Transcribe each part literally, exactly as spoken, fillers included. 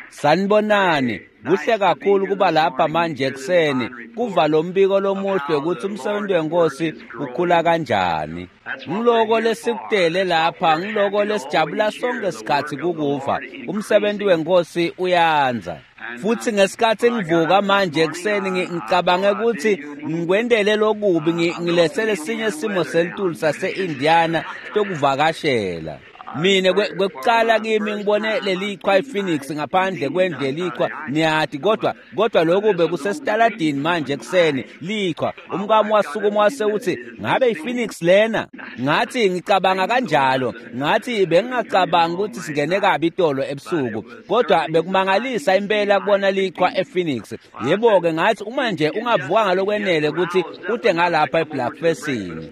Sanibonani, kuhle kakhulu kuba lapha manje ekuseni kuva lo mbiko lomuhle ukuthi umsebenzi wenkosi ukhula kanjani. Ngiloko lesikutele lapha, ngiloko lesijabula sonke sikhathi kukuva umsebenzi wenkosi uyanza. Futhi ngesikhathi ngivuka manje ekuseni ngicabange ukuthi ngikwendele lokubi ngilesele sinye simo selitulu sase-Indiana sokuvakashela. Mina kwekuqala kimi ngibone leliqhwa iPhoenix ngaphandle kwendle liqhwa niyathi, kodwa kodwa lokhu bekusesitaladini manje ekuseni liqhwa. Umkami wasukuma wase uthi ngabe iPhoenix lena? Ngathi ngicabanga kanjalo, ngathi bengingacabanga ukuthi singene kabi itolo ebusuku, kodwa bekumangalisa impela kubona liqhwa ePhoenix. Yebo ke ngathi uma nje ungavuka ngalokwenele ukuthi ude ngalapha eBlackfestini.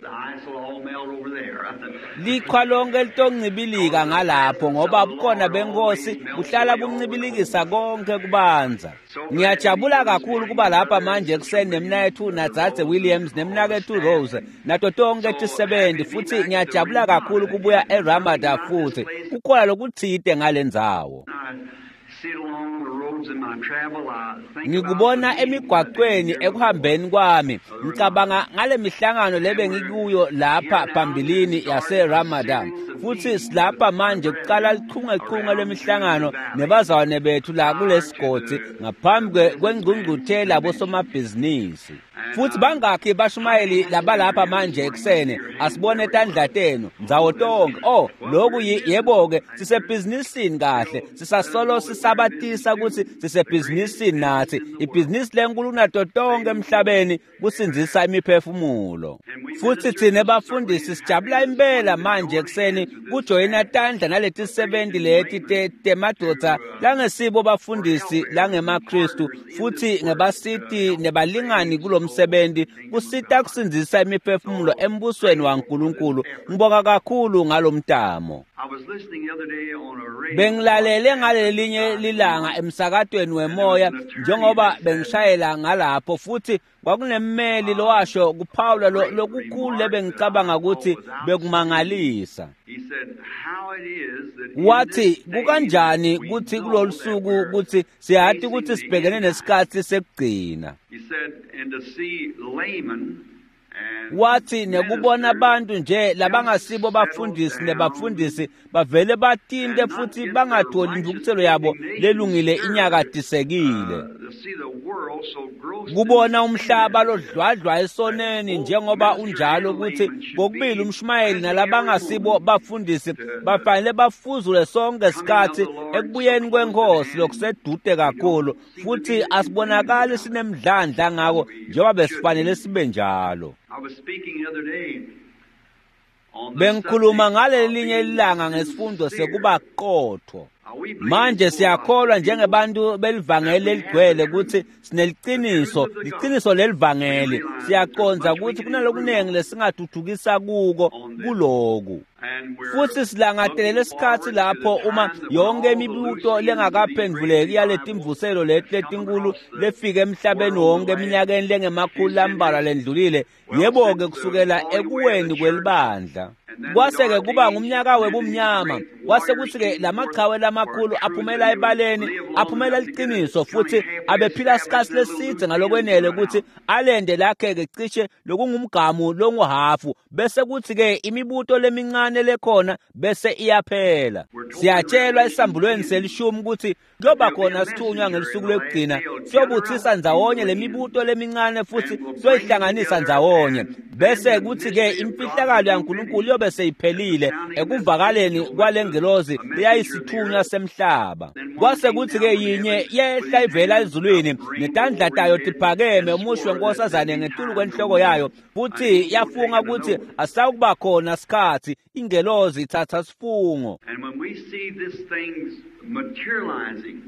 Liqhwa lonke litoncibilika ngalapho ngoba bukhona benkosi buhlala buncibilikisa konke kubanza. Ngiyajabula kakhulu kuba lapha manje ekuseni nemnakethu naDzadze Williams nemnakethu Rose nato tonke tisebenzi, futhi ngiyajabula kakhulu kubuya eRamada futhi kukhona lokuthide ngalendzawo. Ngikubona emigwaqweni ekuhambeni kwami, ngicabanga ngale mihlangano lebe ngikuyo lapha phambilini yaseRamadan, futhi silapha manje kuqala lichungechunge lemihlangano nebazalwane bethu la kulesigodi ngaphambi kwengqungquthela bosomabhizinisi. Futhi bangakhi bashumayeli labalapha manje ekuseni, asibone tandla tenu ndzawo tonke. Oh, lokhu yebo-ke sisebhizinisini kahle, sisasolo sisabatisa ukuthi sisebhizinisini nathi. Ibhizinisi lenkulu nato tonke emhlabeni kusindzisa imiphefumulo. Futhi thina bafundisi sijabula impela manje ekuseni kujoyina tandla naleti sebenzi leti temadoda langesibo bafundisi langemaKristu, futhi ngebasiti nebalingani kulomsebenzi kusita kusindzisa imiphefumulo embusweni waNkulunkulu. Ngibonga kakhulu ngalomtamo. Bengilalele ngalelinye lilanga emsakatweni wemoya njengoba bengishayela ngalapho, futhi kwakunemmeli lowasho kuphawula lokukhulu lebengicabanga ukuthi bekumangalisa. Wathi kukanjani kuthi kulolu suku ukuthi siyathi ukuthi sibhekene nesikhathi sekugcina. Wathi nekubona abantu nje labangasibo bafundisi nebafundisi bavele batinte futhi bangatholi intukuthelo yabo lelungile inyakadisekile. Kubona umhlaba lodlwadlwa esoneni njengoba unjalo ukuthi kokubili umshumayeli nalabangasibo bafundisi bafanele bafuzule sonke sikhathi ekubuyeni kwenkosi lokusedude kakhulu, futhi asibonakali sinemdlandla ngako njengoba besifanele sibe njalo. Bengikhuluma ngalelinye ilanga ngesifundo sekuba qotho. Manje siyakholwa njengebantu belivangeli leligcwele ukuthi sineliciniso, liciniso lelivangeli. Siyaqonza ukuthi kunalokunengi lesingathuthukisa kuko kuloku. Futhi silangatelele isikhathi lapho uma yonke imibuto lengakaphenduleki yaletimvuselo leti letinkulu lefike emhlabeni wonke eminyakeni lengemakhulu lambalwa lendlulile, yebo-ke kusukela ekuweni kwelibandla. Kwase-ke kuba ngumnyaka webumnyama, kwase kuthi-ke lamachawe lamakhulu aphumela ebaleni, aphumela liciniso, futhi abephila isikhathi leside ngalokwenele ukuthi alende lakhe-ke cishe lokungumgamu longuhafu, bese kuthi-ke imibuto lemincane lekhona bese iyaphela. Siyatshelwa esambulweni selishumi ukuthi kuyoba khona sithunywa ngelusuku lokugcina siyobuthisa ndzawonye lemibuto lemincane futhi siyoyihlanganisa ndzawonye, bese kuthi-ke imfihlakalo yaNkulunkulu yobe seyiphelile ekuvakaleni kwalengelozi leyayisithunywa semhlaba. Kwase kuthi-ke yinye yehla ivela ezulwini netandla tayo tiphakeme umusho wenkosazane ngetulu kwenhloko yayo, futhi yafunga ukuthi asawukuba khona sikhathi ingelozi ithatha sifungo. And when we see these things materializing,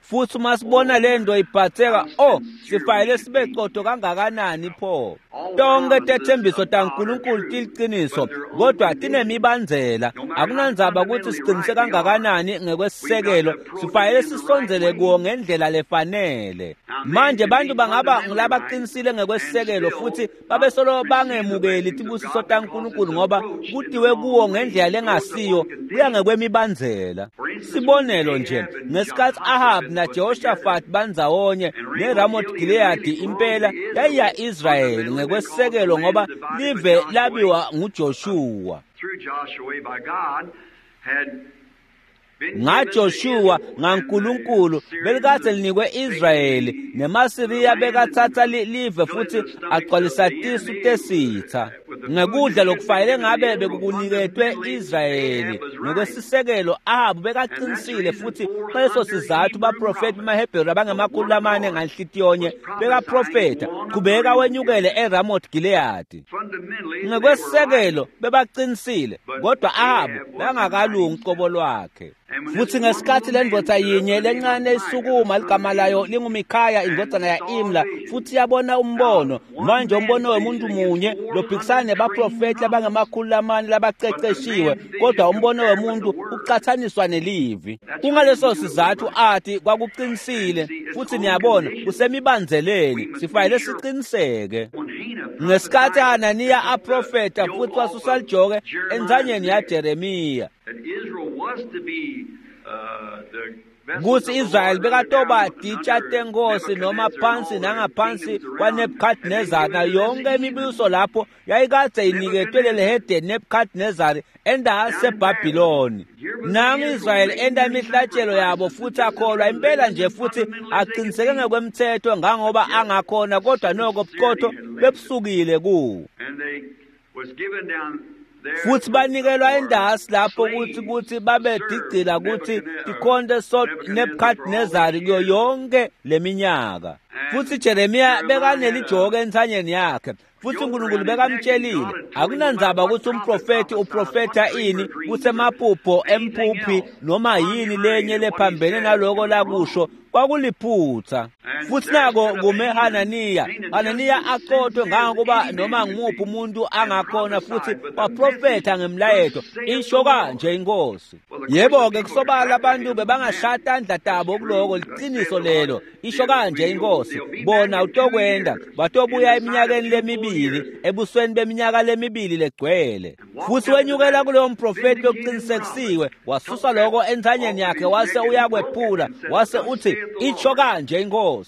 Futhi uma sibona lento ibhatheka, oh, sifanele sibe qotho kangakanani pho. Tonke tethembiso taNkulunkulu tiliqiniso, kodwa tinemibandzela. Akunandzaba ukuthi siqinise kangakanani ngekwesisekelo, sifanele sisondzele kuwo ngendlela lefanele. Manje bantu bangaba ngulabaqinisile ngekwesisekelo futhi babesolo bangemukeli tibusiso taNkulunkulu ngoba kutiwe kuwo ngendlela lengasiyo, kuya ngekwemibandzela. Sibonelo nje, ngesikhathi Ahab na Jehoshaphat bandzawonye neRamoth Gilead, impela yayiya Israyeli ngekwesisekelo ngoba live labiwa nguJoshua. NgaJoshua ngaNkulunkulu belikade linikwe Israyeli, nemaSiriya bekathatha live futhi agcwalisa tisu tesitha ngekudla lokufanele ngabe bekukuniketwe Israyeli. Ngokwesisekelo Ahabu bekaqinisile, futhi ngaleso sizathu baprofeti bamaHebheru abangemakhulu lamane nganhlitiyonye bekaprofetha qhubeka wenyukele eRamoth Gilead. Ngokwesisekelo bebaqinisile, kodwa Ahabu bekangakalungi qobo lwakhe. Futhi ngesikhathi lendvodza yinye lencane isukuma, ligama layo linguMikhaya indvodzana ya-Imla, futhi yabona umbono. Manje umbono wemuntu munye lophikisana nebaprofethi abangemakhulu lamane labaceceshiwe, kodwa umbono wemuntu uqathaniswa nelivi. Kungaleso sizathu athi kwakuqinisile, futhi niyabona kusemibandzeleni, sifanele siqiniseke. Ngesikhathi Hananiya aprofetha futhi wasusa lijoke enzanyeni yaJeremiya, kuthi Israyeli bekatoba titsha tenkosi noma phansi nangaphansi kwaNebuchadnezzar, na yonke imibuso lapho yayikade iniketwe lelihedeni Nebuchadnezzar endaseBhabhiloni. Nangu Israyeli enda imihlatshelo yabo futhi akholwa impela nje futhi aqiniseke ngekwemthetho ngangoba angakhona, kodwa noko buqotho bebusukile kuwo. Futhi banikelwa indasi lapho ukuthi ukuthi babedigcila ukuthi tikhonte so Nebuchadnezzar kuyo yonke leminyaka. Futhi Jeremiya bekanelijoke entsanyeni yakhe, futhi uNkulunkulu bekamtshelile akunandzaba ukuthi umprofethi uprofetha ini, kusemaphupho emphuphi noma yini lenye lephambene naloko lakusho kwakuliphutha. Futhi nako kume Hananiya, Hananiya aqothwe ngangokuba noma ngumuphi umuntu angakhona, futhi waprofetha ngemlayeto, isho kanje inkosi. Yebo-ke kusobala abantu bebangashaya tandla tabo kuloko, liqiniso lelo, isho kanje inkosi. Bona utokwenda batobuya eminyakeni lemibili, ebusweni beminyaka lemibili legcwele. Futhi wenyukela kulowo mprofethi lokuqinisekisiwe, wasusa loko entsanyeni yakhe wase uyakwephula, wase uthi isho kanje inkosi.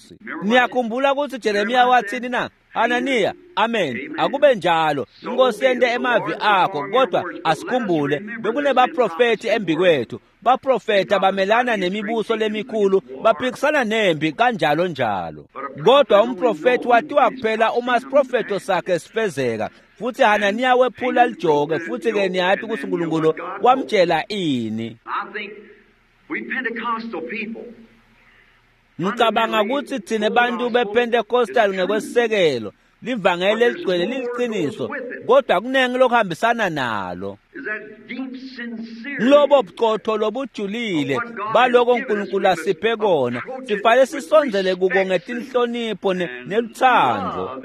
Niyakhumbula ukuthi Jeremiya wathini na? Hananiya, amen, akube njalo, inkosi yente emavi akho. Kodwa asikhumbule bekunebaprofethi embikwethu, baprofetha bamelana nemibuso lemikhulu, baphikisana nempi kanjalo njalo. Kodwa umprofethi watiwa kuphela uma isiprofetho sakhe sifezeka. Futhi Hananiya wephula lijoke, futhi ke niyathi ukuthi uNkulunkulu wamtshela ini. Ngicabanga ukuthi thina bantu bePentecostal ngekwesisekelo livangeli eligcwele liliqiniso, kodwa kunengi lokuhambisana nalo. Lobo buqotho lobujulile baloko uNkulunkulu asiphe kona, sifanele sisondzele kuko ngetinhlonipho neluthando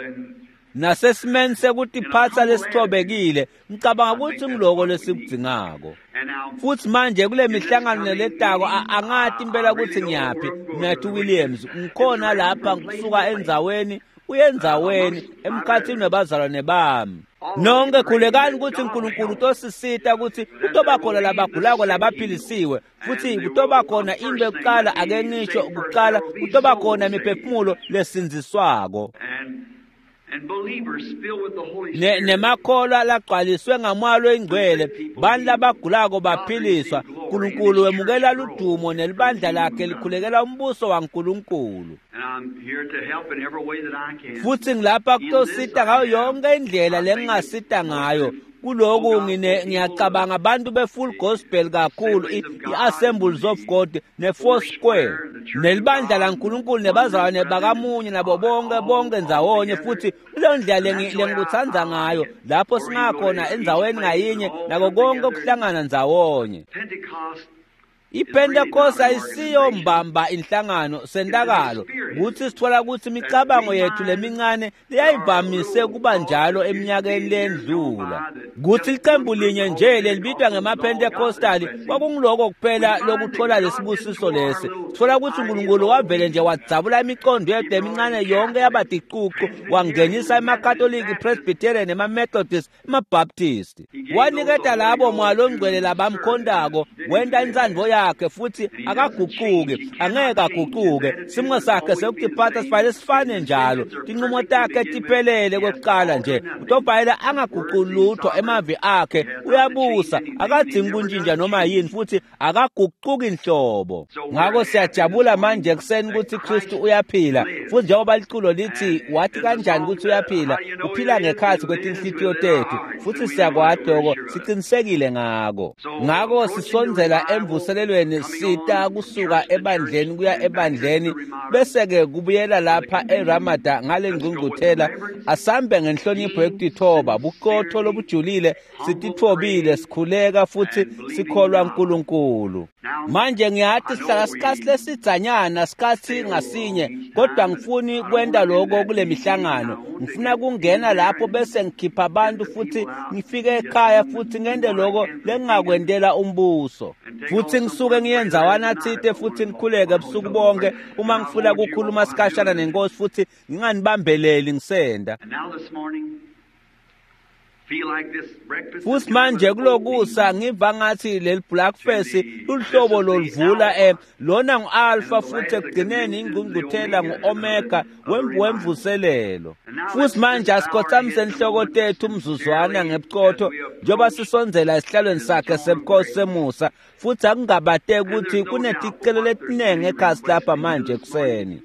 nasesimeni sekutiphatsa lesithobekile. Ngicabanga ukuthi ngiloko lesikudzingako. Futhi manje kule mihlangano neletako angathi impela ukuthi ngiyaphi. Mnathu Williams ngikhona lapha ngisuka endzaweni uyendzaweni emkhathini webazalwane bami. Nonke khulekani ukuthi uNkulunkulu utosisita ukuthi kutoba khona labagulako labaphilisiwe, futhi kutoba khona into yokuqala, ake ngisho kuqala, kutoba khona imiphefumulo lesindziswako nemakholwa lagcwaliswe ngamoya loyingcwele, bantu labagulako baphiliswa. uNkulunkulu wemukela ludumo nelibandla lakhe likhulekela umbuso waNkulunkulu. Futhi ngilapha kutosita ngayo yonke indlela lengingasita ngayo. Kuloku ngine ngiyacabanga abantu be-full gospel kakhulu, i-Assemblies of God ne-Four Square nelibandla laNkulunkulu nebazalwane bakamunye nabo bonke bonke ndzawonye. Futhi kuleyo ndlela lengikuthanda ngayo, lapho singakhona endzaweni ngayinye nako konke kuhlangana ndzawonye. IPentecost ayisiyo mbamba inhlangano sentakalo kutsi sitfola kutsi imicabango yethu lemincane leyayivamise kuba njalo eminyakeni lendlula kutsi licembu linye nje lelibitwa ngemaPentecostali kwakunguloko kuphela lokuthola lesibusiso lesi. Sitfola kutsi uNkulunkulu wavele nje wadzabula imicondo yethu lemincane yonke yaba ticucu wangenisa emaKatoliki, Presbyterian, emaMethodist, emaBaptist. Waniketa labo Moya Longcwele labamkhondako wenta intsandvo yakhe futhi akaguquki, angeke aguquke. Simo sakhe sekutiphatsa sifanele sifane njalo. Tincumo takhe tiphelele kwekuqala nje. Utobhayela angaguquli lutho emavi akhe uyabusa, akadzingi kuntjintja noma yini futhi akaguquki nhlobo. Ngako siyajabula manje ekuseni kutsi Kristu uyaphila futhi njengoba liculo lithi wathi kanjani kutsi uyaphila, uphila ngekhatsi kwetinhlitiyo tetfu futhi siyakwati loko, sicinisekile ngako. Ngako sisondzela emvuselelweni sita kusuka ebandleni kuya ebandleni bese-ke kubuyela lapha eRamada ngale ngcungcuthela. Asambe ngenhlonipho yekutithoba, buqotho lobujulile, sititfobile, sikhuleka futhi sikholwa uNkulunkulu. Manje ngiyathi sihlala sikhatsi lesidzanyana sikhatsi ngasinye, kodwa ngifuni kwenta lokho kule mihlangano. Ngifuna kungena lapho bese ngikhipha abantu futhi ngifike ekhaya futhi ngente lokho lengingakwentela umbuso. Futhi ngisuke ngiye ndzawana tsite futhi ngikhuleke ebusuku bonke uma ngifuna kukhuluma sikhashana nenkosi futhi nginganibambeleli ngisenda. Futhi manje kulokusa ngiva ngathi leli breakfast luhlobo loluvula eh lona ngu-alpha futhi ekugcineni ingqungquthela ngu-omega wemvuselelo. Futhi manje asikhothamise inhloko tethu umzuzwana ngebuqotho njengoba sisondzela esihlalweni sakhe sebukhosi semusa futhi akungabateki ukuthi kuneticelo letiningi ekhasi lapha manje ekuseni.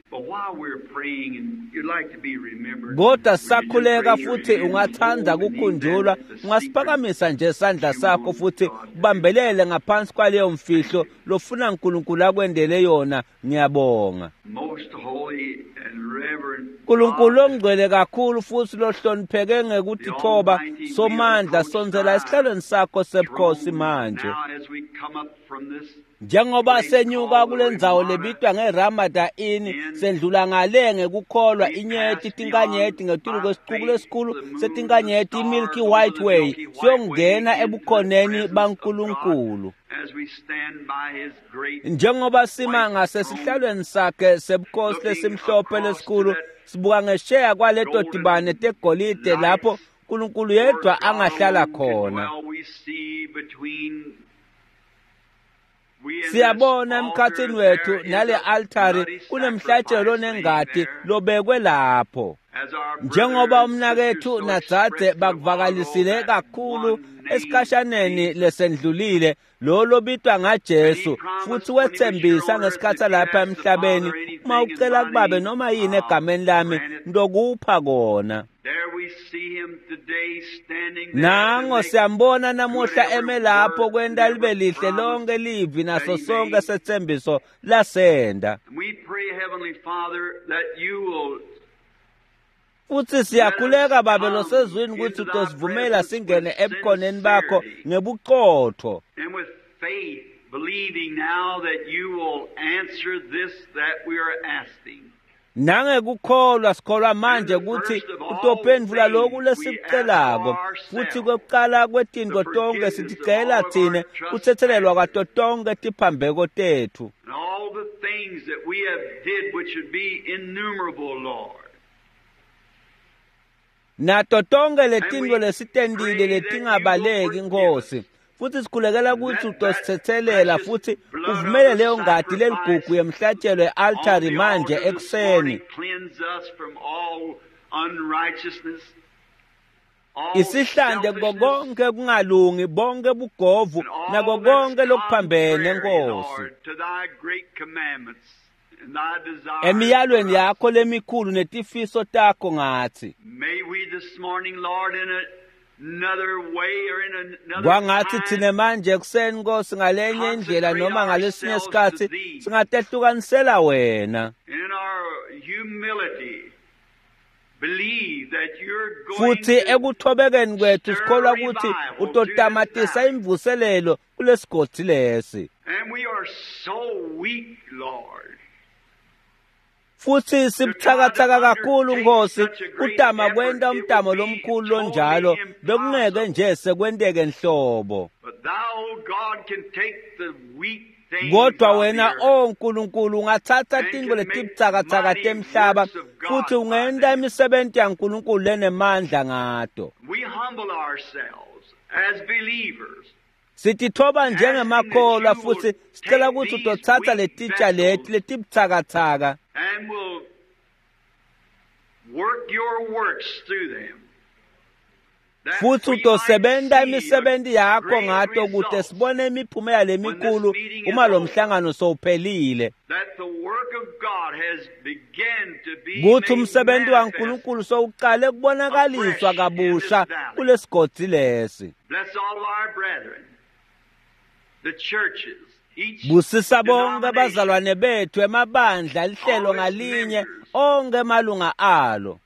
Kodwa sisakhuleka futhi ungathanda kukhunjulwa, ungasiphakamisa nje isandla sakho futhi ubambelele ngaphansi kwaleyo mfihlo lofuna uNkulunkulu akwendele yona. Ngiyabonga. Nkulunkulu ongcwele kakhulu futhi lohlonipheke ngekutithoba, somandla, sondzela esihlalweni sakho sebukhosi manje. Njengoba senyuka kule ndzawo lebitwa ngeRamada Inn, sendlula ngale ngekukholwa inyeti tinkanyeti ngetulu kwesicuku lesikhulu setinkanyeti iMilky White Way siyongena ebukhoneni baNkulunkulu. Njengoba sima ngasesihlalweni sakhe sebukhosi lesimhlophe lesikhulu, sibuka ngesheya kwaleto tibane tegolide lapho uNkulunkulu yedwa angahlala khona. Siyabona emkhathini wethu nale altari kunemhlatshelo nengati lobekwe lapho. Njengoba umnakethu nadzadze bakuvakalisile kakhulu esikhashaneni lesendlulile, lo lobitwa ngaJesu futhi wethembisa ngesikhathi lapha emhlabeni, uma ucela kubabe noma yini egameni lami ngizokupha kona. Nango siyambona namuhla eme lapho kwenta libe lihle lonke livi naso sonke sethembiso lasenda. Futhi siyakhuleka Babe losezwini ukuthi utosivumela singene ebukhoneni bakho ngebuqotho. Nangekukholwa sikholwa manje ukuthi utophendvula lokhu lesikucelako futhi kwekuqala kwetinto tonke siticela thine kuthethelelwa kwato tonke tiphambeko tethu. Nato tonke letinto lesitentile letingabaleki Nkosi, futhi sikhulekela ukuthi utosithethelela futhi uvumele leyo ngati leligugu yemhlatshelo e-altari manje ekuseni. Isihlande kuko konke kungalungi, bonke bugovu nako konke lokuphambene Nkosi. Emiyalweni yakho lemikhulu netifiso takho ngathi. Kwangathi thina manje ekuseni Nkosi ngalenye indlela noma ngalesinye isikhathi singatehlukanisela wena. Futhi ekuthobekeni kwethu sikholwa ukuthi utotamatisa imvuselelo kulesigodzi lesi. And we are Futhi sibuthakathaka kakhulu Nkosi kutama kwenta umtamo lomkhulu lonjalo bekungeke nje sekwenteke nhlobo. Kodwa wena o Nkulunkulu ungatsatsa tintfo letibutsakatsaka temhlaba futhi ungenta imisebenti yaNkulunkulu lenemandla ngato. Sititfoba njengemakholwa futhi sicela ukuthi utotsatsa letitsha leti letibutsakatsaka futhi utosebenta imisebenti yakho ngato kute sibone imiphumela lemikhulu uma lo mhlangano sowuphelile. Kuthi umsebenzi waNkulunkulu sowuqale kubonakaliswa kabusha kulesigodzi lesi. Busisa bonke abazalwane bethu emabandla lihlelo ngalinye onke emalunga alo.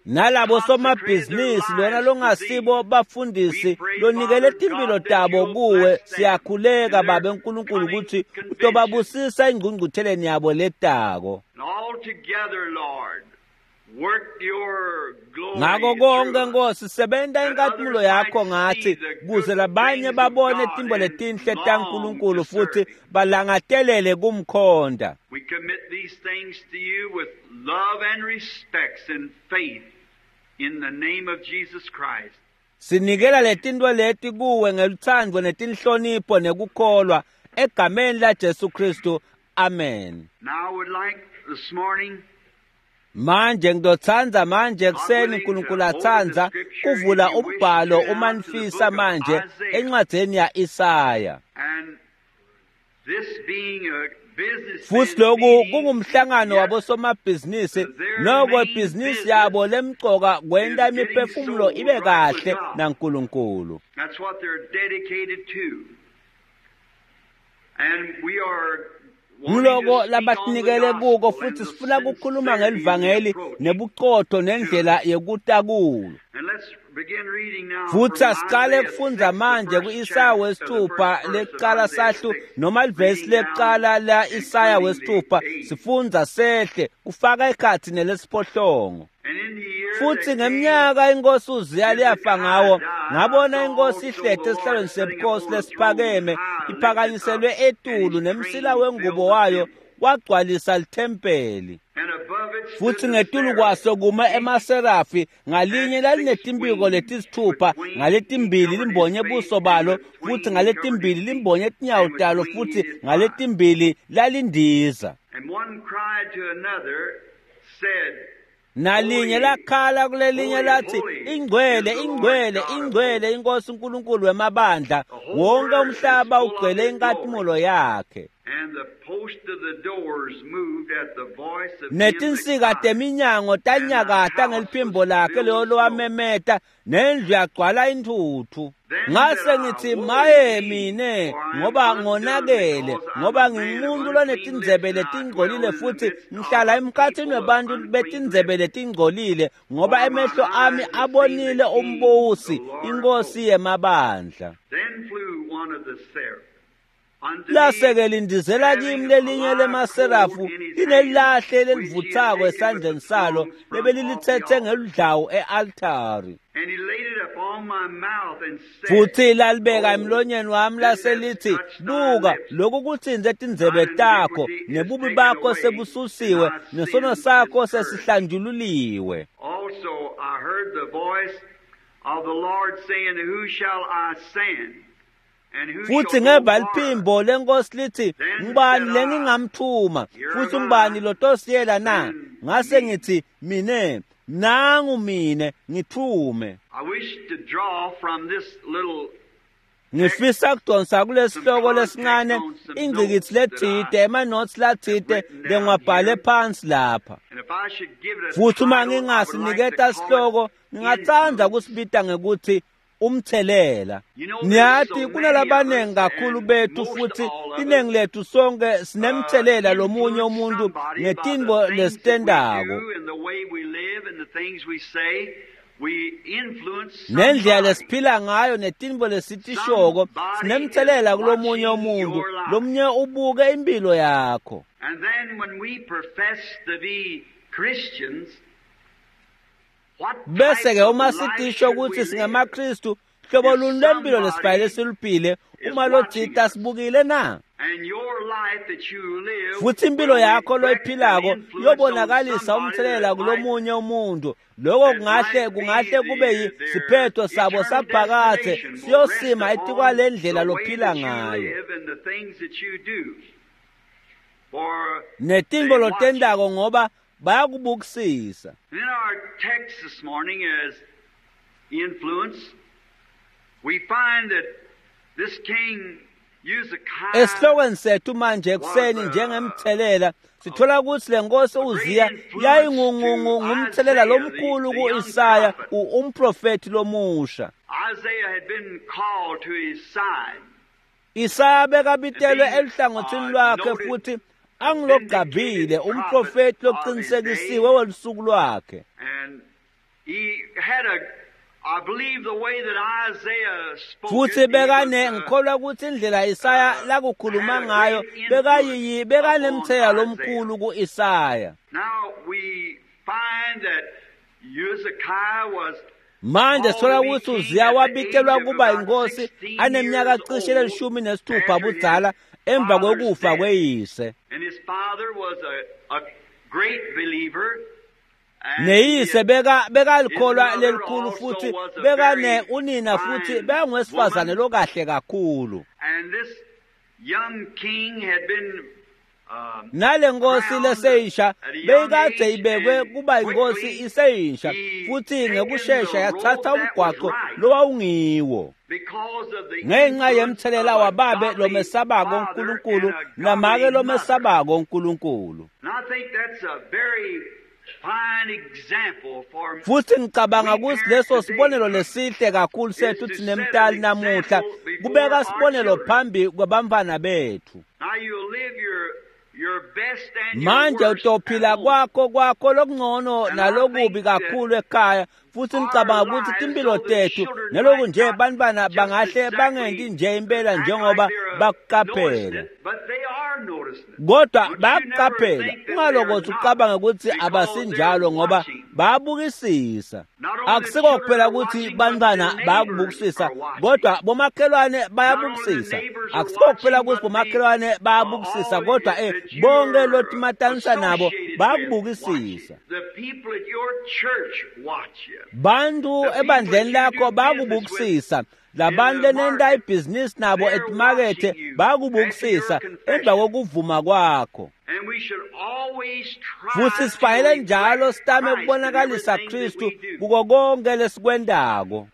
Nalabo somabhizinisi lona longasibo bafundisi lonikele timpilo tabo kuwe siyakhuleka Babe Nkulunkulu ukuthi utobabusisa engqungqutheleni yabo letako. Ngako konke Nkosi sebenta inkatimulo yakho ngathi kuze labanye babone tintfo letinhle taNkulunkulu futhi balangatelele kumkhonta. We commit these things to you with love and respects and faith in the name of Jesus Christ. Sinikela letintfo leti kuwe ngelutsandvo netinhlonipho nekukholwa egameni la Jesu Kristu. Amen. Now I would like this morning Manje ngizotsandza manje ekuseni uNkulunkulu atsandza kuvula umbhalo uma nifisa manje encwadzini ya Isaya. Futhi lokhu kungumhlangano wabosomabhizinisi noko ibhizinisi yabo lemcoka kwenta imiphefumulo ibe kahle naNkulunkulu. That's what they're dedicated to. And we are Nguloko labatinikele kuko futhi sifuna ukukhuluma ngelivangeli nebuqotho nendlela yekutakulo. Futhi asiqale kufundza manje ku-Isaya wesithupha lekuqala sahlu noma livesi lekuqala la Isaya wesithupha sifundza sehle kufaka ekhatsi nelesiphohlongo. Futhi ngeminyaka inkosi uZiya liyafa ngawo ngabona inkosi ihlete esihlalweni sebukhosi lesiphakeme iphakanyiselwe etulu nemsila wengubo wayo wagcwalisa lithempeli. Futhi ngetulu kwaso kuma emaserafi ngalinye lalinetimpiko letisithupha ngaletimbili limbonye buso balo futhi ngaletimbili limbonye tinyawo talo futhi ngaletimbili lalindiza. Nalinye lakhala kulelinye lathi ingcwele ingcwele ingcwele inkosi uNkulunkulu wemabandla wonke umhlaba ugcwele inkatimulo yakhe. Netinsika teminyango tanyakata ngeliphimbo lakhe leyo lowamemeta nendlu yagcwala intuthu. Ngase ngithi maye mine ngoba ngonakele ngoba ngingumuntu lonetindzebe letingcolile futhi ngihlala emkhathini webantu betindzebe letingcolile ngoba emehlo ami abonile umbusi inkosi yemabandla. Lase-ke lindizela kimi lelinye lemaserafu linelilahle lelivuthako esandleni salo lebelilithethe ngeludlawu e-altari. Futhi lalibeka emlonyeni wami lase lithi buka lokhu kuthinze tindzebe takho nebubi bakho sebususiwe nesono sakho sesihlanjululiwe. Also I heard the voice of the Lord saying, Who shall I send? Futhi ngeva liphimbo lenkosi lithi ngubani lengingamthuma futhi ngubani lotosiyela na? Ngase ngithi mine nangu mine ngithume. Ngifisa kudonsa kulesihloko lesincane ingcikitsi lethide ema-notes lathide lengiwabhale phansi lapha. Futhi uma ngingasiniketa sihloko ngingatsandza kusibita ngekuthi umthelela. Niyathi kunalabanengi kakhulu bethu futhi iningi lethu sonke sinemthelela lomunye umuntu ngetintfo lesitentako. Nendlela lesiphila ngayo netintfo lesitishoko sinemtselela kulomunye umuntu, lomunye ubuke impilo yakho. And then when we profess to be Christians, bese ke uma sitisho kutsi singamaKristu, hlobo luni lwempilo lesifanele siluphile uma lotsite asibukile na? Futsi impilo yakho loyiphilako iyobonakalisa umtselela kulomunye umuntu. Lokho kungahle kungahle kube siphetho sabo saphakadze siyosima etikwalendlela lophila ngayo netintfo lotentako, ngoba bayakubukisisa. In our text this morning as influence, we find that this king Esihlokweni sethu manje ekuseni njengemthelela sithola ukuthi le nkosi uZiya yayingumthelela lomkhulu ku-Isaya, umprofethi lomusha. Isaya bekabitelwe eluhlangothini lwakhe futhi angilogabile umprofethi loqinisekisiwe wolusuku lwakhe. Futhi bekane ngikholwa ukuthi indlela Isaya lakukhuluma ngayo bekayiyi bekanemthelela lomkhulu ku-Isaya. Manje sithola ukuthi uZiya wabitelwa kuba inkosi aneminyaka cishe lelishumi nesithupha budzala emva kwekufa kweyise. Neyise beka bekalikholwa lelikhulu futhi bekane unina futhi bekangowesifazane lokahle kakhulu. Nale nkosi leseyisha beyikade ibekwe kuba inkosi iseyisha futhi ngekushesha yathatha umgwaqo lowawungiwo ngenxa yemthelela wababe lomesabako uNkulunkulu namake lomesabako uNkulunkulu. Futhi ngicabanga ukuthi leso sibonelo lesihle kakhulu sethu sinemtali namuhla kubeka sibonelo phambi kwabantwana bethu. Manje utophila kwakho kwakho lokungcono nalokubi kakhulu ekhaya, futhi ngicabanga ukuthi timpilo tethu naloku nje bantwana bangahle bangenti nje impela njengoba bakuqaphela, kodwa bayakuqaphela. Ungalokothi ucabange ukuthi abasinjalo ngoba bayabukisisa. Akusiko kuphela ukuthi bantwana bayakubukisisa, kodwa bomakhelwane bayabukisisa. Akusiko kuphela ukuthi bomakhelwane bayabukisisa, kodwa eh bonke lotimatanisa nabo bayakubukisisa. Bantu ebandleni lakho bayakubukisisa. Labantu lenenta ibhizinisi nabo etimakethe bayakubukisisa emva kokuvuma kwakho. Futhi sifanele njalo sitame kubonakalisa Kristu kuko konke lesikwentako.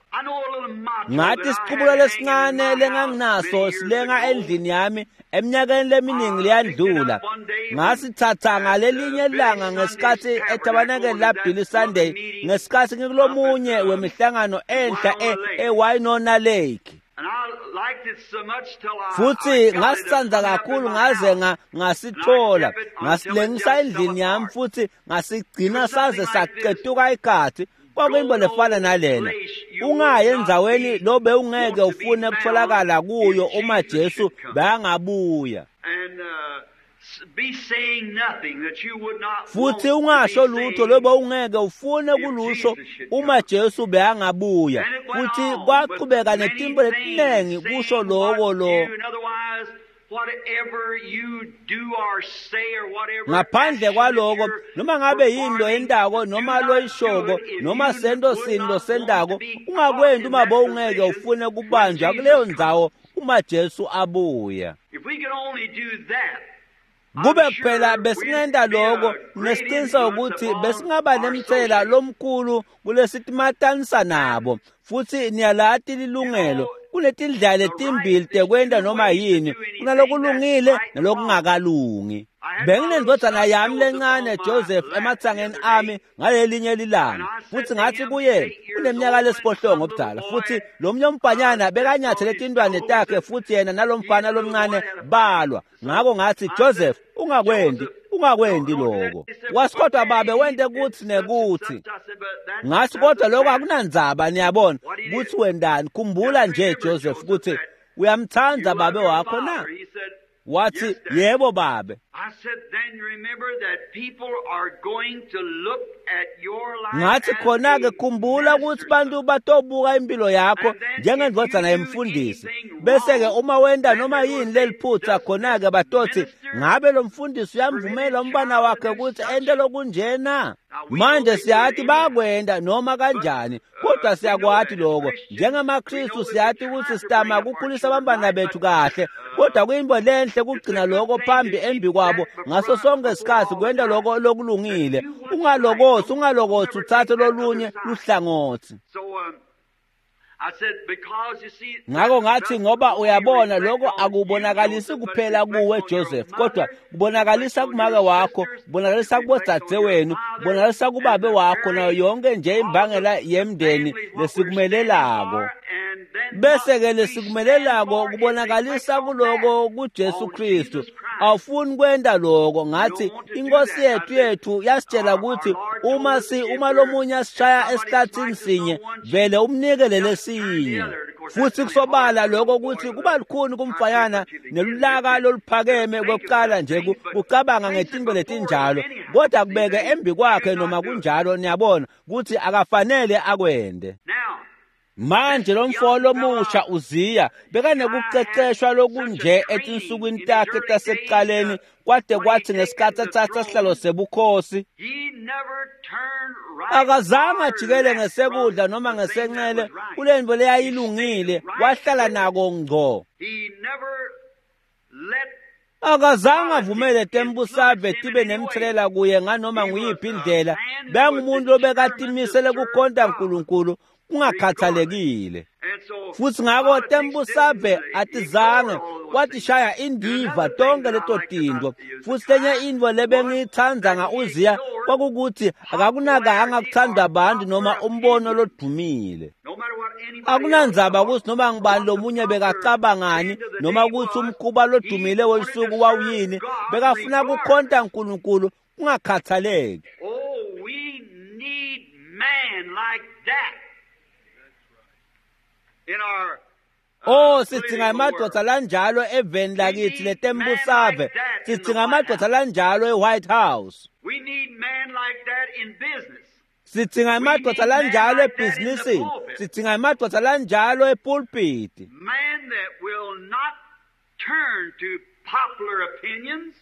Ngathi isiqubulo lesincane lenganginaso silenga endlini yami eminyakeni leminingi leyandlula. Ngasithatha ngalelinye ilanga ngesikhathi etabanakeli laBilly Sunday, ngesikhathi ngikulomunye wemihlangano enhla eWinona Lake. Futhi ngasithanda kakhulu ngaze ngasithola, ngasilengisa endlini yami futhi ngasigcina saze saqetuka ikhathi. Kwakuyinto lefana nalena. Ungayi endzaweni lo bewungeke ufune kutholakala kuyo uma Jesu bekangabuya. Futhi ungasho lutho lo bewungeke ufune kulusho uma Jesu bekangabuya. Futhi kwaqhubeka netimbo letiningi kusho loko lo. Ngaphandle kwaloko, noma ngabe yini loyentako noma loyishoko noma sento sini losentako, ungakwendi uma bowungeke ufune kubanjwa kuleyo ndzawo uma Jesu abuya. Kube kuphela besingenta loko, nesiqiniseko ukuthi besingaba nemthelela lomkhulu kulesitimatanisa nabo. Futhi niyalati lilungelo kunetindlela letimbili tekwenta noma yini, kunalokulungile nalokungakalungi. Benginendvodzana yami lencane Joseph ematsangeni ami ngalelinye lilanga, futhi ngathi kuye uneminyaka lesiphohlongo obudala, futhi lo mnye umfanyana bekanyathele tintwane takhe futhi yena nalomfana lomncane balwa. Ngako ngathi, Joseph, ungakwendi, Ungakwendi lokho. Wathi, kodwa babe wente kuthi nekuthi. Ngathi, kodwa lokho akunandzaba, niyabona, kuthi wendani. Khumbula nje Joseph ukuthi uyamthanda babe wakho na? Wathi, yebo babe. Ngathi, khona-ke khumbula ukuthi bantu batobuka impilo yakho njengendvodzana yemfundisi. Bese-ke uma wenta noma yini leliphutha, khona-ke batothi, ngabe lo mfundisi uyamvumela umntwana wakhe ukuthi ente lokunjena? Manje siyathi bakwenda noma kanjani, kodwa siyakwati lokho. NjengamaKristu siyathi ukuthi sitama kukhulisa abantwana bethu kahle, kodwa kuyinto lenhle kugcina lokho phambi embi kwabo ngaso sonke isikhathi, kwenta lokho lokulungile. Ungalokothi, ungalokothi uthathe lolunye luhlangothi. Ngakho ngathi, ngoba uyabona lokho akubonakalisi kuphela kuwe Joseph, kodwa kubonakalisa kumake wakho, kubonakalisa kubodzadzewenu, kubonakalisa kubabe wakho, nayo yonke nje imbangela yemndeni lesikumelelako. Bese-ke lesikumelelako kubonakalisa kuloko kuJesu Kristu. Awufuni kwenta lokho. Ngathi, inkosi yethu yethu yasitshela ukuthi uma si uma lomunye asishaya esihlathini sinye, vele umnike lelesinye. Futhi kusobala lokho ukuthi kuba lukhuni kumfayana nelulaka loluphakeme kokuqala nje kucabanga ngetinto letinjalo, kodwa kubeke embi kwakhe noma kunjalo, niyabona ukuthi akafanele akwende. Manje lo mfo lomusha Uziya bekanekuqeqeshwa lokunje etinsukwini takhe tasekuqaleni, kwade kwathi ngesikhathi athatha sihlalo sebukhosi akazange ajikele ngesekudla noma ngesenxele kulento leyayilungile, wahlala nako ngco. Akazange avumele tembusave tibe nemthelela kuye nganoma nguyiphi indlela. Bengumuntu obekatimisele kukhonta uNkulunkulu kungakhathalekile. Futhi ngakho tembusave atizange watishaya indiva tonke leto tintfo. Futhi lenye intfo lebengiyitsandza nga-Uziya kwakukuthi akakunakanga kutsandwa abantu noma umbono lodumile. Akunandzaba ukuthi noma ngubani lomunye bekacabangani noma ukuthi umkhuba lodumile welusuku wawuyini, bekafuna kukhonta uNkulunkulu kungakhathaleki. Oh, we need man like that. In our Oh, sidzinga emadvodza lanjalo eveni lakithi letembusave. Sidzinga emadvodza lanjalo e-White House. We need man like that in business. Sidzinga emadvodza lanjalo ebhizinisini. Sidzinga emadvodza lanjalo epulpiti. Man that will not turn to popular opinions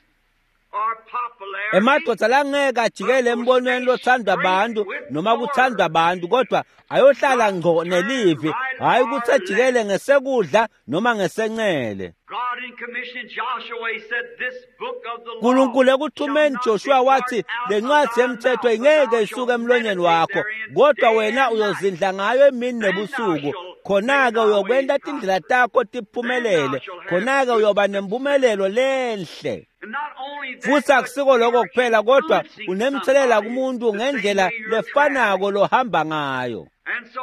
or popularity. Emadvodza langeke ajikele embonweni lothandwa abantu noma kuthandwa abantu, kodwa ayohlala ngco nelivi, hhayi ukuthi ajikele ngesekudla noma ngesenxele. God in commissioning Joshua, he said, this book of the law uNkulunkulu ekuthumeni shall not Joshua wathi, depart out le of ncwadi thy yemthetho mouth, ingeke but thou isuke shalt emlonyeni meditate wakho, therein kodwa day wena and night. uyozindla ngayo emini nebusuku. Khona-ke uyokwenta tindlela takho tiphumelele, khona-ke uyoba nempumelelo lenhle. And not only that, Futhi but akusiko lokho you're kuphela, kodwa influencing unemthelela somebody kumuntu the same ngendlela way you're lefanako traveling. lohamba ngayo. And so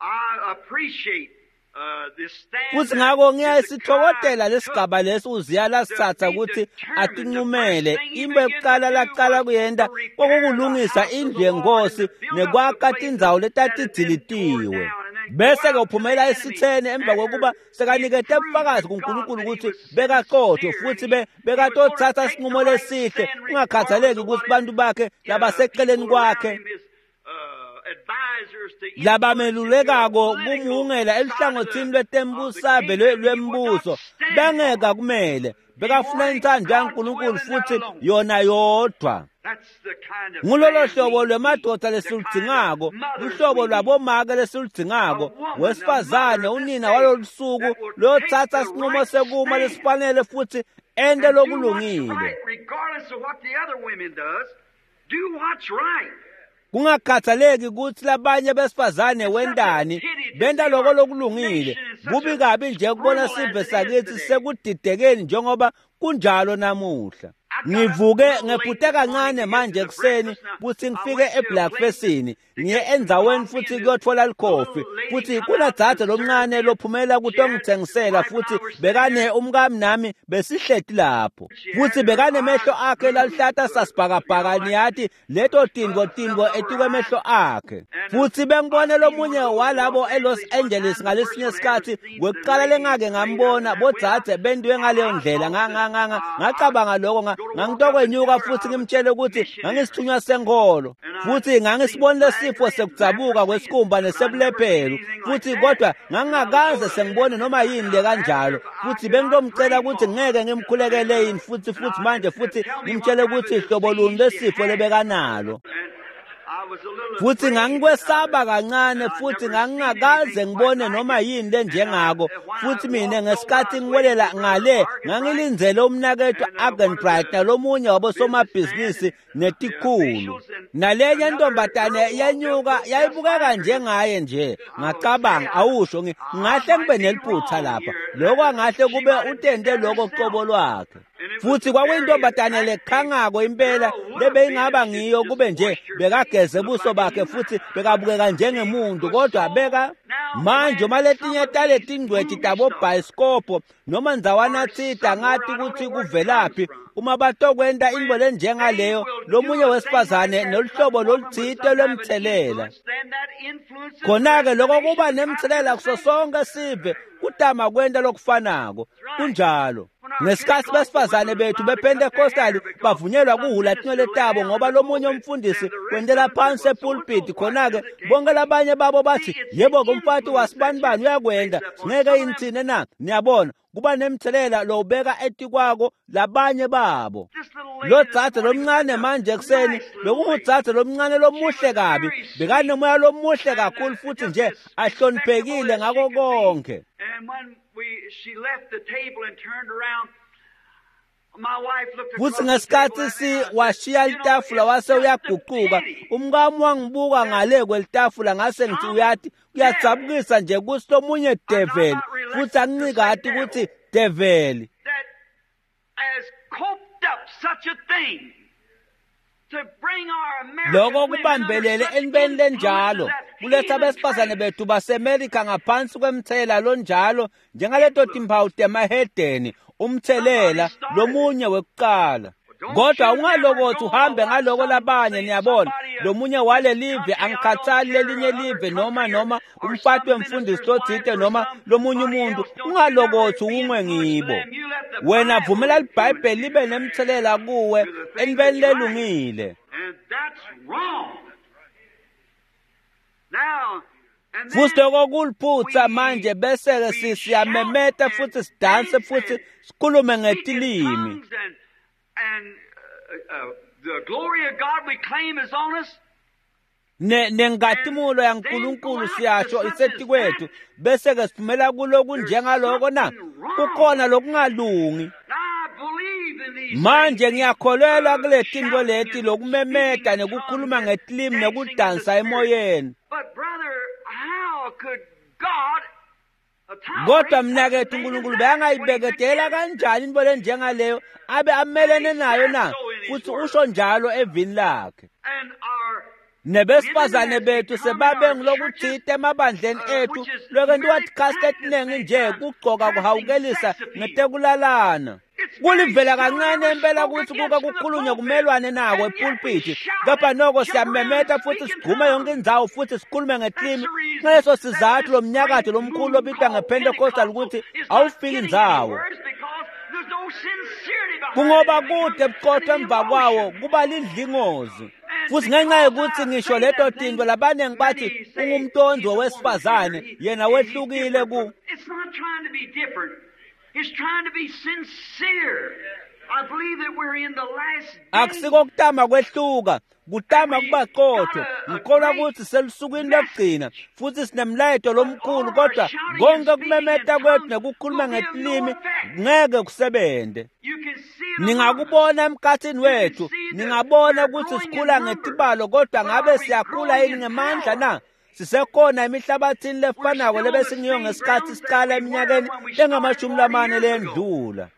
I appreciate uh, this stand Futhi that ngakho Hezekiah ngiyasithokodela took lesigaba lesi Uziya lasithatha to be ukuthi determined. The atinqumele. first thing he Into began to yokuqala do laqala was kuyenta to repair the kwakukulungisa house of indlu the Lord and yenkosi to build up the nekwakha places tindzawo that had been torn letatidilitiwe. down, and then go Bese-ke out to the uphumela enemy esitheni emva after kokuba he had sekanikete proved ubufakazi to God kuNkulunkulu that he ukuthi was bekaqotho sincere and futhi he, be he was going to bekatothatha take the isinqumo right lesihle stand regardless kungakhathaleki of ukuthi what bantu his bakhe uh, labaseceleni people around kwakhe him, his uh, advisors to influence him to a labamelulekako political kumuhungela side of the, eluhlangothini of the lwetembusave kingdom. He would not lwembuso stand bangeke for it. akumele He bekafuna wanted intsandvo God's will yaNkulunkulu and that futhi alone. yona yodwa. That's the kind of Ngulolo man hlobo we need, lwemadvodza the kind of lesiludzingako, mothers luhlobo we need. lwabomake A lesiludzingako, woman, a mother wesifazane of this unina day walolu suku that will take lotsatsa the sinqumo right sekuma stand lesifanele futhi ente and do what's lokulungile. right, regardless of what the other women does. Do what's right. Kungakhathaleki ukuthi labanye besifazane It's such a wentani, pity to benta see lokho our lokulungile. nation in such Kubi a kabi nje ukubona scramble sive as it is sakithi today. sekudidekeni njengoba kunjalo namuhla. I got up a Ngivuke little late ngephute this morning kancane to get manje to the ekuseni breakfast. Now, kuthi I ngifike went to a place eBlackfestini. ngiye endzaweni futsi kuyotfola likhofi futsi kunadzadze lomncane lophumela kutongitsengisela futsi bekane umkami nami besihleti lapho futsi bekanemehlo akhe laluhlata sasibhakabhaka niyati leto tintfo tintfo etikwemehlo akhe futsi bengibone lomunye walabo eLos Angeles ngalesinye sikhatsi kwekuqala lengake ngambona bodzadze bentiwe ngaleyo ndlela ngacabanga lokho ngangitokwenyuka futsi ngimtshele ukuthi ngangisithunywa senkholo futsi ngangisibonile sifo sekudzabuka kwesikhumba nesebulephelo futsi kodwa ngangingakaze sengibone noma yini le kanjalo futsi bengitomcela ukuthi ngeke ngimkhulekele yini futsi futhi manje futsi ngimtshele ukuthi hlobo luni lesifo lebekanalo futsi ngangikwesaba kancane futhi ngangingakaze ngibone noma yini lenjengako futsi mina ngesikhathi ngiwelela ngale ngangilindzele umnaketfu Arganbright nalomunye wabosomabhizinisi netikhulu nalenye intombatane yenyuka yayibukeka njengaye nje ngacabanga awusho ngingahle ngibe neliphutha lapha lokho angahle kube utente lokho qobo lwakhe futsi kwakuyintombatane lekhangako impela lebeyingaba ngiyo kube nje bekageze buso bakhe futsi bekabukeka njengemuntu kodwa beka manje uma letinye taletingcweti tabobhayisikobho noma ndzawana tsite angati kutsi kuvelaphi uma batokwenta intfo lenjengaleyo lomunye wesifazane noluhlobo lolutsite lwemtselela khona-ke loko kuba nemtselela kuso sonke sive kutama kwenta lokufanako kunjalo ngesikhatsi besifazane bethu bePentecostal bavunyelwa kuhula tinwele tabo ngoba lomunye umfundisi wentela phansi epulpit khona-ke bonke labanye babo bathi yebo kumfati wasibanibani uyakwenta singeke yini tsine na niyabona kuba nemtselela lowubeka etikwako labanye babo lo dzadze lomncane manje ekuseni bekungudzadze lomncane lomuhle kabi bekanomoya lomuhle kakhulu futhi nje ahloniphekile ngako konke futsi ngesikhatsi si washiya litafula wase uyagucuka umkami wangibuka ngale kwelitafula ngase ngithi uyati kuyadzabukisa nje kutsi lomunye develi futsi angincikati kutsi develi lokho kubambelele entweni lenjalo kuletsa besifazane bethu baseMelika ngaphansi kwemtsela lonjalo njengaleto timphawu temahedeni umtselela lomunye wekuqala kodwa ungalokothi uhambe ngaloko labanye niyabona lomunye wale live angikhathali lelinye live noma noma umfati wemfundisi lotsite noma lomunye umuntu ungalokothi ungwe ngibo wena vumela libhayibheli libe nemtselela kuwe entweni lelungile futsi loko kuliphutsa manje bese-ke siyamemeta futsi sidanse futsi sikhulume ngetilimi And uh, uh, the glory of God we claim is on us. Ne nengatimulo yaNkulunkulu siyasho isetikwethu bese ke siphumela kuloku njengaloko na kukhona lokungalungi manje ngiyakholelwa kule tintfo leti lokumemeta nekukhuluma ngetilimi nekudansa emoyeni kodwa mnakethu uNkulunkulu bekangayibeketela kanjani intfo lenjengaleyo abe amelene nayo na futsi usho njalo evini lakhe nebesifazane bethu sebabe ngilokutsite emabandleni ethu lokwentiwa tikhatsi letiningi nje kugcoka kuhawukelisa ngetekulalana kulivela kancane impela kutsi kuke kukhulunywe kumelwane nako epulpiti kepha noko siyamemeta futsi sigqume yonke indzawo futsi sikhulume ngetilimi ngaleso sizatfu lomnyakato lomkhulu lobitwa ngePentecostal ukuthi awufiki indzawo kungoba kude buqotho emva kwawo kuba lidlingozi futsi ngenxa yokuthi ngisho leto tintfo labaningi bathi ungumntondi wesifazane yena wehlukile ku It's trying to be sincere. I believe that we're in the last days. Akusiko kutama kwehluka kutama kuba qotho ngikholwa ukuthi selusukwini lokugcina futhi sinemlayeto lomkhulu kodwa konke kumemeta kwethu nekukhuluma ngetilimi ngeke kusebente ningakubona emkhathini wethu ningabona ukuthi sikhula ngetibalo kodwa ngabe siyakhula yini ngemandla na Sisekhona emihlabathini lefanako lebesingiyo ngesikhathi siqala eminyakeni lengamashumi lamane lendlula.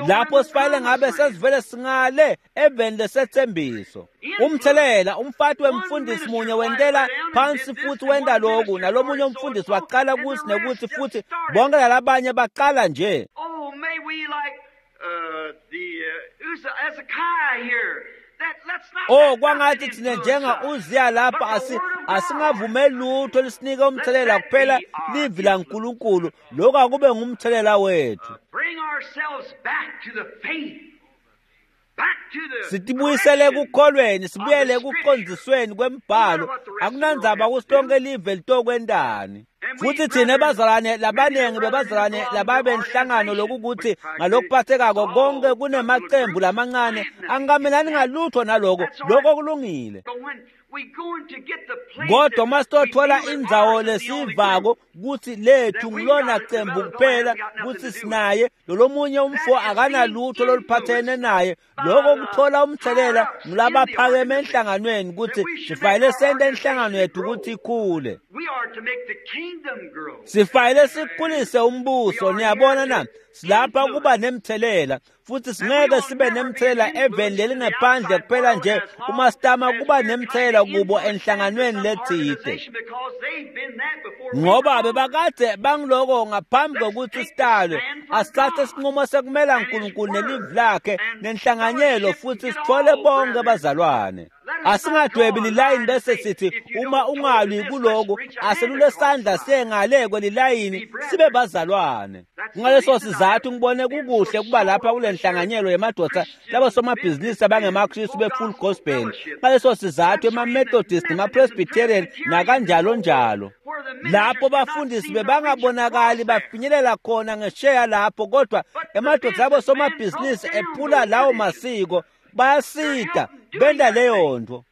Lapho sifanele ngabe sesivele singale eveni lesethembiso. Umthelela umfati wemfundisi munye wentela phansi futhi wenta lokhu, nalomunye umfundisi waqala kuthi nekuthi futhi bonke lalabanye baqala nje. Oh, may we like uh, the uh, Hezekiah here. Oh, kwangathi thina njenga Uziya lapha asi asingavumeli lutho lisinike umthelela kuphela livi laNkulunkulu. Lokho akube ngumthelela wethu. Sitibuyisele ekukholweni, sibuyele ekuqondisweni kwembhalo. Akunandzaba kutsi lonke live litokwentani. Futhi thina bazalwane labanengi bebazalwane lababenhlangano lokukuthi ngalokuphathekako konke kunemacembu lamancane angikamelani ngalutho naloko. Lokho kulungile. Kodwa uma sitothola indzawo lesivako kutsi lethu ngilona cembu kuphela kutsi sinaye lolomunye umfo akanalutho loluphathene naye, lokho kuthola umthelela ngulabaphakeme enhlanganweni kutsi sifanele sente inhlangano yethu kutsi ikhule. Sifanele sikhulise umbuso. Niyabona na? Silapha kuba nemthelela futhi singeke sibe nemthelela eveni lelingephandle kuphela nje uma sitama kuba nemthelela kubo enhlanganweni letsite, ngoba bebakade bangiloko ngaphambi kokuthi sitalwe. Asithathe isinqumo sekumela uNkulunkulu nelivi lakhe nenhlanganyelo futhi sithole bonke bazalwane. Asingadwebi lilayini bese sithi uma ungalwi kuloko aselule sandla siyengale kwelilayini, sibe bazalwane. Ngaleso sizathu ngibone kukuhle kuba lapha kule nhlanganyelo yemadoda labo somabhizinisi abangemaKristu be-full gospel. Ngaleso sizathu ema-Methodist nema-Presbyterian nakanjalo njalo, lapho bafundisi bebangabonakali bafinyelela khona ngesheya lapho, kodwa emadoda abo somabhizinisi ephula lawo masiko bayasita benda leyo nto.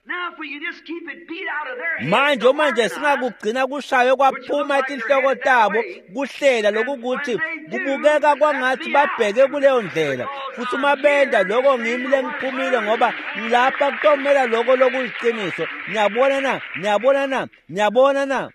Manje uma nje singakugcina kushaywe kwaphuma tinhloko tabo kuhlela lokukuthi kubukeka kwangathi babheke kuleyo ndlela, futhi uma benda lokho ngimi lengiphumile ngoba ngilapha kutomela lokho lokuliqiniso. Niyabona na? Niyabona na? Niyabona na?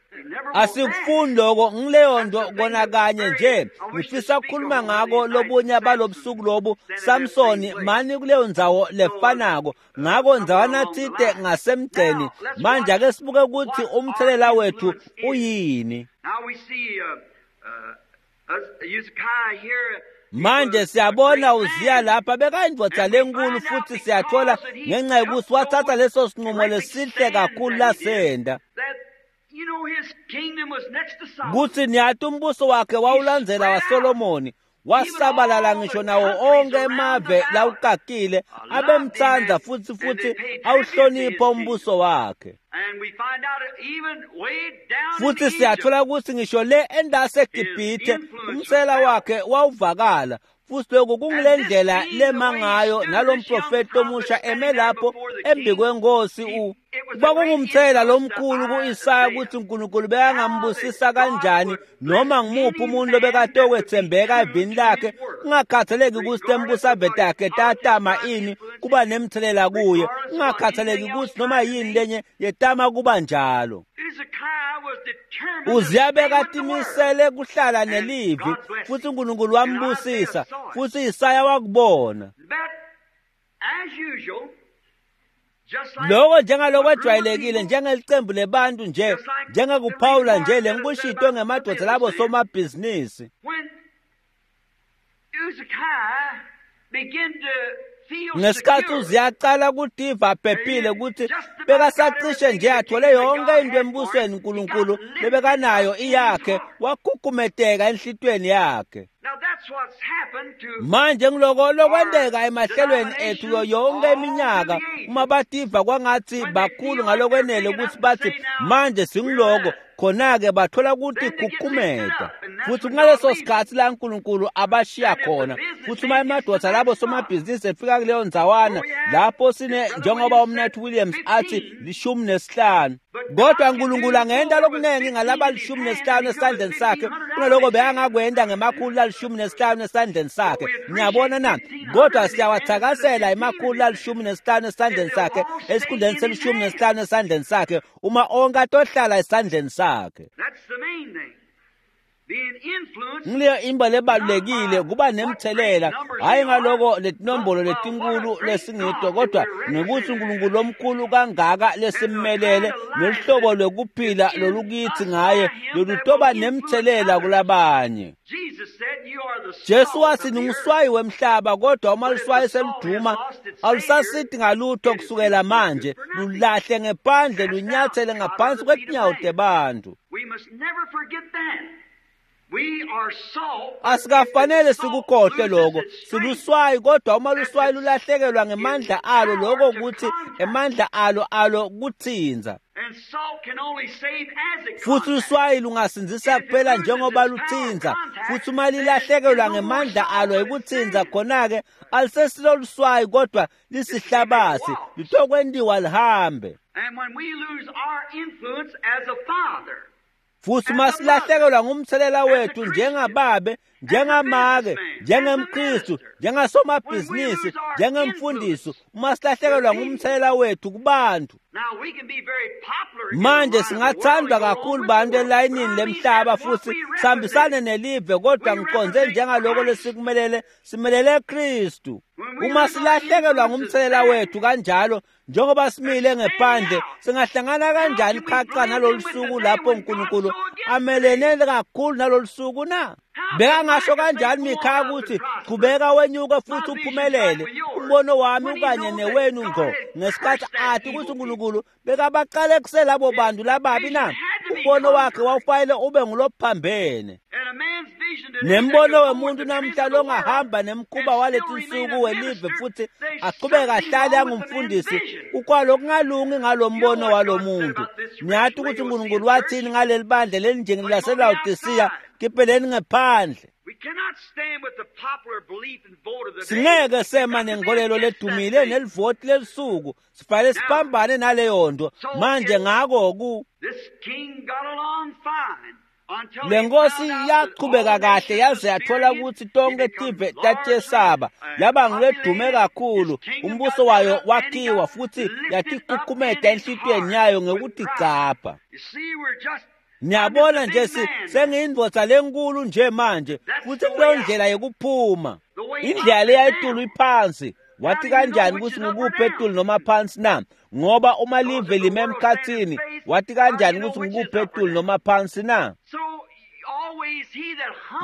Asikufuni lokho, ngileyo nto kona kanye nje. Ngifisa ukukhuluma ngako lobunye balobusuku lobu. Samsoni mani kuleyo ndzawo lefanako ngako ndzawana tsite ngasemgceni. Manje ake sibuke ukuthi umthelela wethu uyini. Manje siyabona Uziya lapha bekayindvodza lenkulu, futhi siyathola ngenxa yokuthi wathatha leso sinqumo lesihle kakhulu lasenda kutsi niyati umbuso wakhe wawulandzela waSolomoni, wasabalala ngisho nawo onke emave lawukakile abemtsandza futhi futhi awuhlonipha umbuso wakhe. Futhi siyathola ukuthi ngisho le endaseGibhithe umsela wakhe wawuvakala. Futhi lokhu kungile ndlela lema ngayo nalomprofeti omusha eme lapho embi kwenkosi u kwakungumthelela lomkhulu ku-Isaya ukuthi uNkulunkulu bekangambusisa kanjani noma ngimuphi umuntu lobekatokwethembeka evini lakhe, kungakhathaleki ukuthi tembusave takhe tatama ini kuba nemthelela kuye, kungakhathaleki ukuthi noma yini lenye yetama kuba njalo. Uziya bekatimisele kuhlala nelivi futhi uNkulunkulu wambusisa, futhi Isaya wakubona lokho njengalokwejwayelekile, njengelicembu lebantu nje, njengekuphawula nje lengikushito ngemadoda labo somabhizinisi. Ngesikhathi Uziya aqala kutiva aphephile ukuthi bekasacishe nje athole yonke into embusweni uNkulunkulu lebekanayo iyakhe, wakhukhumeteka enhlitweni yakhe. Manje ngiloko lokwenteka emahlelweni ethu yonke iminyaka, uma bativa kwangathi bakhulu ngalokwenele ukuthi bathi manje singiloko, khona-ke bathola ukuthi khukhumeta. Futhi kungaleso sikhathi la uNkulunkulu abashiya khona. Futhi uma emadoda labo somabhizinisi efika kuleyo ndzawana lapho sine, njengoba uMnathi Williams athi lishumi nesihlanu. Kodwa uNkulunkulu angenta lokunengi ngalaba lishumi nesihlanu esandleni sakhe kunaloko bekangakwenta ngemakhulu lalishumi nesihlanu esandleni sakhe. Niyabona na? Kodwa siyawathakasela emakhulu lalishumi nesihlanu esandleni sakhe esikhundleni selishumi nesihlanu esandleni sakhe uma onke atohlala esandleni sakhe. Ngileyo imba lebalulekile kuba nemthelela hayi ngaloko letinombolo letinkulu lesingito kodwa ngekuthi uNkulunkulu omkhulu kangaka lesimmelele neluhlobo lwekuphila lolukithi ngaye lolutoba nemthelela kulabanye. Jesu wathi ninguswayi wemhlaba kodwa uma luswayi seluduma alusasidi ngalutho kusukela manje lulahle ngephandle lunyathele ngaphansi kwetinyawo tebantu. Asikafanele sikukhohlwe lokho. Siluswayi kodwa uma luswayi lulahlekelwa ngemandla alo lokho ukuthi emandla alo alo kuthinza. Futhi uswayi lungasindzisa kuphela njengoba luthinza. Futhi uma lilahlekelwa ngemandla alo ekuthinza khona-ke alisesilo luswayi kodwa lisihlabathi litokwentiwa lihambe. Futhi uma silahlekelwa ngumthelela wethu njengababe, njengamake, njengemKristu, njengasomabhizinisi, njengemfundisi, uma silahlekelwa ngumthelela wethu kubantu. Manje singathandwa kakhulu bantu elayinini lemhlaba futhi sihambisane nelive kodwa ngiqonze njengaloko lesikumelele simelele Kristu. Uma silahlekelwa ngumthelela wethu kanjalo njengoba simile ngephandle singahlangana kanjani qhaqa nalolu suku lapho uNkulunkulu amelene kakhulu nalolu suku na? Bekangasho kanjani Mikhaya ukuthi qhubeka wenyuka futhi uphumelele umbono wami ukanye newenu ngqo ngesikhathi athi ukuthi uNkulunkulu bekabaqale kuselabo bantu lababi na? Umbono wakhe wawufanele ube ngulophambene. Nembono wemuntu namhla longahamba nemkhuba waletinsuku welive futhi aqhubeke ahlale angumfundisi ukwalokungalungi ngalombono walomuntu. Niyathi ukuthi uNkulunkulu wathini ngaleli bandla lelinjengeli laseLawodisiya kipheleni ngephandle. Singeke sema nenkolelo ledumile nelivoti lelisuku sifanele siphambane naleyo nto. Manje ngako ku le nkosi yaqhubeka kahle yaze yathola ukuthi tonke tive tatiyesaba yaba nguledume kakhulu umbuso wayo wakhiwa futhi yatikhukhumeta enhlitiyweni yayo ngekutigcabha. Niyabona nje sengiyindvodza lenkulu nje manje futhi kuleyo ndlela yekuphuma indlela leyayitulu iphansi. Wathi kanjani ukuthi ngikuphi etulu noma phansi na? Ngoba uma live lime emkhathini wathi kanjani ukuthi ngikuphi etulu noma phansi na?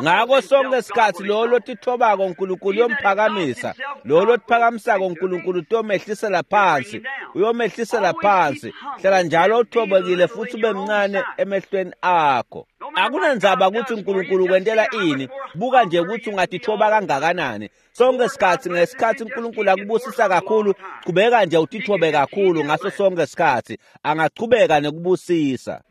Ngako sonke isikhathi lo lotithobako uNkulunkulu uyomphakamisa, lo lotiphakamisako uNkulunkulu uyomehlisela phansi, uyomehlisela phansi. Hlala njalo uthobekile futhi ube mncane emehlweni akho. Akunandzaba ukuthi uNkulunkulu ukwentela ini, buka nje ukuthi ungatithoba kangakanani. Sonke isikhathi ngesikhathi uNkulunkulu akubusisa kakhulu, qhubeka nje utithobe kakhulu ngaso sonke isikhathi, angachubeka nekubusisa.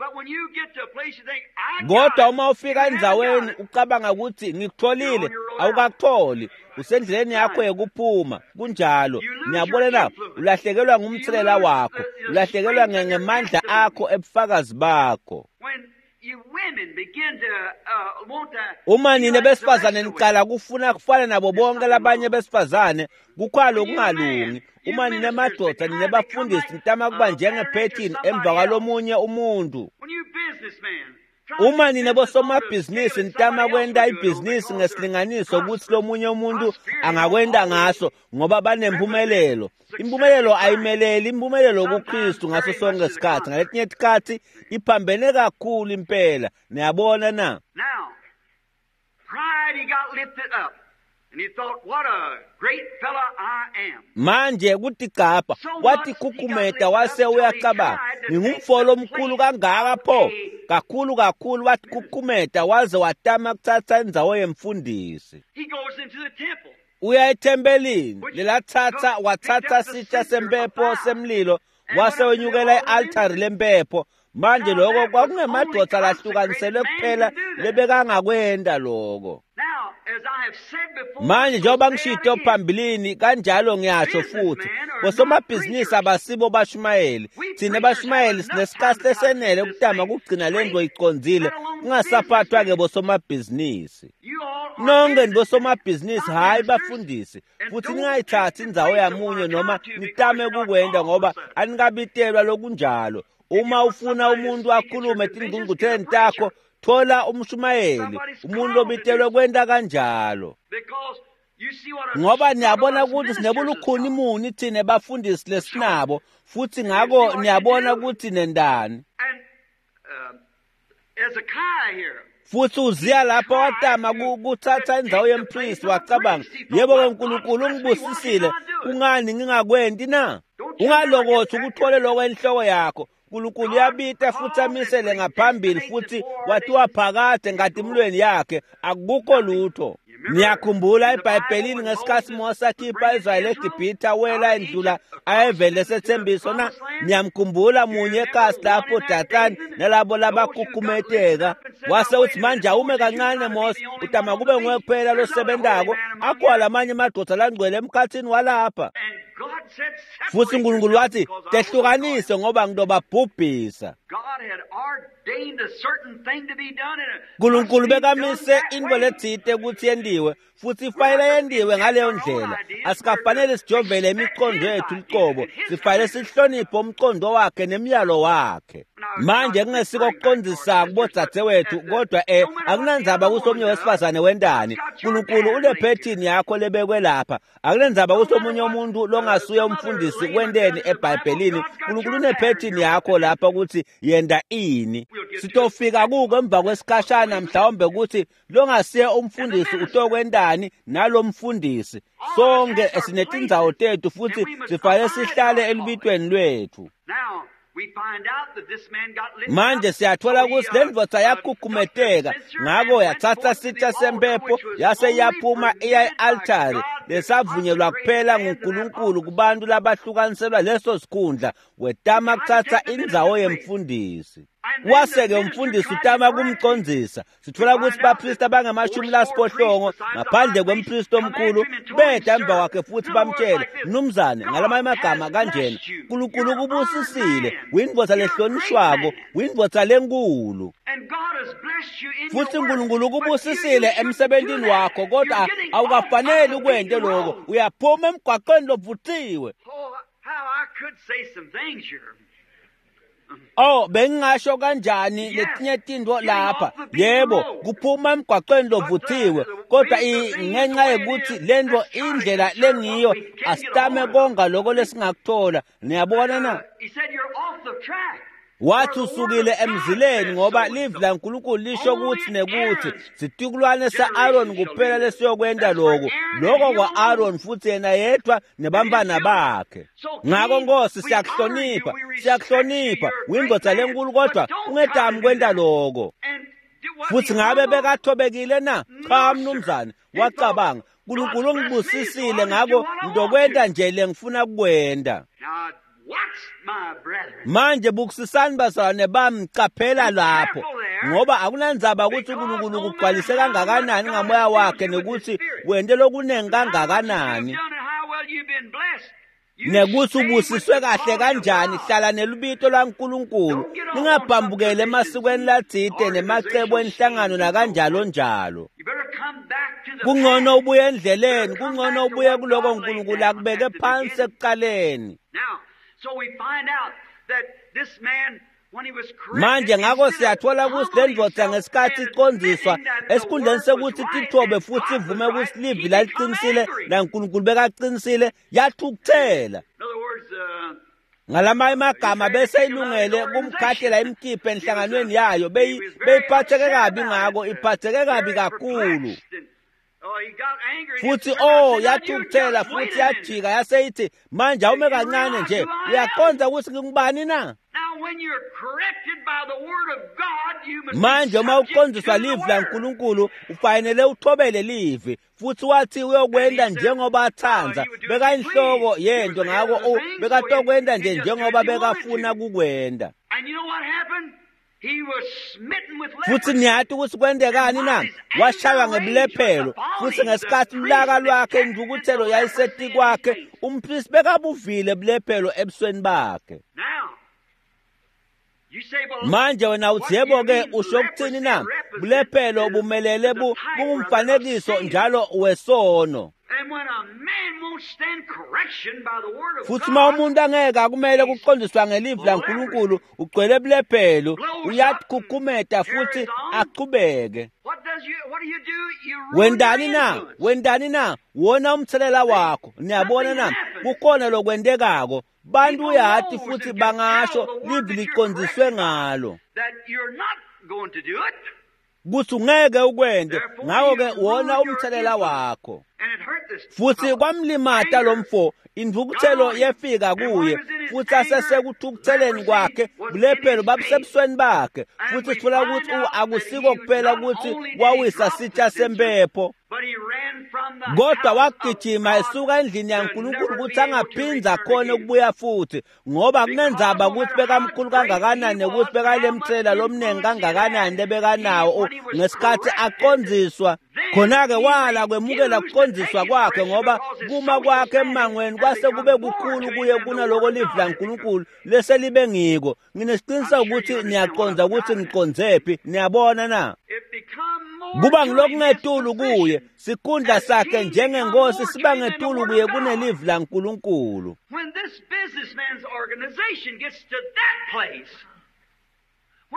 Kodwa uma ufika endzaweni ucabanga ukuthi ngikutholile, awukakutholi, usendleleni yakho yekuphuma. Kunjalo. Niyabona na? Ulahlekelwa ngumthelela wakho, ulahlekelwa ngemandla akho ebufakazi bakho. Uma nina besifazane niqala kufuna kufana nabo bonke labanye besifazane kukhwalo kungalungi. Uma nina madoda nina bafundisi nitama kuba njengephethini emva kwalomunye umuntu. Uma nina bosomabhizinisi nitama kwenta ibhizinisi ngesilinganiso ukuthi lomunye umuntu angakwenta ngaso ngoba banempumelelo. Impumelelo ayimeleli impumelelo kuKristu ngaso sonke isikhathi. Ngaletinye isikhathi iphambene kakhulu impela. Niyabona na? Manje kutigcabha wathi khukhumeta wase uyacabanga ngingumfolo omkhulu kangaka pho kakhulu kakhulu wathi khukhumeta waze watama kuthatha indzawo yemfundisi. Uya ethempelini lelathatha wathatha sitsha sempepho semlilo wase wenyukela i-altari lempepho. Manje lokho kwakungemadoda lahlukaniselwe kuphela lebekangakwenta lokho. Manje njengoba ngishito phambilini kanjalo ngiyasho futhi, bosomabhizinisi abasibo bashumayeli. Thina bashumayeli sinesikhathi lesenele ukutama kugcina lento icondzile, kungasaphathwa-ke bosomabhizinisi. Nonke nibosomabhizinisi, hhayi bafundisi, futhi ningayithathi indzawo yamunye noma nitame kukwenda ngoba anikabitelwa lokunjalo. Uma ufuna umuntu akhulume etingcungcutheleni takho, thola umshumayeli, umuntu obitelwe kwenta kanjalo. Ngoba niyabona ukuthi sinebulukhuni muni thina bafundisi lesinabo, futhi ngako niyabona ukuthi nendani. Futhi uziya lapho watama kuthatha indzawo yempristi, wacabanga, yebo-ke uNkulunkulu ungibusisile, kungani ngingakwenti na? Ungalokothi ukuthole lokho enhloko yakho. uNkulunkulu uyabita futhi amisele ngaphambili futhi wathiwa phakade ngatimlweni yakhe, akukho lutho. Niyakhumbula eBhayibhelini ngesikhathi Mose akhipha Israyeli eGibhithe wela endlula ayevele sethembiso na? Niyamkhumbula munye ekasi lapho Dathani nalabo labakhukhumeteka. Wase uthi manje awume kancane Mose, utama kube nguwe kuphela losebentako, akho lamanye amadoda langcwele emkhathini walapha. Futhi uNkulunkulu wathi tehlukanise ngoba ngitobabhubhisa. uNkulunkulu bekamise into letsite ukuthi yendiwe, futhi ifanele yendiwe ngaleyo ndlela. Asikafanele sijovele imicondo yethu luqobo, sifanele sihloniphe umcondo wakhe nemiyalo wakhe. Manje kungesiko kuqondisa kubodzadzewethu, kodwa eh akunandzaba ukuthi omunye wesifazane wendani. uNkulunkulu unephethini yakho lebekwe lapha. Akunandzaba ukuthi omunye umuntu longasuye umfundisi wendeni eBhayibhelini. uNkulunkulu unephethini yakho lapha ukuthi yenda ini. Sitofika kuko emva kwesikhashana mhlawumbe ukuthi longasiye umfundisi utokwendani nalomfundisi. Sonke sinetindzawo tethu futhi sifanele sihlale elubitweni lwethu. Manje siyathola ukuthi le ndvodza yakhukhumeteka, ngako yathatha sitsha sempepho yase iyaphuma iya e-altari lesavunyelwa kuphela nguNkulunkulu kubantu labahlukaniselwa leso sikhundla, wetama kuthatha indzawo yemfundisi. Wase-ke umfundisi utama kumcondzisa. Sithola ukuthi bapristi abangamashumi lasiphohlongo ngaphandle kwempristi omkhulu beda emva kwakhe futhi bamtshele, mnumzane, ngalamanye amagama kanjena, uNkulunkulu ukubusisile, uyindvodza lehlonishwako, uyindvodza lenkulu. Futhi uNkulunkulu ukubusisile emsebentini wakho, kodwa awukafaneli ukwente lokho, uyaphuma emgwaqweni lovuthiwe. Oh, bengingasho kanjani letinye tintfo lapha. Yebo, kuphuma emgwaqweni lovuthiwe, kodwa ngenxa yokuthi lento indlela lengiyo, asitame konga lokho lesingakuthola. Niyabona na? Wathi usukile emzileni ngoba livi laNkulunkulu lisho ukuthi nekuthi situkulwane sa-Aaron kuphela lesiyokwenta lokhu. Lokho kwa-Aaron futhi yena yedwa nebantwana bakhe. Ngako Nkosi siyakuhlonipha, siyakuhlonipha, uyindvodza lenkulu kodwa ungetami kwenta lokho. Futhi ngabe bekathobekile na? Cha mnumzane, wacabanga, uNkulunkulu ungibusisile ngako ngizokwenta nje lengifuna kukwenta. Manje bukusisani bazalwane bami, caphela lapho, ngoba akunandzaba ukuthi uNkulunkulu ukugcwalise kangakanani ngamoya wakhe nekuthi wente lokunengi kangakanani, nekuthi ubusiswe kahle kanjani. Hlala nelubito lwaNkulunkulu, ningabhambukeli emasikweni latsite nemacebo enhlangano nakanjalo njalo. Kungcono ubuye endleleni, kungcono ubuye kuloko uNkulunkulu akubeke phansi ekuqaleni. Manje ngako siyathola ukuthi le ndvodza ngesikhathi icondziswa, esikhundleni sekuthi tithobe futhi ivume ukuthi livi laliqinisile naNkulunkulu bekaqinisile, yathukuthela. Ngalamanye amagama bese ilungele kumkhathela imkhiphe enhlanganweni yayo, beyiphatheke kabi ngako, iphatheke kabi kakhulu. Futhi oh yathukuthela futhi yajika yaseyithi, manje awume kancane nje, uyaqonda ukuthi ngingubani na? Manje uma uqondiswa livi laNkulunkulu ufanele uthobele livi, futhi wathi uyokwenta njengoba athanda. Bekayinhloko yento, ngako bekatokwenta nje njengoba bekafuna kukwenta. Futsi niyati kutsi kwentekani na? Washaywa ngebulephelo, futsi ngesikhatsi lulaka lwakhe intfukutselo yayisetikwakhe, umpristi bekabuvile bulephelo ebusweni bakhe. Manje wena utsi yebo-ke usho kutsini na? Bulephelo bumelele bungumfanekiso njalo wesono. Futsi uma umuntu angeke akumele kuqondiswa ngelivi laNkulunkulu, ugcwele bulephelo, uyatikhukhumeta futsi achubeke. Wendani na? Wendani na? Wona umthelela wakho. Niyabona na? Kukhona lokwentekako. Bantu uyati futsi bangasho livi liqondiswe ngalo kutsi ungeke ukwente, ngako-ke wona umthelela wakho. Futsi kwamlimata lomfo, intfukutselo yefika kuye, futsi asesekutfukutseleni kwakhe, bulephelo babusebusweni bakhe. Futsi sitfola kutsi akusiko kuphela kutsi wawisa sitsha sempepho, kodwa wagijima esuka endlini yaNkulunkulu kutsi angaphindza khona ukubuya futhi, ngoba kunendzaba kutsi bekamkhulu kangakanani nekuthi bekalemtsela lomnengi kangakanani lebekanawo ngesikhatsi aqondziswa. Khona-ke wala kwemukela kuqondziswa kwakhe, ngoba kuma kwakhe emangweni kwase kube kukhulu kuye kunaloko livi laNkulunkulu leselibe ngiko. Nginesiqiniseko ukuthi niyaqondza ukuthi ngiqondzephi. Niyabona na? Kuba ngilokungetulu kuye, sikhundla sakhe njengenkosi siba ngetulu kuye kunelivi laNkulunkulu.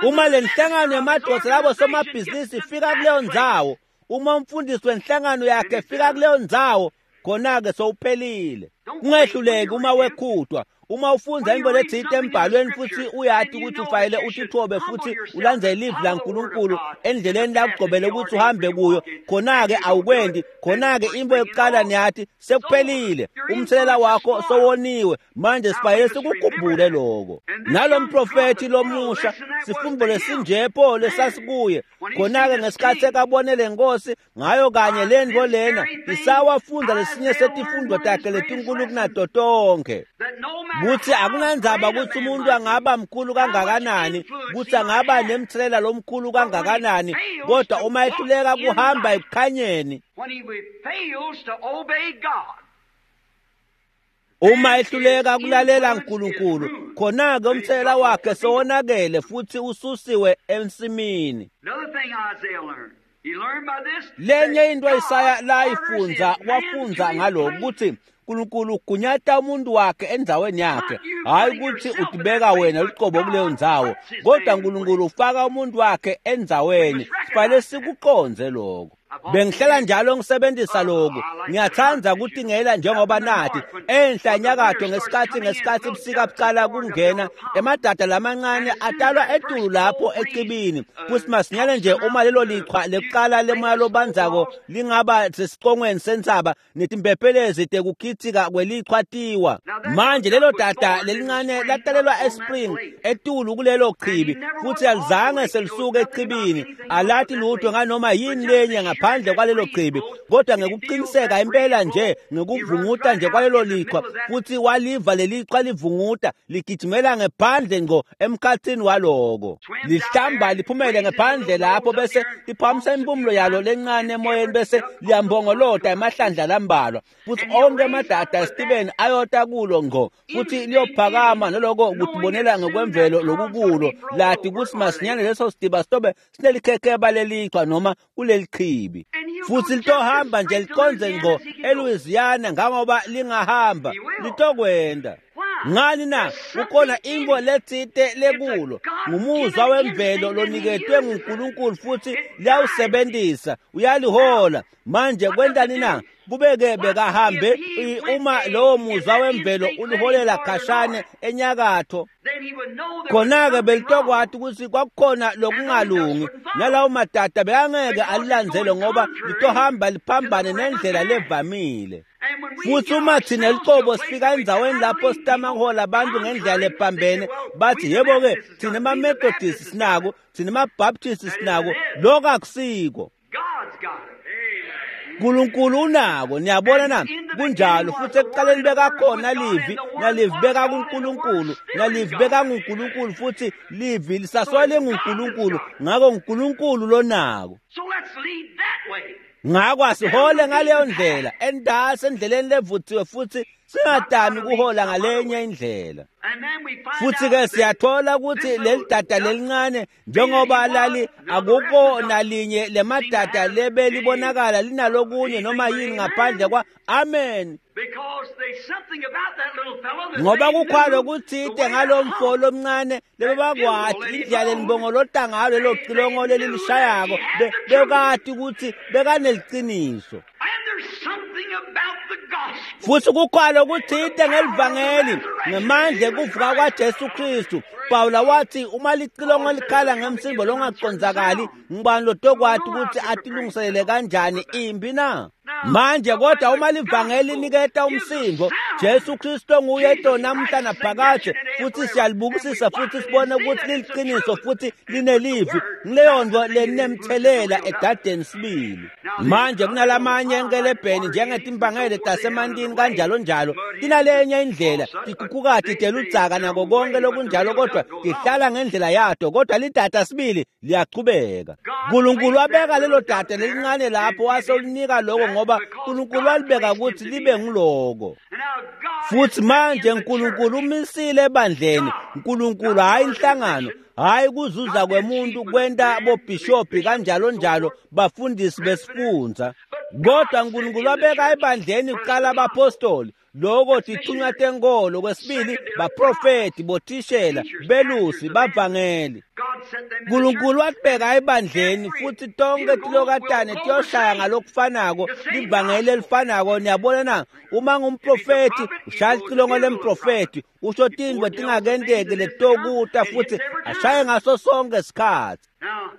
Uma le nhlangano yemadvodza labo somabhizinisi ifika kuleyo ndzawo, uma umfundisi wenhlangano yakhe efika kuleyo ndzawo, khona-ke sowuphelile. Ungehluleki uma wekhutwa. Uma ufundza intfo letsite embhalweni futsi uyati kutsi ufanele utitfobe futsi ulandzele livi laNkulunkulu endleleni lakugcobele kutsi uhambe kuyo, khona-ke awukwendi. Khona-ke intfo yokuqala niyati sekuphelile, umthelela wakho sowoniwe. Manje sifanele sikukhumbule loko. Nalomprofethi lomusha, sifundvo lesinjepho lesasikuye, khona-ke ngesikhatsi ekabone lenkosi ngayo kanye lentfo lena, isawafundza lesinye setifundvo takhe letinkulu kunato tonkhe. Kutsi akunandzaba kutsi umuntu angaba mkhulu kangakanani, kutsi angaba nemthelela lomkhulu kangakanani, kodwa uma ehluleka kuhamba ekukhanyeni, uma ehluleka kulalela uNkulunkulu, khona-ke umthelela wakhe sowonakele futsi ususiwe ensimini. Lenye into Isaya layifundza, wafundza ngalokhu kutsi uNkulunkulu ugunyata umuntu wakhe endzaweni yakhe, hayi kutsi utibeka wena lucobo kuleyo ndzawo, kodwa uNkulunkulu ufaka umuntu wakhe endzaweni. Sifanele sikuqondze lokho. Bengihlala njalo ngisebenzisa lokhu. Ngiyathanda kutingela njengoba nathi enhla enyakatho ngesikhatsi ngesikhatsi ubusika bucala kungena, emadada lamancane atalwa etulu lapho ecibini. Futsi masinyane nje uma lelo lichwa lekuqala lemoya lobandzako lingaba sesicongweni sentsaba, netimpephelezi tekukhitsika kwelichwa tiwa. Manje lelo dada lelincane latalelwa eSpring etulu kulelo chibi, futsi alizange selisuke echibini, alati lutho nganoma yini lenye ngaphandle kwalelo chibi, kodwa ngekuqiniseka impela nje ngekuvunguta nje kwalelo lichwa, futsi waliva lelichwa livunguta ligijimela ngephandle ngqo emkhathini waloko, lihlamba liphumele ngephandle lapho, bese liphakamisa impumulo yalo lencane emoyeni, bese liyambongolota emahlandla lambalwa, futsi onke emadada esitibeni ayota kulo ngqo, futsi liyophakama naloko kutibonela ngekwemvelo lokukulo, lati kutsi masinyane leso sitiba sitobe sinelikhekheba lelichwa noma kuleli chibi, futsi litohamba nje liqondze ngqo eLouisiana ngangoba lingahamba, litokwenda. Ngani na? Kukhona intfo letsite lekulo, ngumuzwa wemvelo loniketwe nguNkulunkulu futsi liyawusebentisa, uyalihola. Manje kwentani na? Kubeke bekahambe uma lowo muzwa wemvelo uliholela khashane enyakatho, khona-ke belitokwati kutsi kwakukhona lokungalungi, nalawo madada bekangeke alilandzele ngoba litohamba liphambane nendlela levamile. Futsi uma thina licobo sifika endzaweni lapho sitama kuhola abantu ngendlela lephambene, bathi yebo-ke thina ema-Methodist sinako, thina ema-Baptist sinako, lokho akusiko. Nkulunkulu unako, niyabona na? Kunjalo futhi ekuqaleni bekakhona livi, nalivi bekakuNkulunkulu, nalivi bekanguNkulunkulu futhi livi lisasole nguNkulunkulu, ngakho uNkulunkulu lonako. So let's lead that way. Ngakho asihole ngaleyo ndlela, endasi endleleni levuthiwe futhi singadami kuhola ngalenye indlela. And then we find Futhi out ke that siyathola ukuthi leli dada lelincane njengoba lali akukho nalinye lemadada lebelibonakala linalokunye noma yini ngaphandle kwa amen. because there's something about that little fellow that Ngoba they kukhwalo knew the kuthite way ngalo that mfo hump lomncane lebebakwati indlela lelibongolota ngalo lelo cilongo lelilishayako be- bekati ukuthi bekaneliciniso. And there's something about the gospel. Futhi kukhwalo kuthite ngelivangeli ngemandla ekuvuka kwaJesu Kristu. Pawula wathi uma licilongo likhala ngemsindo longaqondzakali ngubani lotokwati ukuthi atilungiselele kanjani impi na? Manje kodwa uma livangeli liniketa umsindo, Jesu Kristu nguye to namuhla naphakade, futhi siyalibukisisa futhi sibone ukuthi liliqiniso futhi linelivi. Kuleyo nto lenemthelela edadeni sibili. Manje kunalamanye enkelebheni njengetimbangele tasemantini kanjalo njalo, tinalenye indlela, tikhukhukati teludzaka nako konke lokunjalo, kodwa tihlala ngendlela yato, kodwa lidada sibili liyachubeka. Nkulunkulu wabeka lelo dada lelincane lapho wase ulinika lokho ngoba Nkulunkulu walibeka ukuthi libe nguloko. And now God Futhi has manje set in the uNkulunkulu church umisile ebandleni, uNkulunkulu hayi inhlangano, hayi kuzuza kwemuntu kwenta bobhishobhi kanjalo njalo bafundisi besifundza. Kodwa uNkulunkulu wabeka ebandleni kuqala abapostoli, loko tithunywa tenkolo, kwesibili baprofeti, bothishela, belusi, bavangeli. God set them in the uNkulunkulu church. watibeka ebandleni futhi tonke tilokatane tiyoshaya ngalokufanako livangeli elifanako. Niyabona na? Uma ngumprofeti ushaya licilongo lemprofeti, usho tintfo tingakenteki letokuta futhi ashaye ngaso sonke sikhatsi. Now,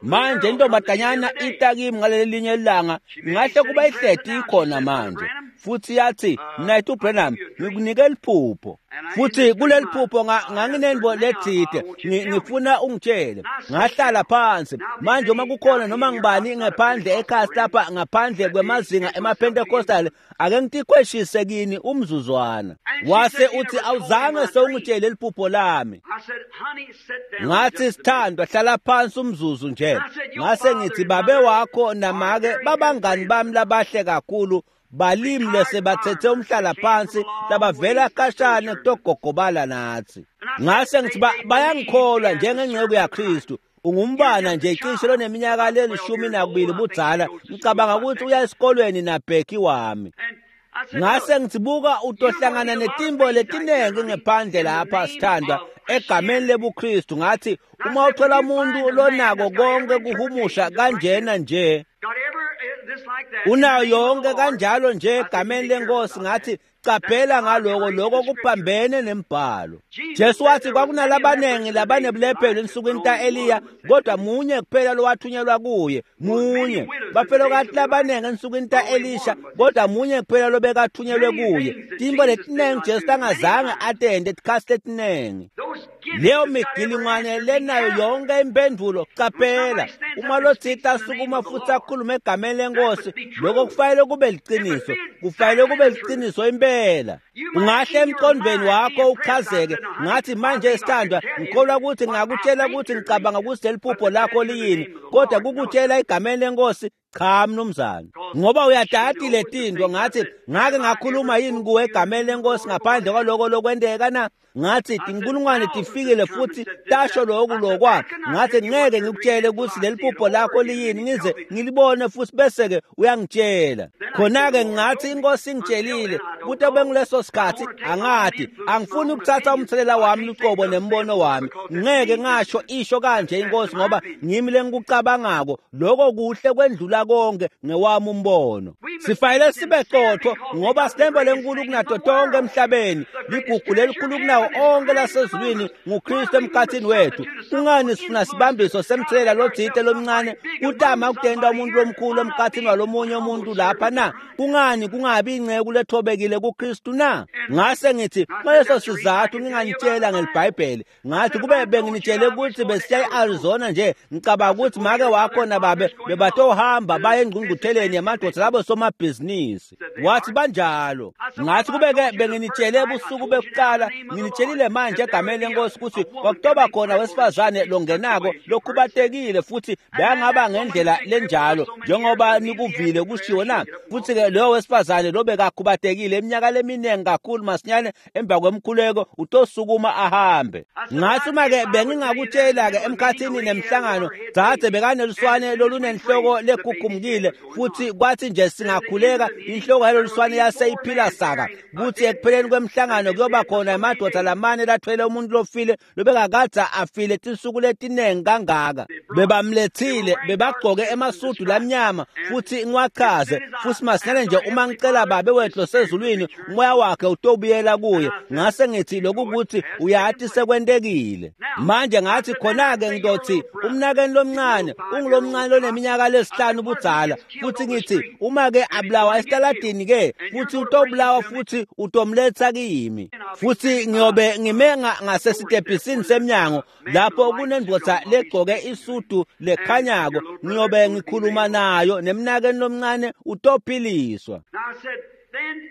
Manje intombazanyana ita kimi ngalelinye ilanga, ingahle kuba ihleti ikhona manje. Futhi yathi, Mnayethu Branham, ngikunike liphupho. Futhi kuleli phupho nga- nganginento lethide, ngi- ngifuna ungitshele. Ngahlala phansi. Manje uma kukhona noma ngibani ngaphandle ekhasi lapha ngaphandle kwemazinga emaPentecostal, ake ngitikhweshise kini umzuzwana. Wase uthi awuzange sewungitshele liphupho lami. I said, honey, sit down. Ngathi just a minute. sithandwa hlala phansi umzuzu nje. Ngase ngithi babe wakho namake babangani bami labahle kakhulu balimi lesebathethe umhlala phansi labavela kashane kutogogobala nathi. Ngase ngithi ba- bayangikholwa njengengceku yaKristu. Ungumbana nje cishe loneminyaka lelishumi nakubili budzala, ngicabanga ukuthi uya esikolweni nabheki wami. And I said, Ngase look, ngithi buka utohlangana netimbo letinengi ngephandle lapha sithandwa egameni lebuKristu. Ngathi uma uthola umuntu lonako konke kuhumusha kanjena nje, got every uh, this like that. unayo in the name of yonke the Lord. kanjalo nje I said, egameni be careful lenkosi. about Ngathi that. qaphela ngaloko, lokho kuphambene nembhalo. Jesu wathi kwakunalabanengi labanebulephelo ensukwini ta-Eliya, kodwa munye kuphela lowathunyelwa kuye, munye. Bafelokati labanengi ensukwini ta-Elisha, kodwa munye kuphela lobekathunyelwe kuye. Tintfo letinengi Jesu angazange atente tikhatsi letinengi. Those gifts Leyo that's got every migilingwane answer, be lenayo careful. yonke impendulo, qaphela. Uma lotsite asukuma futhi akhulume egameni lenkosi, lokho kufanele kube liciniso, kufanele kube liciniso impela. Ungahle emqondweni wakho uchazeke, ngathi manje sithandwa, ngikholwa ukuthi ngingakutshela ukuthi ngicabanga ukuthi leli phupho lakho liyini, kodwa kukutshela egameni lenkosi, cha mnumzane. Ngoba uyadati letinto. Ngathi ngake ngakhuluma yini kuwe egameni lenkosi ngaphandle kwaloko lokwenteka na? Ngathi tinkulungwane tifikile futhi tasho loku lokwa. Ngathi ngeke ngikutshele ukuthi leli phupho lakho liyini ngize ngilibone futhi bese-ke uyangitshela. Khona-ke ngathi inkosi ingitshelile kuthi benguleso sikhathi angati angifuni ukuthatha umthelela wami luqobo nembono wami. Ngeke ngasho isho kanje inkosi ngoba ngimi lengikucabangako lokho kuhle kwendlula konke ngewami umbono. Sifanele sibe qotho ngoba sinembo lenkulu kunato tonke emhlabeni, ligugu lelikhulu kunawo onke lasezulwini nguKristu emkhathini wethu. Kungani sifuna sibambiso semthelela lotsite lomncane kutama ukutenta umuntu lomkhulu emkhathini walomunye umuntu lapha na? Kungani kungabi inceku lethobekile kuKristu na? Ngase ngithi ngaleso sizathu nginganitshela ngelibhayibheli. Ngathi kube benginitshele ukuthi besiya e-Arizona nje, ngicabanga ukuthi make wakho nababe bebatohamba bahamba baye engqungqutheleni yamadvodza labo somabhizinisi. Wathi banjalo. Ngathi kube-ke benginitshele ebusuku bekuqala, nginitshelile manje egameni lenkosi ukuthi kwakutoba khona wesifazane longenako lokhubatekile futhi bekangaba ngendlela lenjalo njengoba nikuvile kushiwo na. Futhi-ke loyo wesifazane lobekakhubatekile iminyaka leminingi kakhulu, masinyane emva kwemkhuleko utosukuma ahambe. Ngathi uma-ke bengingakutshela-ke emkhathini nemhlangano, dzadze bekaneluswane lolunenhloko lekhukhumukile, futhi kwathi nje singakhuleka inhloko yaloluswane yaseyiphila saka, kuthi ekupheleni kwemhlangano kuyoba khona emadoda lamane lathwele umuntu lofile lobekakadze afile tinsuku letiningi kangaka. Bebamlethile, bebagqoke emasudu lamnyama, futhi ngiwachaze futhi masinyane nje uma ngicela babe wethu losezulwini umoya wakhe utobuyela kuye. Ngase ngithi lokukuthi uyathi sekwentekile. Manje ngathi khona-ke ngizothi umnakeni lomncane ungulomncane loneminyaka lesihlanu budzala, futhi ngithi uma-ke abulawa esitaladini-ke futhi utobulawa futhi utomletha kimi, futhi ngiyobe ngime ngasesitebhisini semnyango lapho kunendvodza legqoke isudu lekhanyako, ngiyobe ngikhuluma nayo nemnakeni lomncane utophiliswa.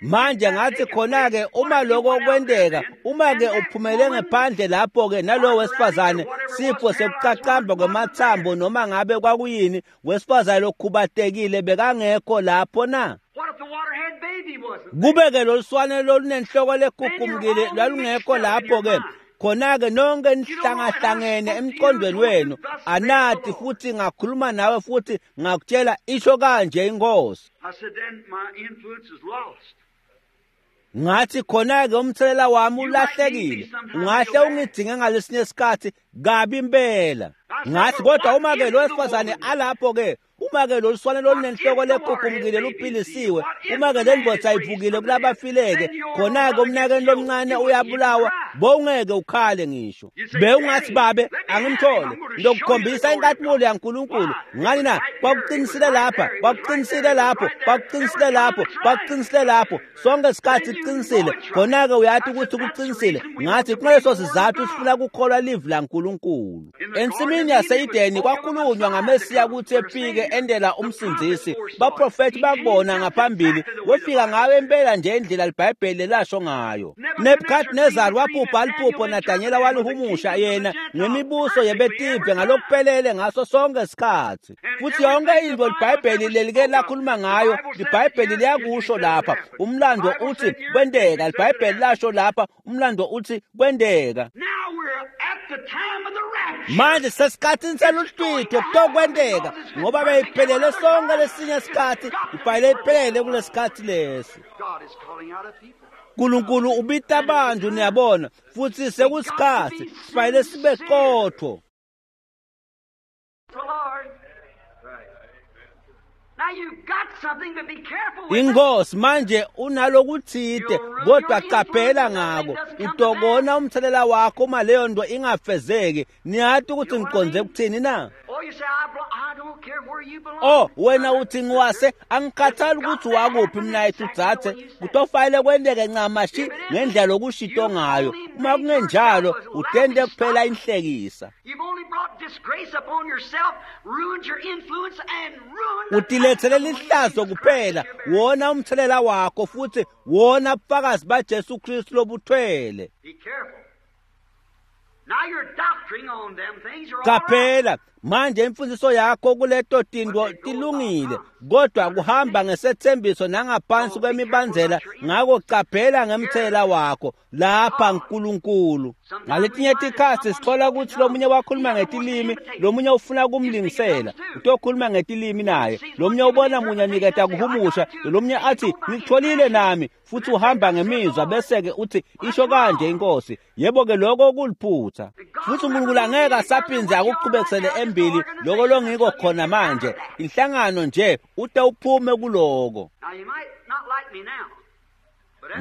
Manje ngathi khona-ke uma lokho kwenteka, uma-ke uphumele ngephandle lapho-ke nalowo wesifazane sifo sekucacamba kwemathambo noma ngabe kwakuyini, wesifazane lokhubatekile bekangekho lapho na? Kube-ke loluswane lolunenhloko lekhukhumukile lwalungekho lapho-ke, khona-ke nonke nihlangahlangene emqondweni wenu anati, futhi ngakhuluma nawe futhi ngakutshela isho kanje inkosi. Ngathi khona-ke umthelela wami ulahlekile, ungahle ungidinge ngalesinye isikhathi kabi impela. Ngathi kodwa uma-ke lo wesifazane alapho-ke, uma-ke loluswane lolunenhloko lekhukhumukile luphilisiwe, uma-ke le ndvodza ivukile kulabafileke, khona-ke umnakeni lomncane uyabulawa, bowungeke ukhale ngisho. Bewungathi babe angimthole, ngizokukhombisa inkathimulo yaNkulunkulu. Ngani na? Kwakuqinisile lapha, kwakuqinisile lapho, kwakuqinisile lapho, kwakuqinisile lapho, sonke isikhathi kuqinisile. Khona-ke uyathi ukuthi kuqinisile. Ngathi kungaleso sizathu sifuna kukholwa livi laNkulunkulu. Ensimini yase-Edeni kwakhulunywa ngaMesiya ukuthi efike endela umsindzisi. Baprofethi bakubona ngaphambili, wefika ngayo impela nje indlela liBhayibheli lasho ngayo. Nebuchadnezzar waphupha liphupho naDanyela walihumusha yena ngemibuso yebetive ngalokuphelele ngaso sonke isikhathi. Futhi yonke into liBhayibheli lelike lakhuluma ngayo, liBhayibheli liyakusho lapha. Umlando uthi kwenteka, liBhayibheli lasho lapha, umlando uthi kwenteka. Manje sesikhathini seluhlwitho kutokwenteka ngoba beyiphelele sonke lesinye isikhathi, ibhayibheli iphelele kulesikhathi lesi. uNkulunkulu ubita abantu, niyabona, futhi sekusikhathi sifanele sibe qotho. Inkosi manje unalokuthide, kodwa qaphela ngako, utokona umthelela wakho uma leyo nto ingafezeki. Niyathi ukuthi ngiqonde ukuthini na? Oh, wena uthi ngiwase angikhathali ukuthi wakuphi mina yethu dzadze, kutofanele kwenteke ncamashi ngendlela okushito ngayo. Uma kungenjalo utente kuphela inhlekisa. Utilethele lihlazo kuphela, wona umthelela wakho futhi wona bufakazi baJesu Kristu lobuthwele. Qaphela manje imfundiso yakho kuleto tinto tilungile, kodwa kuhamba ngesethembiso nangaphansi kwemibandzela. Ngako qaphela ngemthelela wakho lapha nkulunkulu. Ngaletinye tikhatsi sithola ukuthi lomunye wakhuluma ngetilimi, lomunye ufuna kumlingisela, utokhuluma ngetilimi naye, lomunye ubona munye niketa kuhumusha, lomunye athi ngikutholile nami, futhi uhamba ngemizwa bese-ke uthi isho kanje inkosi. Yebo-ke lokho kuliphutha, futhi uNkulunkulu angeke asaphindze akuqhubekisele embili lokho longiko khona manje. Inhlangano nje ute uphume kuloko.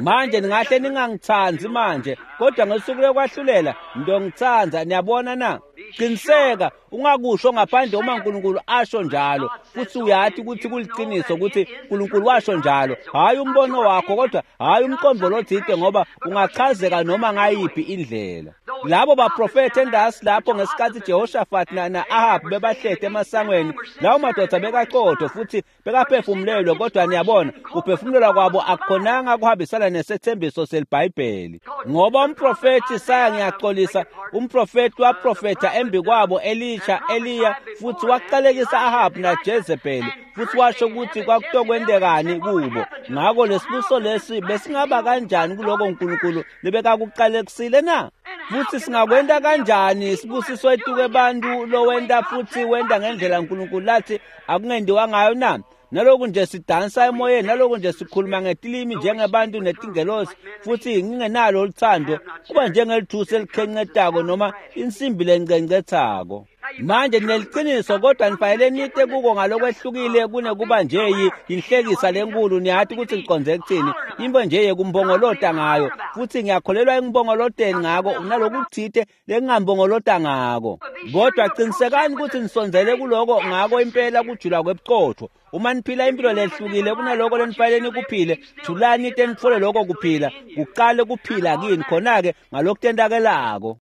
Manje ningahle ningangithandi manje, kodwa ngosuku lokwahlulela ngiyongithanda. Niyabona na? Qiniseka Ungakusho ngaphandle uma uNkulunkulu asho njalo, futhi uyati ukuthi kuliciniso ukuthi uNkulunkulu washo njalo. Hhayi umbono wakho, kodwa hhayi umqondo lothide, ngoba ungachazeka noma ngayiphi indlela. Labo baprofethi endasi lapho ngesikhathi Jehoshaphat na na-Ahab bebahlete emasangweni, lawo madoda bekaqotho futhi bekaphefumulelwe, kodwa niyabona kuphefumulelwa kwabo akukhonanga kuhambisana nesethembiso selibhayibheli. Ngoba umprofethi Isaya, ngiyaxolisa, umprofethi waprofetha embi kwabo Elisha, Eliya, futhi waqalekisa Ahab naJezebeli, futhi washo ukuthi kwakutokwentekani kubo. Ngakho lesibuso lesi besingaba kanjani kuloko uNkulunkulu lebekakuqalekisile na? Futhi singakwenta kanjani isibusiso etuke bantu lowenta futhi wenta ngendlela uNkulunkulu lathi akungendiwa ngayo na? Naloku nje sidansa emoyeni, naloku nje sikhuluma ngetilimi njengebantu netingelosi, futhi ngingenalo oluthando, kuba njengelithusi elikhencetako noma insimbi lencencethako. Manje nineliciniso, kodwa nifanele nite kuko ngalokwehlukile kunekuba nje yinhlekisa lenkulu. Niyati ukuthi ngiqonde kuthini, into nje yekumbongolota ngayo, futhi ngiyakholelwa ekumbongoloteni ngako, unalokuthite lengingambongolota ngako. Kodwa qinisekani ukuthi nisondzele kuloko ngako impela kujula kwebuqotho. Uma niphila impilo lehlukile kunaloko lenifanele nikuphile, thulani ite nitfole loko kuphila, kuqale kuphila kini khona-ke ngalokutentakelako.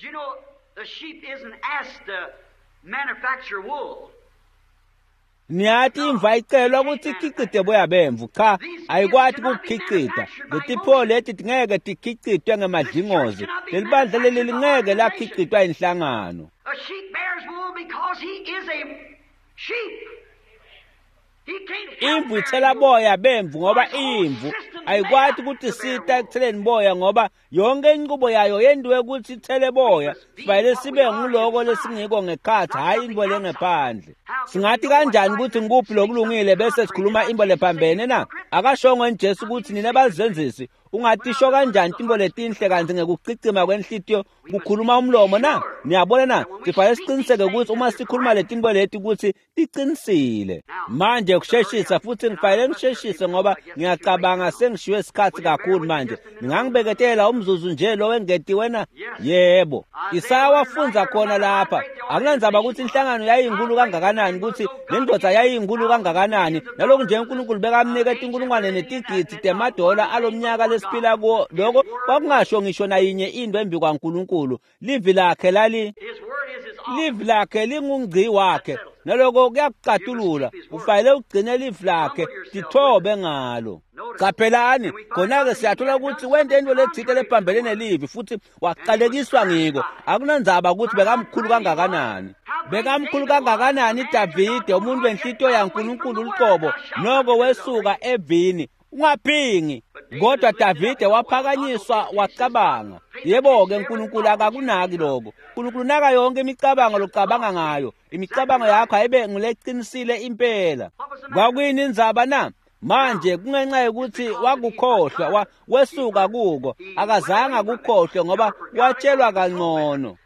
Niyati imvu ayicelwa ukuthi ikhicite boya bemvu, cha, ayikwati ukukhicita. Letipho leti tingeke tikhicitwe ngemadlingozi, lelibandla leli lingeke lakhicitwa inhlangano. Imvu ithela boya bemvu ngoba iyimvu, ayikwati ukuthi sita ekutheleni boya ngoba yonke inqubo yayo yendiwe ukuthi ithele boya. Sifanele sibe nguloko lesingiko ngekhathi, hhayi into lengephandle. Singathi kanjani ukuthi ngikuphi lokulungile bese sikhuluma into lephambene na? Akashongo Jesu ukuthi nina bazenzisi, ungatisho kanjani timbo letinhle kanti ngekucicima kwenhlitiyo kukhuluma umlomo na? Niyabona na? Sifanele siqiniseke ukuthi uma sikhuluma letimbo leti ukuthi tiqinisile. Manje kusheshisa, futhi ngifanele ngisheshise ngoba ngiyacabanga sengishiwe isikhathi kakhulu manje. Ningangibeketela umzuzu nje lo wengetiwe na? Yebo. Isaya wafunza khona lapha. Akunandzaba ukuthi inhlangano yayinkulu kangakanani, ukuthi le ndoda yayinkulu kangakanani, naloku nje uNkulunkulu bekamnika tinkulungwane netigidi temadola alomnyaka lesiphila kuwo, lokho kwakungasho ngisho nayinye into embi kwaNkulunkulu. Livi lakhe lali livi lakhe lingungci wakhe, naloko kuyakucatulula. Ufanele ugcine livi lakhe, tithobe ngalo. Qaphelani khona-ke siyathola ukuthi wente into lethile lephambene nelivi futhi waqalekiswa ngiko. Akunandzaba ukuthi bekamkhulu kangakanani, bekamkhulu kangakanani Davide, umuntu wenhlitiyo yaNkulunkulu luqobo, noko wesuka evini. Ungaphingi. Kodwa Davide waphakanyiswa wacabanga. Yebo-ke, uNkulunkulu akakunaki lokho. uNkulunkulu naka yonke imicabango locabanga ngayo. Imicabango yakho ayibe nguleqinisile impela. Kwakuyini indzaba na? Manje kungenxa yokuthi wakukhohlwa, wesuka kuko, akazange akukhohlwe ngoba watshelwa kangcono.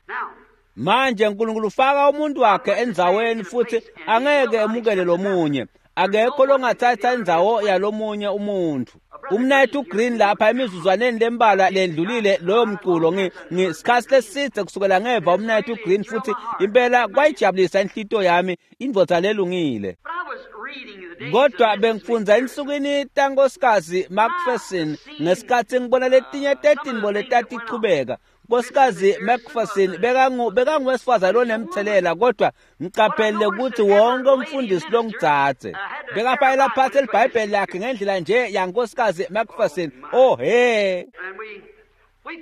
Manje uNkulunkulu ufaka umuntu wakhe endzaweni futhi angeke emukele lomunye. Akekho longathatha indzawo yalomunye umuntu. Umnayethu Green lapha emizuzwaneni lembalwa lendlulile loyo mculo ngisikhathi leside kusukela ngeva umnayethu Green, futhi impela kwayijabulisa inhlitiyo yami, indvodza lelungile. Kodwa bengifundza ensukwini tankosikazi Macpherson ngesikhathi ngibona letinye tetinto letatichubeka. Nkosikazi Macpherson bekangu bekanguwesifazane lonemthelela, kodwa ngicaphele ukuthi wonke umfundisi longitsatse bekafayela phansi elibhayibheli lakhe ngendlela nje yankosikazi Macpherson. Oh he,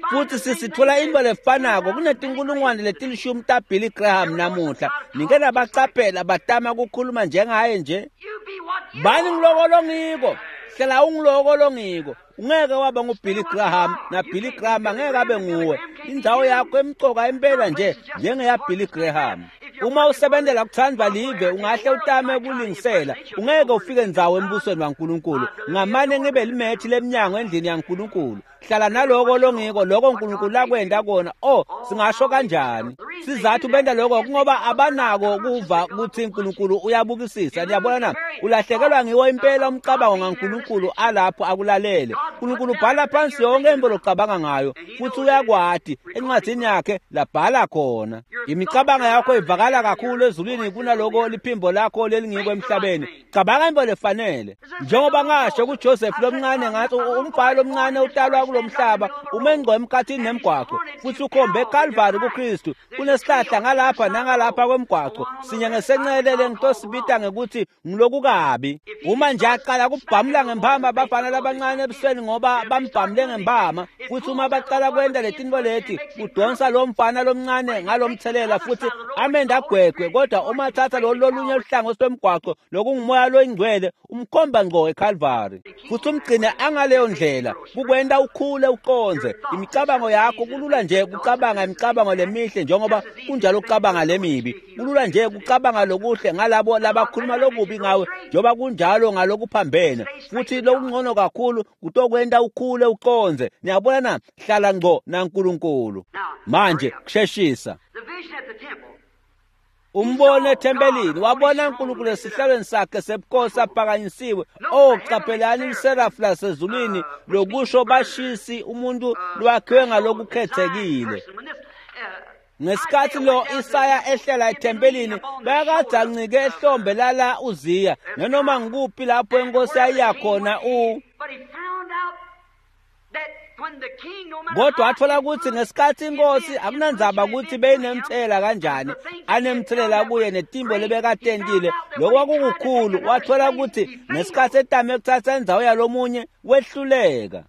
futhi sisithola into lefanako kunetinkulungwane letilishumi taBilly Graham namuhla. Nike nabacaphela batama kukhuluma njengaye nje. Bani ngiloko longiko, hlela ungiloko longiko. Ungeke waba nguBilly Graham, na Billy Graham angeke abe nguwe. Indzawo yakho emcoka impela nje njengeya Billy Graham. Uma usebenzela kuthandwa live, ungahle utame ukulingisela, ungeke ufike ndzawo embusweni waNkulunkulu. Ngamane ngibe limethi leminyango endlini yaNkulunkulu. Hlala naloko longiko, lokho uNkulunkulu lakwenda kona. Oh, singasho kanjani? Sizathu benda lokho kungoba abanako kuva ukuthi uNkulunkulu uyabukisisa. Niyabona na? Ulahlekelwa ngiwo impela umcabango ngaNkulunkulu alapho akulalele. uNkulunkulu ubhala phansi yonke into locabanga ngayo, futhi uyakwati encwadini yakhe labhala khona. Imicabango yakho ivakala kuvakala kakhulu ezulwini kunaloko liphimbo lakho lelingiko emhlabeni. Cabanga into lefanele. Njengoba ngasho kuJoseph lomncane ngathi umfana lomncane utalwa kulomhlaba ume ngqo emkhathini nemgwaqo futhi ukhombe eCalvary kuKristu. Kunesihlahla ngalapha nangalapha kwemgwaqo sinye ngesencelele ngitosibita ngekuthi ngilokukabi. Uma nje aqala kubhamula ngempama abafana labancane ebusweni ngoba bambhamule ngempama, futhi uma baqala kwenta letinto leti kudonsa lo mfana lomncane ngalomthelela futhi amenda agwegwe. Kodwa uma thatha lolu lolunye luhlangothi lwemgwaqo lokungumoya loyingcwele umkhomba ngqo eCalvary futhi umgcine angaleyo ndlela kukwenta ukhule uqonze imicabango yakho. Kulula nje kucabanga imicabango lemihle njengoba kunjalo ukucabanga lemibi. Kulula nje kucabanga lokuhle ngalabo labakhuluma lokubi ngawe njengoba kunjalo ngalokuphambene, futhi lokungcono kakhulu kutokwenta ukhule uqonze. Niyabona na? Hlala ngqo naNkulunkulu. Manje kusheshisa umbono ethempelini, wabona uNkulunkulu esihlalweni sakhe sebukhosi aphakanyisiwe. Oh, qaphelani iserafu lasezulwini lokusho bashisi umuntu lwakhiwe ngalokukhethekile. Ngesikhathi lo Isaya ehlela ethempelini bekade ancike ehlombe lala Uziya, nanoma ngikuphi lapho inkosi yayiyakhona u kodwa wathola ukuthi ngesikhathi inkosi akunandzaba ukuthi beyinemthela kanjani anemthelela kuye netimbo lebekatentile lokwakukukhulu. Wathola ukuthi ngesikhathi etame kuthatha indzawo yalomunye wehluleka.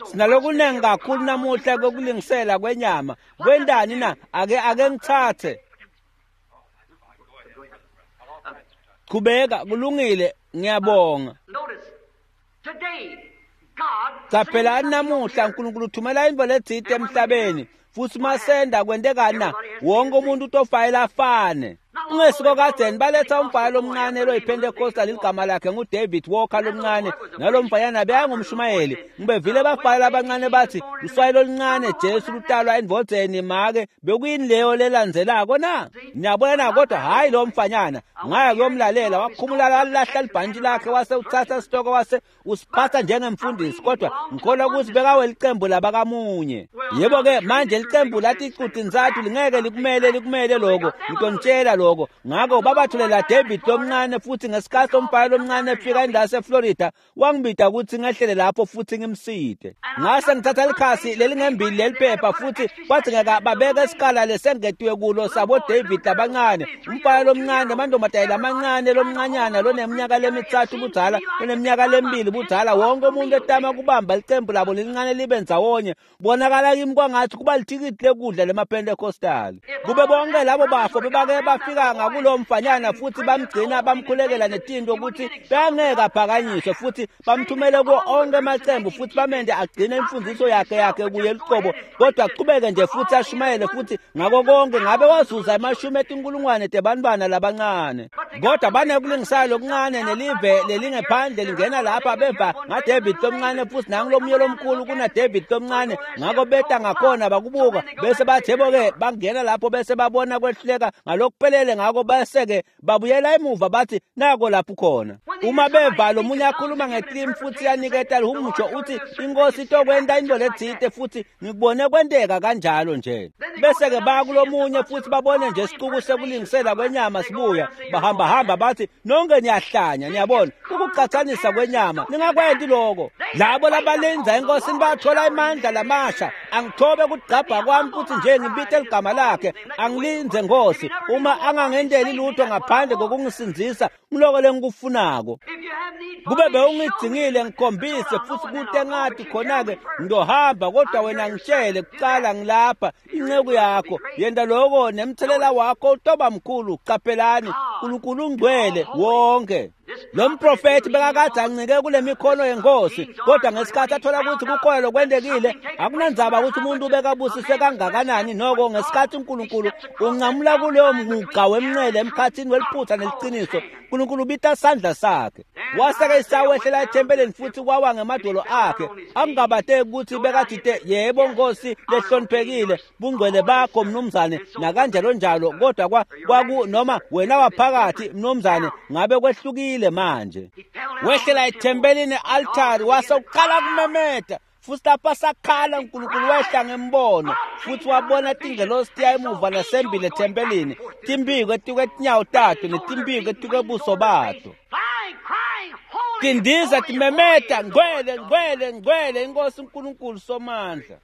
Sinalokunengi kakhulu namuhla kokulingisela kwenyama. Kwendani na? Ake ake ngithathe. Qhubeka, kulungile, ngiyabonga. Qaphelani namuhla uNkulunkulu uthumela into letsite emhlabeni futhi masenda kwentekana wonke umuntu utofayela afane. Ungesiko kadzeni baletha umfana lomncane loyiPentecostal igama lakhe nguDavid Walker lomncane, nalo mfanyana bekangumshumayeli. Ngibevile bafana abancane bathi uswayi loluncane Jesu lutalwa endvodzeni make bekuyini leyo lelandzelako na? Niyabona na? Kodwa hayi lo mfanyana ngaya kuyomlalela wakhumula lalahla libhantshi lakhe wase uthatha isitoko wase usiphatha njengemfundisi. Kodwa ngikholwa ukuthi bekawelicembu labakamunye. Yebo ke manje licembu lathi icuti ntsathu lingeke likumele likumele lokho ngitonitshela lokho. Ngakho babathulela David lomncane futhi ngesikhathi umfana lomncane efika indawo yaseFlorida wangibida ukuthi ngehlele lapho futhi ngimside. Ngase ngithatha likhasi lelingembili leliphepha futhi kwadzingeka babeke isikala lesengetiwe kulo sabo David labancane, umfana lomncane, amantombazane lamancane, lomncanyana loneminyaka lemithathu budzala, loneminyaka lemibili budzala, wonke umuntu etama kubamba licembu labo lelincane libe ndzawonye. Bonakala kimi kwangathi kuba lithikithi lekudla lemaPentecostal. Kube bonke labo bafo bebake bafika ngakulo mfanyana futhi bamgcina bamkhulekela netinto ukuthi bangeke aphakanyiswe futhi bamthumele kuwo onke amacembu futhi bamende agcine imfundiso yakhe yakhe kuye luqobo, kodwa aqhubeke nje futhi ashumayele futhi ngako konke. Ngabe wazuza amashumi etinkulungwane tebantwana labancane. Kodwa banekulingisana lokuncane nelive lelingephandle lingena lapha beva ngaDavid lomncane futhi nangulomunye lomkhulu kunaDavid lomncane. Ngako beta ngakhona bakubuka bese bathi yebo-ke bangena lapho bese babona kwehluleka ngalokuphelele. Ngako bese-ke babuyela emuva bathi nako lapho khona. Uma beva lo munye akhuluma ngeclaim futhi yaniketa lihumusho uthi inkosi itokwenta into letsite futhi ngikubone kwenteka kanjalo nje. Bese-ke baya kulomunye futhi babone nje isicuku sekulingisela kwenyama sibuya bahamba hamba bathi nonke niyahlanya. Niyabona ukuqathanisa kwenyama, ningakwenti lokho. Labo labalenza enkosini bathola imandla lamasha. Angithobe kugcabha kwami futhi nje ngibite ligama lakhe, angilinze Nkosi uma angangendeli lutho ngaphandle kokungisindzisa ngiloko lengikufunako. Kube bewungidingile ngikhombise futhi kute ngathi khona-ke ngizohamba, kodwa wena ngitshele kucala ngilapha inceku yakho. Yenta lokho nemthelela wakho utoba mkhulu. Qaphelani uNkulunkulu ungcwele wonke. Lo mprofethi bekakade ancike kule mikhono yenkosi, kodwa ngesikhathi athola ukuthi kukhona lokwentekile, akunandzaba ukuthi umuntu ubekabusise kangakanani. Noko ngesikhathi uNkulunkulu unqamula kuleyo mugqa wemncele emkhathini weliphutha neliciniso, uNkulunkulu ubita sandla sakhe. Waseke Isaya wehlela ethempelini futhi kwawa ngemadolo akhe. Akungabateki ukuthi bekathite yebo Nkosi lehloniphekile, bungcwele bakho mnumzane nakanjalo njalo, kodwa kwaku noma wena waphakathi mnumzane ngabe kwehlukile manje. Wehlela ethempelini e-altari wase uqala kumemeta Futsi lapha sakhala uNkulunkulu wehla ngembono futsi wabona tingelosi tiya emuva nasembili ethempelini, timbiko etikwetinyawo tato netimbiko etikwebuso bato. Tindiza timemeta, ngcwele, ngcwele, ngcwele inkosi uNkulunkulu Somandla.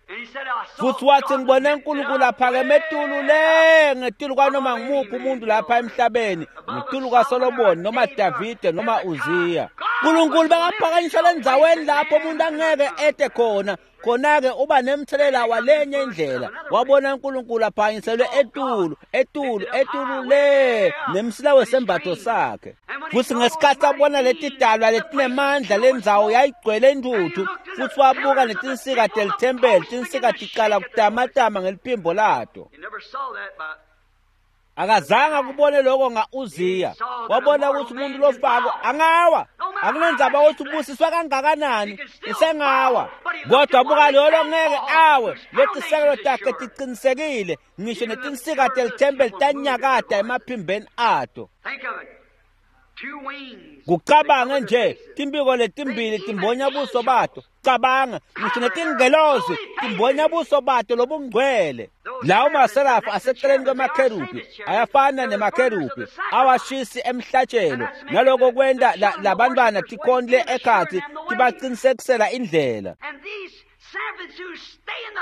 Futsi wathi ngibone uNkulunkulu aphakeme etulu le ngetulu kwanoma ngumuphi umuntu lapha emhlabeni, ngetulu kwaSolomoni noma Davide noma Uziya. uNkulunkulu bengaphakanyiswa lendzaweni lapho umuntu angeke ete khona, khona-ke uba nemthelela walenye indlela. Wabona uNkulunkulu aphakanyiselwe etulu, etulu, etulu le nemsila wesembatho sakhe. Futsi ngesikhathi abona letidalwa letinemandla lendzawo yayigcwele intuthu, futsi wabuka netinsika telithempeli, tinsika ticala kutamatama ngeliphimbo lato. Akazange akubone lokho nga-Uziya. Wabona ukuthi umuntu lofako angawa, akunendzaba ukuthi ubusiswa kangakanani, usengawa. Kodwa buka lolo ngeke awe, letisekelo takhe tiqinisekile, ngisho netinsika telithempeli tanyakata emaphimbeni ato. Kucabange nje, timbiko letimbili timbonya buso bato. Cabanga, ngisho netingelozi timbonya buso bato lobungcwele. Lawo maserafu aseceleni kwemakherubi ayafana nemakherubi awashisi emhlatshelo, naloko kwenta labantwana tikhonle ekhatsi tibaqinisekisela indlela.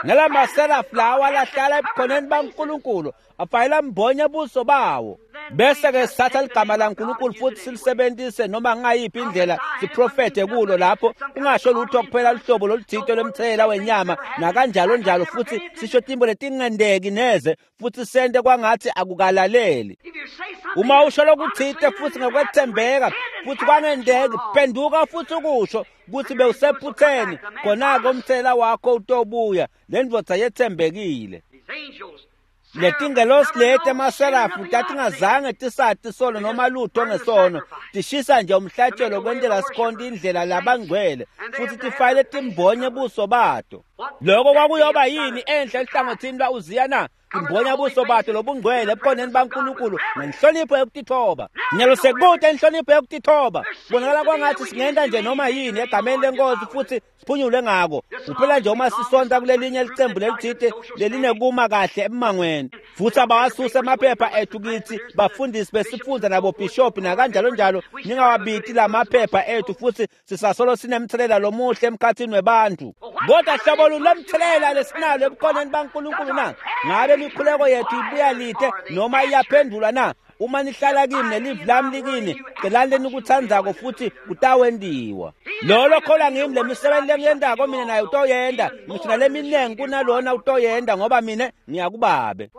Nalamaserafu lawa lahlala ebukhoneni baNkulunkulu afayela mbonya buso bawo. Bese-ke sithatha ligama laNkulunkulu futhi silisebenzise noma ngayiphi indlela siprofethe kulo lapho ungasho lutho kuphela luhlobo loluthito lwemthelela wenyama nakanjalo njalo, futhi sisho timbo letingendeki neze futhi sente kwangathi akukalaleli. Uma usho lokuthite futhi ngokwethembeka futhi kwangendeki, phenduka futhi ukusho ukuthi bewusephutheni, khona-ke umthelela wakho utobuya. Le ndvodza yethembekile. Letingelosi leti emaserafu tatingazange tisati sono noma lutho ngesono, tishisa nje umhlatshelo kwentela sikhonto indlela labangcwele futhi tifayele timbonye buso bato. Lokho kwakuyoba yini enhle ehlangothini lwa-Uziya na? Timbonya buso bato lobungcwele ebukhoneni baNkulunkulu ngenhlonipho yokutithoba. Nyalo sekude inhlonipho yokutithoba. Kubonakala kwangathi singenta nje noma yini egameni lenkosi futhi siphunyule ngako. Kuphela nje uma sisonta kulelinye licembu lelithite lelinekuma kahle emangweni. Futhi abawasusa amaphepha ethu kithi bafundisi besifundza nabobhishobhi nakanjalo njalo, ningawabiti lamaphepha ethu futhi sisasolo sinemthelela lomuhle emkhathini webantu. Kodwa hlobo lomthelela lesinalo ebukhoneni baNkulunkulu na? Ngabe imikhuleko yethu ibuya lide noma iyaphendulwa na? Uma nihlala kimi nelivi lami likini, celani lenikutsandzako futhi kutawentiwa. Lolo kholwa ngimi, le misebenzi lengiyentako mina naye utoyenta, ngisho naleminengi kunalona utoyenta, ngoba mina ngiyakubabe.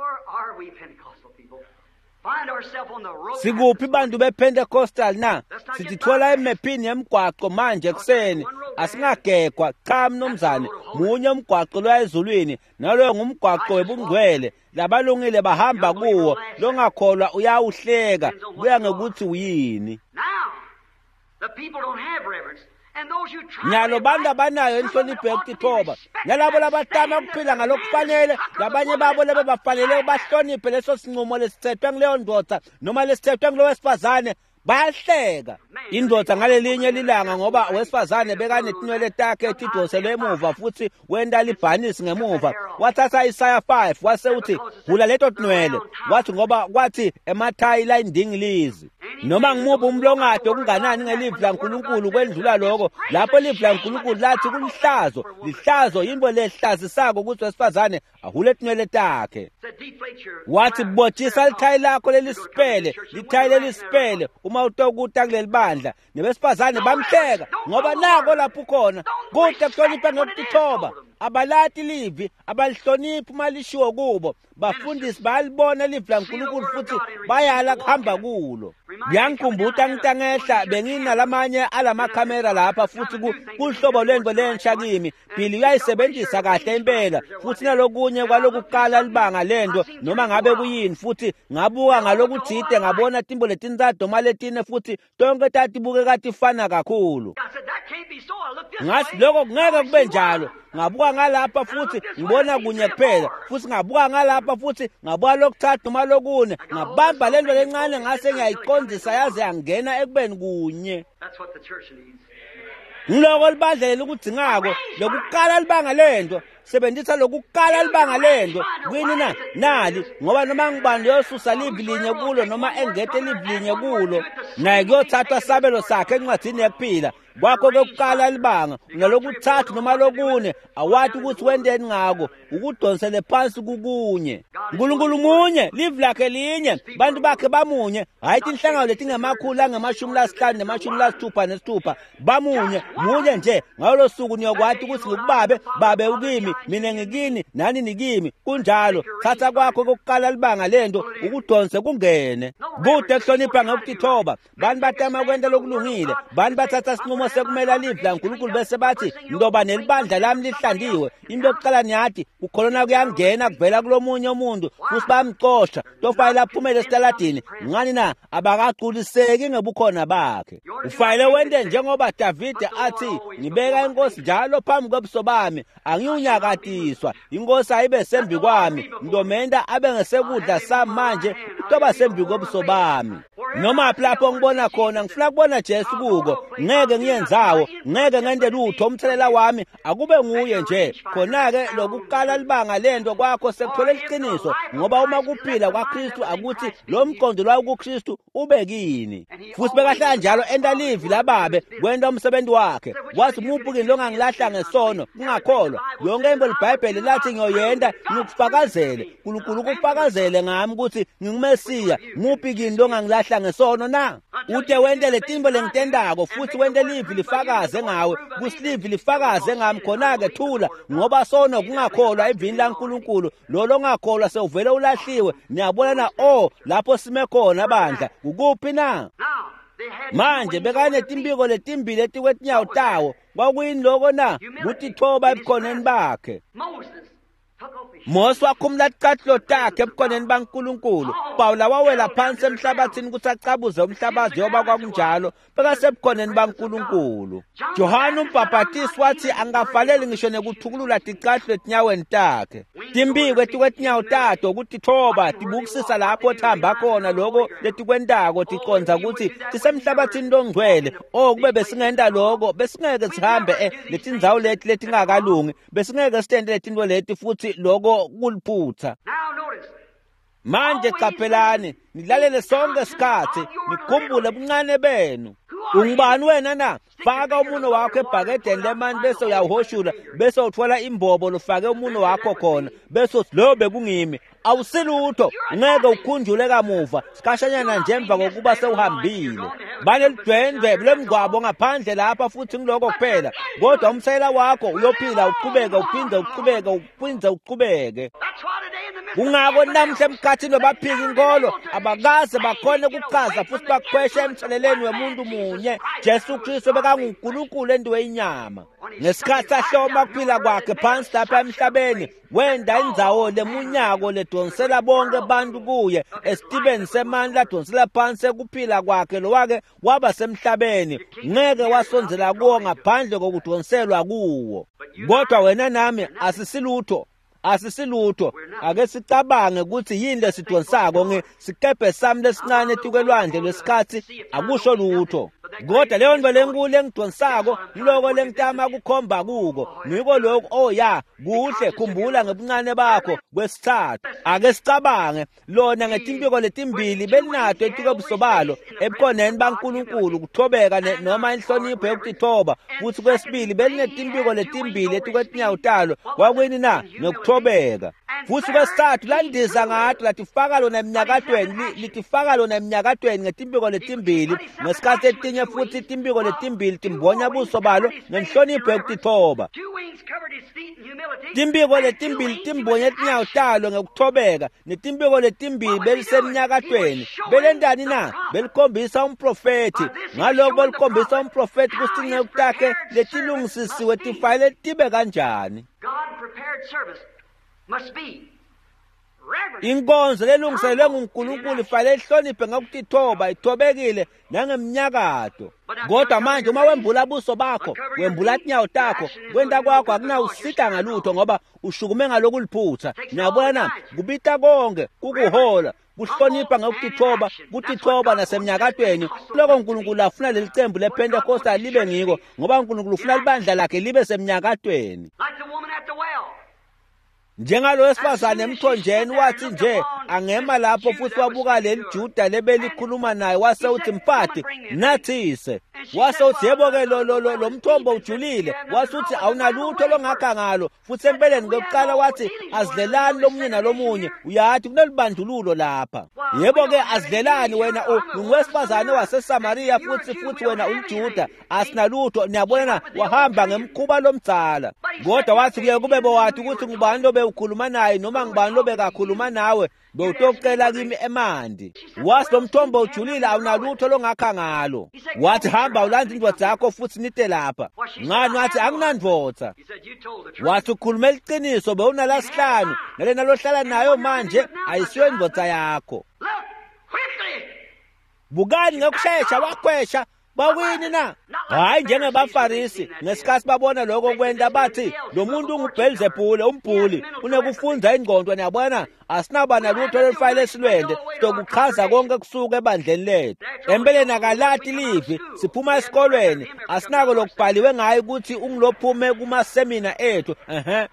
Sikuphi bantu bePentecostal na? Sitithola emephini yemgwaqo manje ekuseni. Asingagegwa, cha mnumzane. Munye umgwaqo loya ezulwini, naloyo ngumgwaqo webungcwele. Labalungile bahamba kuwo, longakholwa uyawuhleka, kuya ngekuthi uyini. Nyalo bantu abanayo inhlonipho yokutithoba, nalabo labatama ukuphila ngalokufanele, labanye babo lebe bafanele bahloniphe leso sinqumo lesithethwe nguleyo ndoda noma lesithethwe ngulo wesifazane, bayahleka. Indoda ngalelinye lilanga, ngoba wesifazane bekanetinwele takhe tidonselwe emuva futhi wenta libhanisi ngemuva, wathatha Isaya five wase uthi hula leto tinwele, wathi ngoba kwathi emathayi layindingilizi. Noma ngimuphi umlongado okunganani ngelivi laNkulunkulu kwendlula lokho, lapho livi laNkulunkulu lathi kulihlazo, lihlazo yinto lehlazisako ukuthi wesifazane ahule tinwele takhe. Wathi botshisa lithayi lakho lelisipele, lithayi lelisipele uma utokuta kuleli bandla. Nebesifazane bamhleka ngoba nako lapho ukhona kude kuhlonipha ngokutithoba. Abalati livi, abalihloniphi uma lishiwo kubo. Bafundisi bayalibona livi laNkulunkulu futhi bayala kuhamba kulo. Kuyangikhumbuta ngitangehla benginalamanye alamakhamera lapha futhi kuhlobo lwento lensha kimi. Billy uyayisebenzisa kahle impela futhi nalokunye kwalokukala libanga lento noma ngabe kuyini, futhi ngabuka ngalokuthide ngabona timbo letintsatfu noma letine futhi tonke tatibukeka tifana kakhulu. Ngathi lokho kungeke kube njalo. Ngabuka ngalapha futhi ngibona kunye kuphela, futhi ngabuka ngalapha futhi ngabuka lokuthathu noma lokune, ngabamba lento lencane ngase ngiyayiqondisa yaze yangena ekubeni kunye. Ngiloko libandla lelikudzingako lokukala libanga lento sebenzisa lokukala libanga lento kwini na nali ngoba noma ngubani loyosusa livi linye kulo noma engete livi linye kulo naye kuyothathwa sabelo sakhe encwadzini yekuphila. Kwakho kokukala libanga nalokuthathu noma lokune awati ukuthi wenteni ngako ukudonsele phansi kukunye. Nkulunkulu munye livi lakhe linye bantu bakhe bamunye hayi tinhlangano letingemakhulu angemashumi lasihlanu nemashumi lasithupha nesithupha bamunye munye nje. Ngalo suku niyokwati ukuthi ngikubabe babe ukimi mina ngikini nani nikimi. Kunjalo thatha kwakho kokukala libanga lento ukudonse kungene kude kuhlonipha ngokutithoba. Bantu batama kwenta lokulungile bantu bathatha sinqumo sekumela livi laNkulunkulu bese bathi ndoba nelibandla lami lihlandiwe. Into yokuqala niyathi kukholona kuyangena kuvela kulomunye umuntu futhi bayamcosha tofanele aphumele esitaladini. Ngani na abakaculiseki ngebukhona bakhe. Ufanele wente njengoba Davide athi ngibeka inkosi njalo phambi kwebuso bami angiwunyakatiswa inkosi ayibe sembi kwami ndomenda abe ngesekudla sami manje utoba sembi kwebuso bami. Noma lapho ngibona khona ngifuna kubona Jesu kuko ngeke ngiyenzawo ngeke ngente lutho umthelela wami akube nguye nje. Khona-ke lokukala libanga lento kwakho sekuthola iqiniso ngoba uma kuphila kwaKristu akuthi lo mqondo lwawo kuKristu ube kini. Futhi bekahlala njalo enta livi lababe kwenta umsebenzi wakhe. Wathi muphi kini longangilahla ngesono kungakholwa yonke into liBhayibheli lathi ngiyoyenta ngikufakazele uNkulunkulu kufakazele ngami ukuthi nginguMesiya. Muphi kini longangilahla ngesono na? Ude wente letimbo lengitendako futhi wente livi lifakaze ngawe kusilivi lifakaze ngami. Khona-ke thula ngoba sono kungakholwa evini laNkulunkulu lo longakholwa sewuvele ulahliwe. Niyabona na o lapho sime khona bandla ukuphi na? Manje bekanetimbiko letimbili etikwetinyawo tawo kwakuyini loko na? Kutithoba ebukhoneni bakhe. Mose wakhumula ticathulo takhe ebukhoneni baNkulunkulu. Pawula wawela phansi emhlabathini ukuthi acabuze umhlabathi njengoba kwakunjalo bekasebukhoneni baNkulunkulu. Johane umbhabhatisi wathi angafanele ngisho nekuthukulula ticathulo etinyaweni takhe. Timbiko etikwetinyawo tato kutithoba tibukisisa lapho thamba khona loko letikwentako ticonza ukuthi tisemhlabathini longcwele. O kube besingenta loko besingeke sihambe eh letindzawo leti letingakalungi besingeke sitente letinto leti futhi loko kuliphutha. Manje qaphelani nilalele sonke isikhathi nikhumbule buncane benu. Ungubani wena na? Faka umuno wakho ebhakedeni lemani bese uyawuhoshula bese uthola imbobo lofake umuno wakho khona bese uthi lo bekungimi. Awusilutho ngeke ukhunjule kamuva sikhashanyana nje emva kokuba sewuhambile. Banelidwendwe lomngcwabo ngaphandle lapha futhi ngiloko kuphela kodwa umsayela wakho uyophila uqhubeke uphinde uqhubeke uphinde uqhubeke. Kungako namhla emkhathini wabaphika inkolo abakaze bakhone ukuchaza futhi bakhweshe emtheleleni wemuntu munye Jesu Kristu bekanguNkulunkulu endiwe inyama. Ngesikhathi ahloma kuphila kwakhe phansi lapha emhlabeni wenda indzawo lemunyako ledonsela bonke bantu kuye esitibeni semandla adonsela phansi ekuphila kwakhe lowake waba semhlabeni ngeke wasondzela kuwo ngaphandle kokudonselwa kuwo. Kodwa wena nami asisilutho asisilutho. Ake sicabange ukuthi yini lesidonsako ngesikebhe sami lesincane etikwelwandle lwesikhathi akusho lutho. Kodwa leyo nto lenkulu engidonsako yiloko lengitama kukhomba kuko ngiko lokhu. Oh ya kuhle khumbula ngebuncane bakho. Kwesithathu ake sicabange lona ngetimpiko letimbili belinato etikwebuso balo ebukhoneni baNkulunkulu kuthobeka noma inhlonipho yokutithoba. Futhi kwesibili belinetimpiko letimbili etikwetinyawo talo kwakwini na? Nokuthobeka. Futhi kwesithathu landiza ngato latifaka lona eminyakatweni litifaka lona eminyakatweni ngetimpiko letimbili ngesikhathi etinye futhi timpiko letimbili timbonya buso balo ngenhlonipho yokutithoba. Timpiko letimbili timbonye tinyawo talo ngekuthobeka netimpiko letimbili belisemnyakatweni belentani na? Belikhombisa umprofethi. Ngaloko belikhombisa umprofethi kusinceku takhe letilungisisiwe tifanele tibe kanjani. Inkonzo lelungiselwe nguNkulunkulu ifanele ihloniphe ngokutithoba, ithobekile nangemnyakato. Kodwa manje uma wembula buso bakho, wembula tinyawo takho, kwenta kwakho akunawusita ngalutho ngoba ushukume ngalokuliphutha. Niyabona na? Kubita konke kukuhola, kuhlonipha ngokutithoba, kutithoba nasemnyakatweni. Lokho uNkulunkulu afuna leli cembu lePentecostal libe ngiko, ngoba uNkulunkulu ufuna libandla lakhe libe semnyakatweni. Njengalo wesifazane emthonjeni wathi nje angema lapho futhi wabuka leli Juda lebelikhuluma naye, wase uthi mfati nathise. Wase uthi yebo ke lo lo lo mthombo ujulile, wase uthi awunalutho longakha ngalo. Futhi empeleni kokuqala wathi azidlelani lomunye nalomunye, uyathi kunelibandlululo lapha. Yebo ke azidlelani, wena ungowesifazane waseSamaria futhi futhi wena uliJuda, asinalutho. Niyabona, wahamba ngemkhuba lomdzala. Kodwa wathi kuye kube bowathi ukuthi ngubani lobe ukhuluma naye noma ngubani lobe kakhuluma nawe, bewutocela kimi emanti. Wathi lo mthombo ujulile, awunalutho longakha ngalo. Wathi hamba ulanze indvodza yakho futhi nite lapha. Ngani? Wathi anginandvodza. Wathi ukhuluma iqiniso, bewunalasihlanu nalena lohlala nayo manje ayisiyo indvodza yakho. Bukani ngokushesha wakhwesha. Bawini na? Hayi njengebafarisi ngesikhathi babona lokho kwenta bathi lo muntu unguBhelzebhule, umbhuli, unekufunza ingqondo. Niyabona, asinaba nalutho lolufayile esilwende sokuchaza konke kusuka ebandleni lethu. Empeleni akalati livi, siphuma esikolweni, asinako lokubhaliwe ngaye ukuthi ungilophume kumasemina ethu. Ehhe.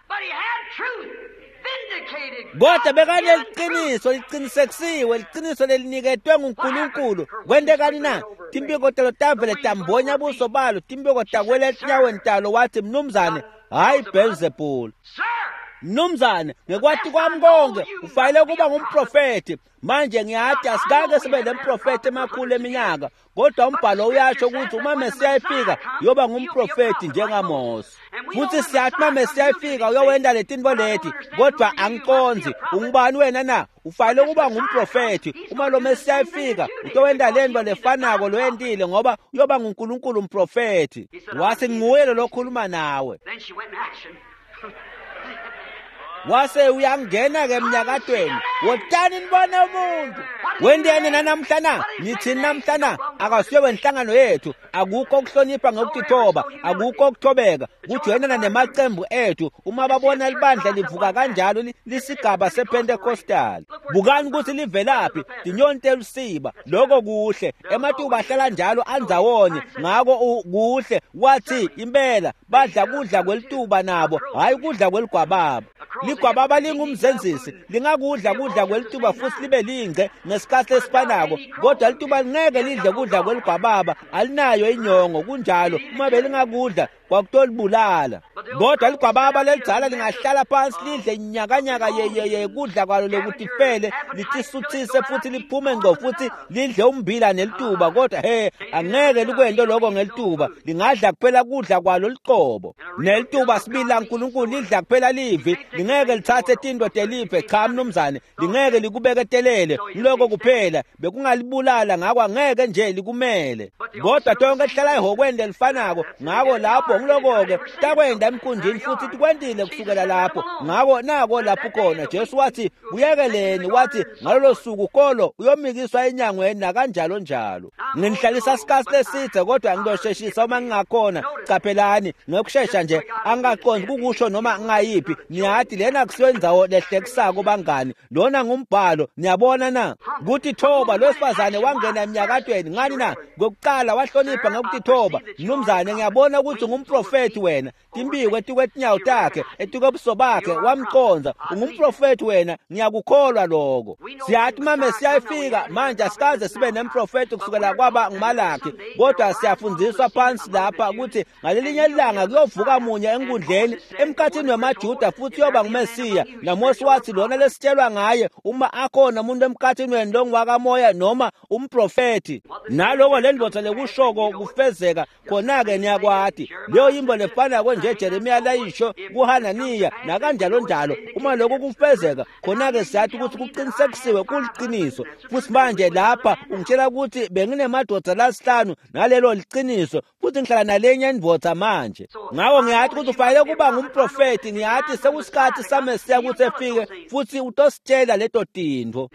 Kodwa bekaneliqiniso, liqinisekisiwe, liqiniso leliniketwe nguNkulunkulu. Kwentekani na? Timpiko talo tavele tambonya buso balo, timpiko takwela etinyaweni talo. Wathi mnumzane, hayi Beelzebul. Mnumzane, ngekwati kwami konke ufanele ukuba ngumprofethi. Manje ngiyathi asikake sibe nemprofethi emakhulu eminyaka, kodwa umbhalo uyasho ukuthi uma Mesiya efika uyoba ngumprofethi njengaMose. Futhi siyathi uma Mesiya efika uyowenda letinto leti, kodwa angiqondzi ungubani wena na? Ufanele ukuba ngumprofethi. Uma lo Mesiya efika utowenda lento lefanako loyentile, ngoba uyoba nguNkulunkulu umprofethi. Wathi nguye lo lokhuluma nawe. Wase uyangena ke emnyakatweni. Wotani nibone umuntu. Wendeni nanamhla na? Nithini namhla na? Akasiyo wenhlangano yethu. Akukho ukuhlonipha ngokutithoba, akukho ukuthobeka, kujoyinana nemacembu ethu. Uma babona libandla livuka kanjalo lisigaba sePentecostal. Bukani ukuthi livelaphi, tinyoni telusiba. Lokho kuhle. Ematuba ahlala njalo andzawonye, ngako kuhle. Wathi impela badla kudla kwelituba nabo, hayi kudla kweligwababa. Ligwababa lingumzenzisi, lingakudla kudla kwelituba futhi libe lingce ngesikhathi esifanako, kodwa lituba lingeke lidle kudla kweligwababa, alinayo inyongo. Kunjalo, uma belingakudla kwakutolibulala. Kodwa ligwababa lelidzala lingahlala phansi lidle inyakanyaka ye kudla kwalo lokutifele, litisuthise futhi liphume ngqo futhi lidle umbila nelituba. Kodwa he, angeke likwento lokho ngelituba, lingadla kuphela kudla kwalo liqobo. Nelituba sibili laNkulunkulu lidla kuphela livi, lingeke lithathe tinto telive. Cha mnumzane, lingeke likubeketelele lokho kuphela, bekungalibulala, ngako angeke nje likumele. Kodwa tonke lihlala ehhokweni lelifanako, ngako lapho ngiloko-ke takwenda emkhunjini futhi tikwentile kusukela lapho. Ngako nako lapho khona Jesu wathi kuyekeleni, wathi ngalolo suku kolo uyomikiswa enyangweni nakanjalo njalo. Nginihlalisa isikhathi leside kodwa ngizosheshisa uma ngingakhona. Caphelani ngokushesha nje, angingaqondi kukusho noma ngingayiphi. Niyathi lena kusiyo indzawo lehlekisako bangani, lona ngumbhalo. Niyabona na kutithoba lo wesifazane wangena emnyakatweni. Ngani na? Ngokuqala wahlonipha ngokutithoba. Mnumzane, ngiyabona ukuthi ungumprofethi wena. Timbiko etikwetinyawo takhe, etikobuso bakhe, wamconza. Ungumprofethi wena, ngiyakukholwa lokho. Siyathi uma Mesiya efika manje asikaze sibe nemprofethi kusukela kwaba nguMalakhi, kodwa siyafundiswa phansi lapha ukuthi ngalelinye ilanga kuyovuka munye enkundleni emkhathini wemaJuda futhi uyoba nguMesiya. NaMose wathi lona lesitshelwa ngaye, uma akhona umuntu emkhathini wenu longwakamoya noma umprofethi, naloko le ndvodza lekushoko kufezeka khona-ke niyakwati. Leyo yimbo lefanako nje Jeremiya layisho kuHananiya nakanjalo njalo, uma lokho kufezeka khona-ke siyathi ukuthi kuqinisekisiwe kuliqiniso. Futhi manje lapha ungitshela ukuthi benginemadoda lasihlanu nalelo liqiniso, futhi ngihlala nalenye indvodza manje. Ngakho ngiyathi ukuthi ufanele kuba ngumprofethi, ngiyathi sekusikhathi saMesiya ukuthi efike futhi utositshela leto tintfo.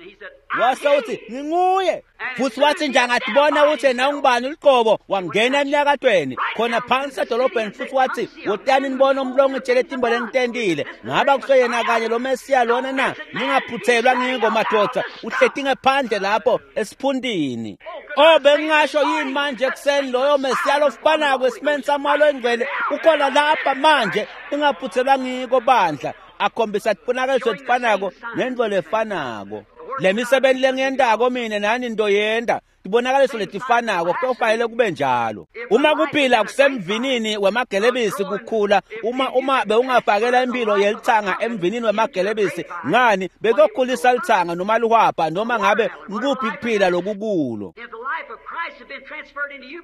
Wase uthi nginguye. Futhi wathi nje angatibona ukuthi yena ungubani uliqobo, wangena emnyakatweni khona phansi edolobheni, futhi wathi wotani nibone umlongo etshele timbo lengitentile. Ngaba kuseyena kanye lo Mesiya lona na? Ningaphuthelwa ngiko madoda, uhleti ngephandle lapho esiphundini. Oh, bengingasho yini manje ekuseni loyo Mesiya lofanako esimeni samalo engcwele ukhona lapha manje, ningaphuthelwa ngiko bandla. Akhombisa tibonakaliso letifanako nento lefanako. Le misebenzi lengiyentako mina nani into yenta tibonakaliso letifanako, kutofanele kube njalo. Uma kuphila kusemvinini wemagelebisi kukhula, uma uma bewungafakela impilo yelithanga emvinini wemagelebisi, ngani bekuyokhulisa lithanga noma lihwabha noma ngabe ngikuphi kuphila lokukulo.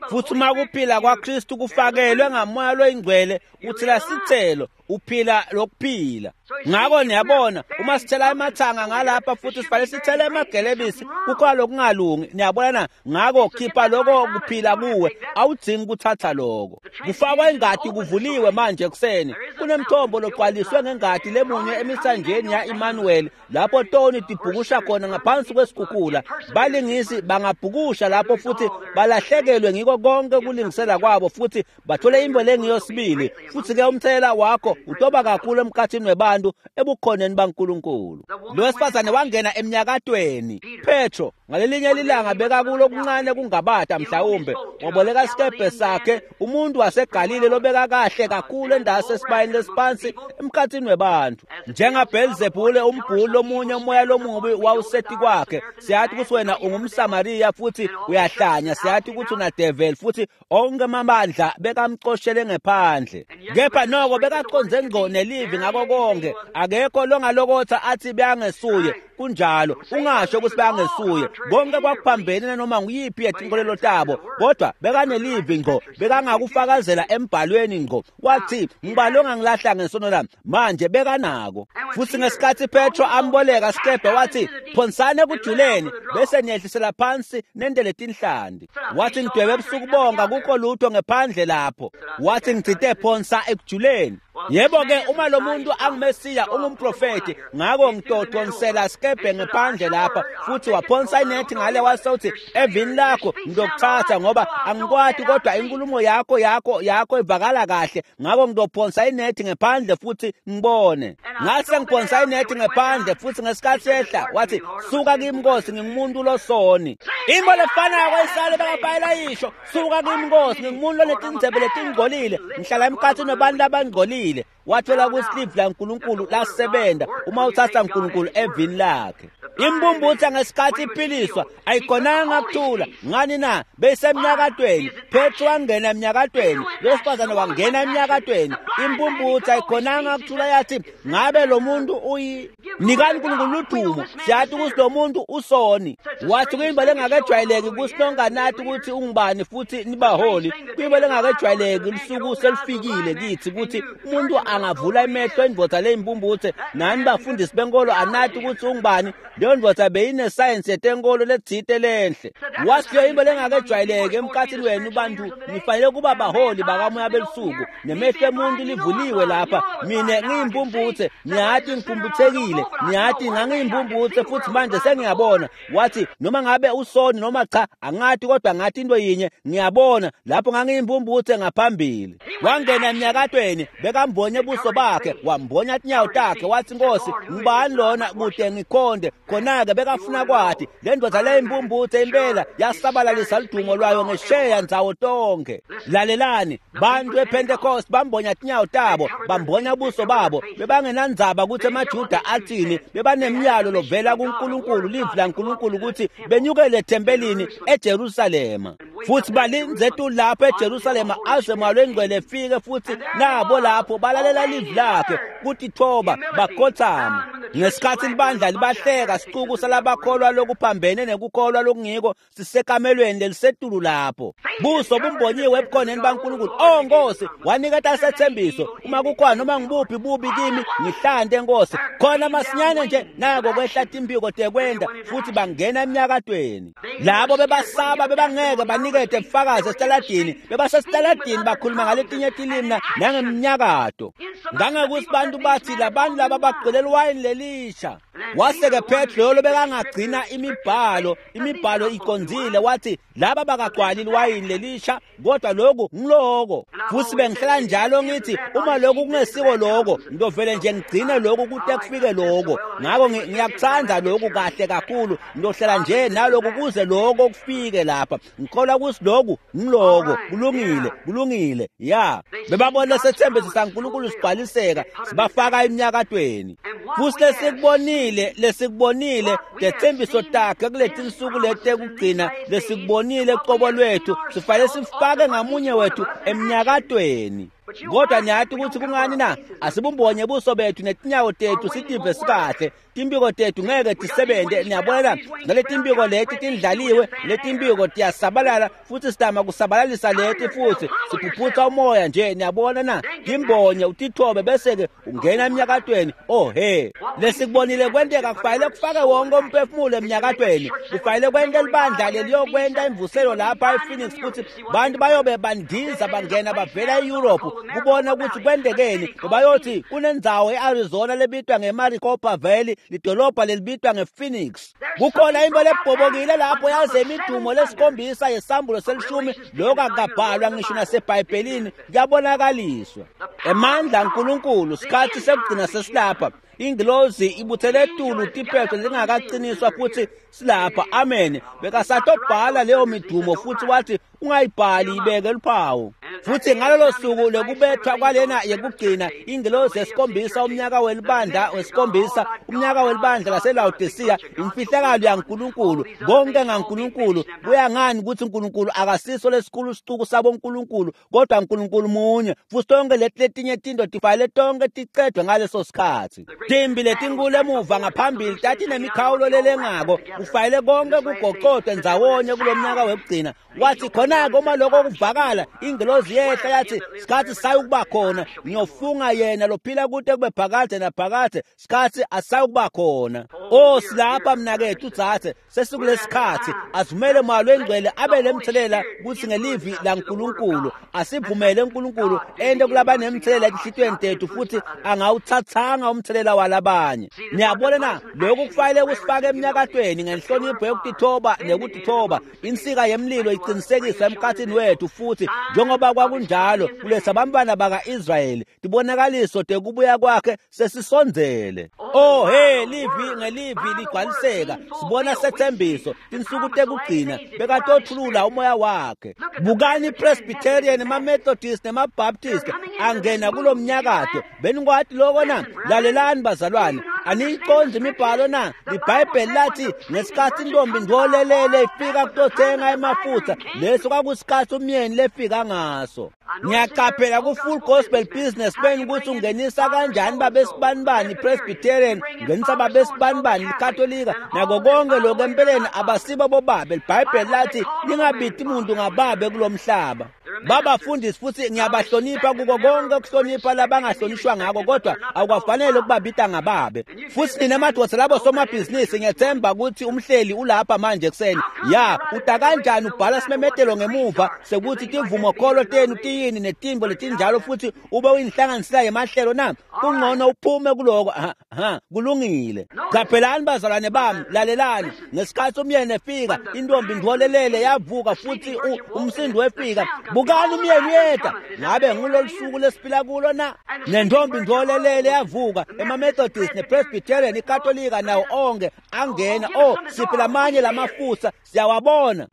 Futhi uma kuphila kwaKristu kufakelwe ngamoya loyingcwele, uthela sithelo, uphila lokuphila. Ngakho niyabona, uma sithela emathanga ngalapha futhi sifanele sithele emagelebisi, kukhona lokungalungi. Niyabona na? Ngakho khipha lokho kuphila kuwe, awudzingi ukuthatha lokho. Kufakwa ingadi kuvuliwe manje ekuseni. Kunemthombo logcwaliswe ngengadi lemunye emisanjeni ya-Emmanuel, lapho toni tibhukusha khona ngaphansi kwesikhukhula. Balingisi bangabhukusha lapho futhi balahlekelwe ngiko konke kulingisela kwabo, futhi bathole imbo lengiyo sibili. Futhi-ke umthelela wakho utoba kakhulu emkhathini webantu ebukhoneni baNkulunkulu. Lo wesifazane wangena emnyakatweni. Petro ngalelinye lilanga bekakulo okuncane kungabata, mhlawumbe waboleka isikebhe sakhe, umuntu waseGalile lobeka kahle kakhulu endase esibayeni lesiphansi emkhathini webantu. NjengaBhelzebule umbhuli lomunye umoya lomubi wawuseti kwakhe. Siyathi ukuthi wena ungumSamariya futhi uyahlanya, siyathi ukuthi unadeveli, futhi onke amabandla bekamcoshele ngephandle. Kepha noko bekaconze ngqo nelivi ngako konke. Akekho longalokotha athi beyangesuye. Kunjalo, ungasho ukuthi beyangesuye. Konke kwakuphambene nanoma nguyiphi yetinkolelo tabo, kodwa bekanelivi ngqo, bekangakufakazela embhalweni ngqo. Wathi ngibalo ongangilahla ngesono lami. Manje bekanako. Futhi ngesikhathi Petro amboleka sikebhe wathi phonsani ekujuleni bese niyehlisela phansi nendele tinhlanti. Wathi ngidwebe ebusuku bonke akukho lutho ngephandle lapho. Wathi ngitsite phonsa ekujuleni. Yebo-ke, uma lo muntu anguMesiya ungumprofethi, ngakho ngitodonsela sikebhe ngephandle lapha. Futhi waphonsa inethi ngale, wase uthi evini lakho ngizokuthatha ngoba angikwati, kodwa inkulumo yakho yakho yakho ivakala kahle, ngakho ngizophonsa inethi ngephandle futhi ngibone. Ngase ngiphonsa inethi ngephandle, futhi ngesikhathi ehla wathi suka kimi Nkosi, ngingumuntu losoni. Into lefanako isale bekabhayela yisho, suka kimi Nkosi, ngingumuntu lonetindzebe letingcolile, ngihlala emkhathini wabantu abangcolile. Wathola ukuthi livi laNkulunkulu lasebenta uma uthatha uNkulunkulu evini lakhe. Imbumbutha ngesikhathi iphiliswa ayikhonanga kuthula. Ngani na? Beyisemnyakatweni. Petro wangena emnyakatweni, lowesifazane wangena emnyakatweni. Imbumbutha ayikhonanga kuthula, yathi ngabe lo muntu uyi nikani uNkulunkulu ludumo, siyathi ukuthi lo muntu usoni. Wathi kuyimbo lengakejwayeleki kusinonganathi ukuthi ungubani futhi nibaholi. Kuyimbo lengakejwayeleki lusuku selufikile kithi ukuthi umuntu angavula emehlo indvodza leyimbumbuthe, nani bafundisi benkolo anathi ukuthi ungubani. Leyo ndvodza beyinesayensi yetenkolo letsite lenhle. Wathi leyo imbo lengakejwayeleki emkhathini wenu bantu, nifanele kuba baholi bakamoya belusuku, nemehlo emuntu livuliwe lapha. Mina ngiyimbumbuthe, niyathi ngiphumputhekile, niyathi ngangiyimbumbuthe futhi manje sengiyabona. Wathi noma ngabe usoni noma cha angathi, kodwa ngathi into yinye ngiyabona, lapho ngangiyimbumbuthe ngaphambili. Wangena emnyakatweni, bekambonye buso bakhe, wambonya tinyawo takhe, wathi Nkosi ngubani lona kude ngikhonde. Khona-ke bekafuna kwathi le ndoda leyimbumbuthe impela yasabalalisa ludumo lwayo ngesheya ndzawo tonke. Lalelani, bantu ePentecost bambonya tinyawo tabo, bambonya buso babo, bebangenandzaba ukuthi emaJuda athini, bebanemiyalo lovela kuNkulunkulu, livi laNkulunkulu ukuthi benyukele ethempelini eJerusalema. Futhi balindze tu lapho eJerusalema aze moya longcwele efike, futhi nabo lapho balalela livi lakhe kutithoba bakhothama. Ngesikhathi libandla libahleka sicuku salabakholwa lokuphambene nekukholwa lokungiko sisekamelweni lelisetulu lapho. Buso bumbonyiwe ebukhoneni baNkulunkulu. Oh Nkosi, waniketa sethembiso, uma kukhona noma ngibuphi bubi kimi ngihlante Nkosi. Khona masinyane nje nako kwehla timpiko tekwenda futhi bangena eminyakatweni. Labo bebasaba bebangeke banikete ubufakazi esitaladini, bebasesitaladini bakhuluma ngaletinye tilimi nangeminyakato. Ngangekuthi bantu bathi labantu laba bagcwele iwayini lelisha. Wase-ke Petro lo bekangagcina imibhalo, imibhalo iqondzile, wathi laba bakagcwali iwayini lelisha kodwa lokhu ngiloko. Futhi bengihlala njalo ngithi uma lokhu kungesiko lokho ngizovele nje ngigcine lokhu kute kufike lokho. Ngakho ngiyakuthanda lokhu kahle kakhulu, ngizohlala nje nalokhu kuze lokho kufike lapha. Ngikholwa ukuthi lokhu ngiloko, kulungile, kulungile. Ya, bebabona sethembiso saNkulunkulu sigcwaliseka, sibafaka eminyakatweni. Futhi lesikubonile lesikubonile lethembiso takhe kuletinsuku letekugcina, lesikubonile qobo lwethu, sifanele sifake ngamunye wethu eminyakatweni. Kodwa niyathi ukuthi kungani na asibumbonye buso bethu netinyawo tethu sitive sikahle, timpiko tethu ngeke tisebente. Niyabona naletimpiko leti tindlaliwe, letimpiko tiyasabalala futhi sidama kusabalalisa leti futhi siphuphutha umoya nje. Niyabona na, timbonye utithobe bese-ke ungena eminyakatweni. Oh he, lesikubonile kwenteka kufanele kufake wonke umphefumulo eminyakatweni. Kufanele kwente libandla leliyokwenta imvuselo lapha ePhoenix kuthi bantu bayobe bandiza bangena bavela e-Europe kubona ukuthi kwentekeni. Bayothi kunendzawo e-Arizona lebitwa ngeMaricopa Valley, lidolobha lelibitwa ngePhoenix. Kukhona into lebhobokile lapho yaze imidumo lesikhombisa yesambulo selishumi, lokho akukabhalwa ngisho nasebhayibhelini, kuyabonakaliswa. Emandla aNkulunkulu, sikhathi sekugcina sesilapha. Ingilozi ibuthele etulu tiphetho lingakaqiniswa futhi silapha. Amen. Bekasatobhala leyo midumo futhi wathi ungayibhali, ibeke luphawu. Futhi ngalolo suku lokubethwa kwalena yekugcina, ingilozi yesikhombisa, umnyaka welibandla wesikhombisa, umnyaka welibandla laseLaodicea, imfihlakalo yaNkulunkulu, konke ngaNkulunkulu. Kuya ngani ukuthi uNkulunkulu akasiso lesikhulu sicuku saboNkulunkulu, kodwa uNkulunkulu munye. Futhi tonke leti letinye tinto tifanele tonke ticedwe ngaleso sikhathi. Timbi letinkulu emuva ngaphambili tatinemikhawulo lelengako, kufanele konke kugocodwe ndzawonye kulomnyaka wekugcina. Wathi khona-ke uma lokho kuvakala, ingilozi yehla yathi sikhathi sayukuba khona, ngiyofunga yena lophila kude kube phakade naphakade, sikhathi asayukuba khona. Oh silapha mnakethu dzadze, sesikulesikhathi. Asivumele moya lwengcwele abe lemthelela kuthi ngelivi laNkulunkulu. Asivumele uNkulunkulu ente kulabanemthelela etinhlitiyweni tethu futhi angawuthathanga umthelela walabanye. Niyabona na, lokhu kufanele kusifake eminyakatweni ngenhlonipho yokutithoba nekutithoba. Insika yemlilo iqinisekiswa emkhathini wethu futhi njengoba kwakunjalo kulesa bantwana baka-Israyeli, tibonakaliso tekubuya kwakhe sesisondzele. Oh he, livi ngelivi ligcwaliseka. Sibona sethembiso tinsuku tekugcina bekatothulula umoya wakhe. Bukani iPresbyterian, emaMethodist nemaBaptist angena kulo mnyakato. Benikwati loko na? Lalelani bazalwane, aniyiqondzi imibhalo na? Libhayibheli lathi ngesikhathi intombi ndolelele ifika kutothenga emafutha, leso kwakusikhathi umyeni lefika ngaso. Ngiyaqaphela ku-Full Gospel Business Ben ukuthi ungenisa kanjani babesibanibani iPresbyterian, ungenisa babesibanibani iKatolika, nako konke lokho empeleni abasibo bobabe. Libhayibheli lathi ningabiti muntu ngababe kulomhlaba. Babafundisi futhi ngiyabahlonipha kuko konke ukuhlonipha labangahlonishwa ngako, kodwa akukafanele ukubabita ngababe. Futhi nina madoda labo somabhizinisi, ngiyethemba ukuthi umhleli ulapha manje ekuseni. Ya, uta kanjani ubhala simemetelo ngemuva sekuthi tivumokholo tenu tiyini netimbo letinjalo futhi ube uyinhlanganisela yemahlelo na? Kungcono uphume kuloko. Ha, ha, kulungile. Qaphelani bazalwane bami, lalelani. Ngesikhathi umyeni efika, intombi ndolelele yavuka futhi umsindo wefika. Bukani umyeni uyeta. Ngabe ngulolu suku lesiphila kulo na? Nentombi ndolelele yavuka, emaMethodist nePresbyterian, iKatolika nawo onke angena. Oh, siphila amanye lamafutha siyawabona.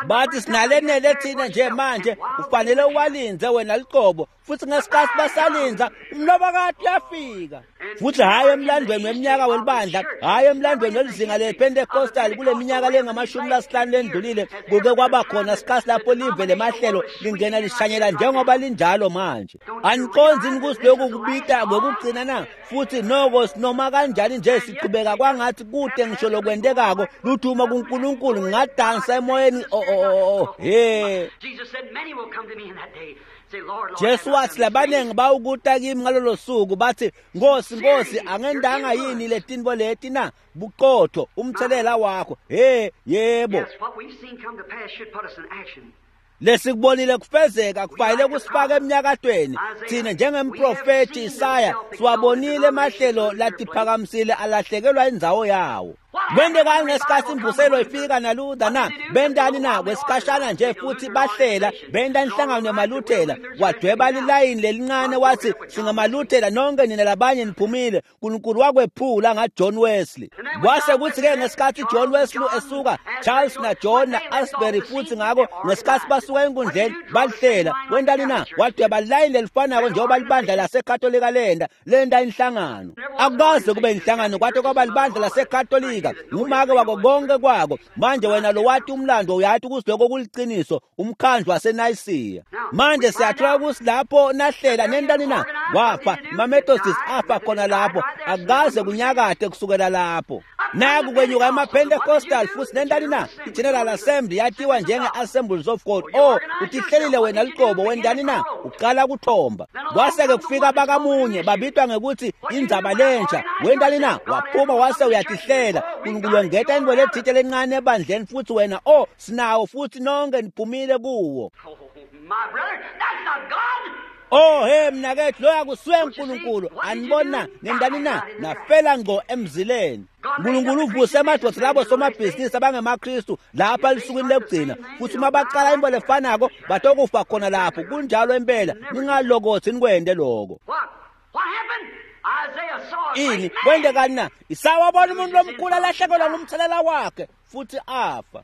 Bathi sinalenele thina nje manje, ufanele uwalinze wena liqobo. Futhi ngesikhathi basalinza, umlobokati uyafika. Futhi hhayi emlandweni weminyaka welibandla, hhayi emlandweni welizinga lePentecostal kule minyaka lengamashumi lasihlanu lendlulile kuke kwaba khona sikhathi lapho live lemahlelo lingena lishanyela njengoba linjalo manje. Aniqonzi ukuthi lokhu kubita kwekugcina na? Futhi noko sinoma kanjani nje siqhubeka kwangathi kude ngisho lokwentekako luthuma kuNkulunkulu ngadansa emoyeni. Oh oh oh he. Jesu wathi labaningi bawukuta kimi ngalolo suku bathi Nkosi Nkosi angendanga yini letinto leti na? Buqotho umthelela wakho. He yebo. Lesikubonile kufezeka kufanele kusifake eminyakatweni. Thina njengemprofeti Isaya siwabonile emahlelo latiphakamisile alahlekelwa indzawo yawo. Kwentekani ngesikhathi imvuselo ifika naLuther na? Bentani na? Kwesikhashana nje futhi bahlela benta inhlangano yamaLuthela, wadweba lilayini lelincane wathi singamaLuthela nonke nina labanye niphumile. uNkulunkulu wakwephula ngaJohn Wesley. Kwase kuthi-ke ngesikhathi John Wesley esuka, Charles na John na Asbury futhi ngako ngesikhathi basuka enkundleni balihlela. Wentani na? Wadweba lilayini lelifanako njengoba libandla laseKatolika lenda lenda inhlangano. Akukaze kube inhlangano kwate kwaba libandla laseKatolika ngumake wako konke kwako. Manje wena lo wathi umlando uyathi ukuthi lokho kuliciniso, umkhandlu waseNayisiya. Manje siyathola ukuthi lapho nahlela nentani na? Wafa maMethodist afa khona lapho, akukaze kunyakade kusukela lapho. Naku kwenyuka amaPentecostal futhi nentani na? I-General Assembly yatiwa njenge-Assemblies of God. Oh, utihlelile wena liqobo wentani na? Uqala kuthomba. Kwase-ke kufika abakamunye babitwa ngekuthi indzaba lentsha. Wentani na? Waphuma wase uyatihlela. uNkulunkulu wengeta into lethile lencane ebandleni futhi wena oh sinawo futhi nonke niphumile kuwo. Oh hey mnakethu loya kusuye uNkulunkulu. Anibona nendani na? Nafela ngqo emzileni. uNkulunkulu uvuse amadoda labo somabhizinisi abangemaKristu lapha lisukwini lokugcina futhi uma baqala into lefanako batokufa khona lapho. Kunjalo impela, ningalokothi nikwende lokho. Ini kwentekani na? Isaya wabona umuntu lomkhulu alahlekelwa ngumthelela wakhe futhi afa.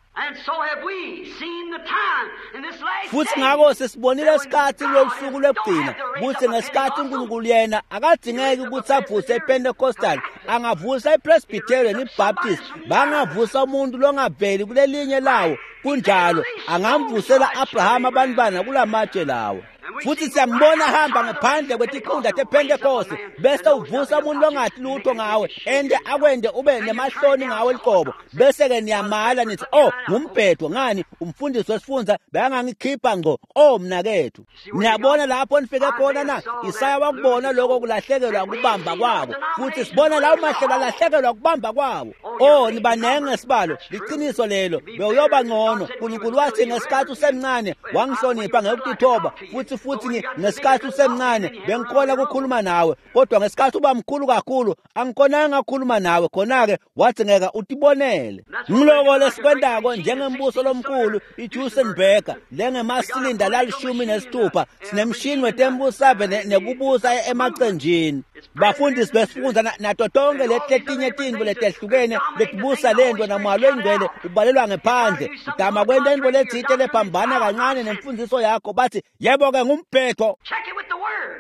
Futhi ngako sesibonile isikhathi lolusuku lwekugcina kuthi ngesikhathi uNkulunkulu yena akadingeki ukuthi avuse iPentecostal, angavusa iPresbyterian, iBaptist, bangavusa umuntu longaveli kulelinye lawo. Kunjalo, angamvusela Abraham abantwana kulamatshe lawo. Futhi siyambona hamba ngaphandle kwetikhundla tePentecost bese uvusa umuntu longathi lutho ngawe ende akwende ube nemahloni ngawe liqobo, bese-ke niyamala nithi oh ngumbhedo ngani umfundisi wesifunza bekangangikhipha ngqo. Oh mnakethu, niyabona lapho nifike khona na? Isaya wakubona lokho kulahlekelwa kubamba kwabo, futhi sibona lawo mahlelo alahlekelwa kubamba kwabo. Oh nibanenge sibalo, liqiniso lelo, bewuyoba ngcono. uNkulunkulu wathi ngesikhathi usemncane wangihlonipha ngekutithoba, futhi futhi ngesikhathi usemncane bengikhona ukukhuluma nawe, kodwa ngesikhathi uba mkhulu kakhulu angikhonanga ukukhuluma nawe. Khona-ke wathi ngeke utibonele. Ngiloko lesikwentako njengembuso lomkhulu iJusenberger lengemasilinda lalishumi nesithupha, sinemshini wetembusave nekubusa emacenjini. Bafundisi besifundza nato tonke letinye tintfo letehlukene letibusa lento namoya longcwele ubalelwa ngephandle. Udama kwenta intfo letsite lephambana kancane nemfundziso yakho, bathi yebo-ke ngumbhedo.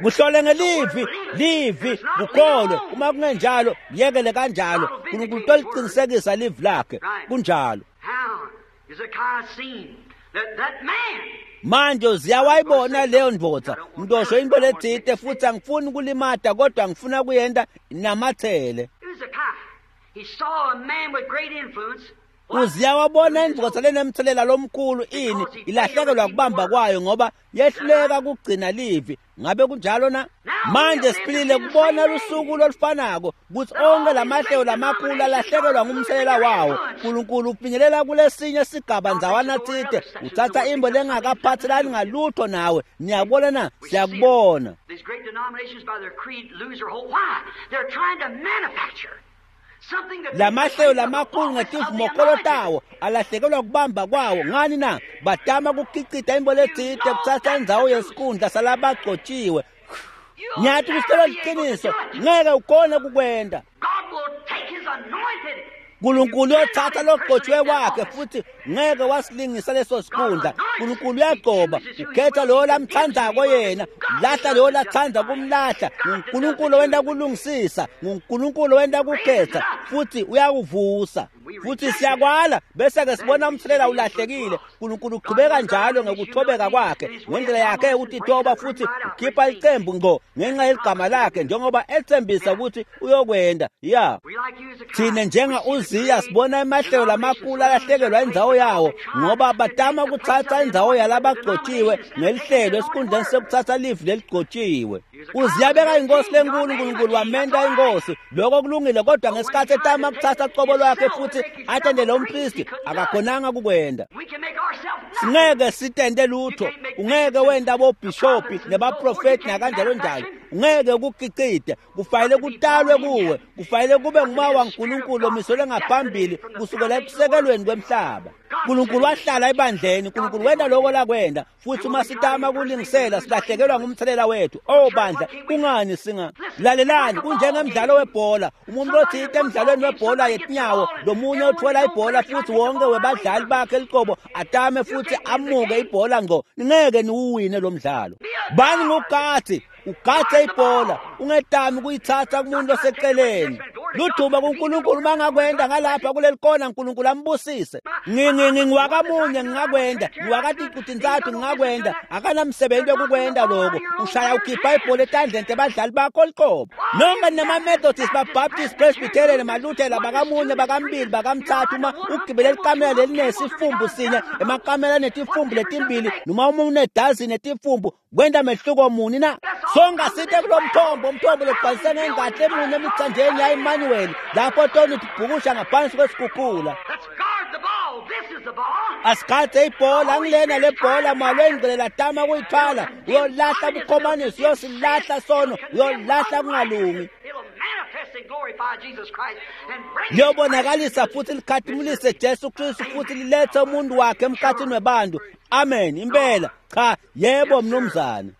Kuhlole ngelivi, livi kukholwe. Uma kungenjalo yekele kanjalo. uNkulunkulu utoliqinisekisa livi lakhe. Kunjalo. Manje ziyawayibona leyo ndvodza mntosho into letsite futhi angifuni kulimata kodwa ngifuna kuyenta namathele. Uziyawabona indvodza lenemthelela lomkhulu ini ilahlekelwa kubamba kwayo ngoba yehluleka kugcina livi. Ngabe kunjalo na? Manje siphilile kubona lusuku lolufanako kutsi onke lamahlelo lamakhulu alahlekelwa ngumthelela wawo. uNkulunkulu ufinyelela kulesinye sigaba ndzawana tsite, utsatsa imbo lengakaphathelani ngalutho nawe. Niyabona na? Siyakubona. Lamahlelo lamakhulu ngetivumokolo tawo alahlekelwa kubamba kwawo. Ngani na? Batama kukhicita imbo letsite kutsatsa indzawo yesikhundla salabagcotshiwe. Ngiyathi kusitshela liqiniso, ngeke ukhone kukwenta. uNkulunkulu uyothatha logcotshiwe wakhe futhi ngeke wasilingisa leso sikhundla. Nkulunkulu uyagcoba, ukhetha loyo lamthandzako yena, lahla loyo latsandza kumlahla. NguNkulunkulu wenta kulungisisa, nguNkulunkulu wenta kukhetha, futhi uyakuvusa. Futhi siyakwala bese ke sibona umthelela ulahlekile. Nkulunkulu uqhubeka njalo ngekuthobeka kwakhe ngendlela yakhe ukutitoba, futhi ukhipha licembu ngqo ngenxa yeligama lakhe njengoba ethembisa ukuthi uyokwenda. Ya, thina njenga Uziya sibona emahlelo lamakhulu alahlekelwa indzawo yawo ngoba batama kuthatha indzawo yalabagcotshiwe ngelihlelo esikhundleni sekuthatha livi leligcotshiwe. Uziya beka inkosi lenkulu, uNkulunkulu wamenta inkosi. Lokho kulungile, kodwa ngesikhathi etama kuthatha qobo lwakhe futhi atendele umpristi, akakhonanga kukwenda. Singeke sitende lutho, ungeke wenda bobhishopi nebaprofeti nakanjalo njalo, ungeke ukukicide. Kufanele kutalwe kuwe, kufanele kube ngumoya waNkulunkulu omiselwe ngaphambili kusukela ekusekelweni kwemhlaba. Nkulunkulu wahlala ebandleni, Nkulunkulu wenta lokho lakwenda, futhi uma sitama kulingisela silahlekelwa ngumthelela wethu. Oh bandla, kungani singa lalelani? Kunjengemdlalo webhola, umuntu othile emdlalweni webhola yetinyawo, lomunye uthola ibhola futhi wonke webadlali bakhe liqobo atame futhi amuke ibhola ngqo. Ningeke niwuwine lo mdlalo. Bani ngugathi ugathe ibhola, ungetami kuyithatha kumuntu oseceleni. Ludumo kuNkulunkulu mangakwenda ngalapha kuleli kona, uNkulunkulu ambusise. Ngingiwakamunye ngingakwenda, ngiwakaticutintsathu ngingakwenda, akanamsebenzi wekukwenda lokho. Ushaya ukhipha ibhola etandleni tebadlali bakho liqobo. Nonke nema-Methodist, ba-Baptist, Presbyterian, maLuthela, bakamunye, bakambili, bakamthathu, uma ugibele likamela lelinesifumbu sinye, emakamela anetifumbu letimbili, noma uma unedazini netifumbu, kwenta mehluko muni na? Sonke sithe kulo mthombo, umthombo logcwaliswe ngengathi emunye emithanjeni ya-Emmanuel, lapho toni tibhukusha ngaphansi kwesikhukhula. Asikhathe ibhola, angilena le bhola malwengcele latama kuyithwala, uyolahla bukhomanisi, uyosilahla sono, uyolahla kungalungi. Liyobonakalisa futhi likhatimulise Jesu Kristu futhi lilethe umuntu wakhe emkhathini webantu. Amen. Impela. Cha, yebo mnumzane.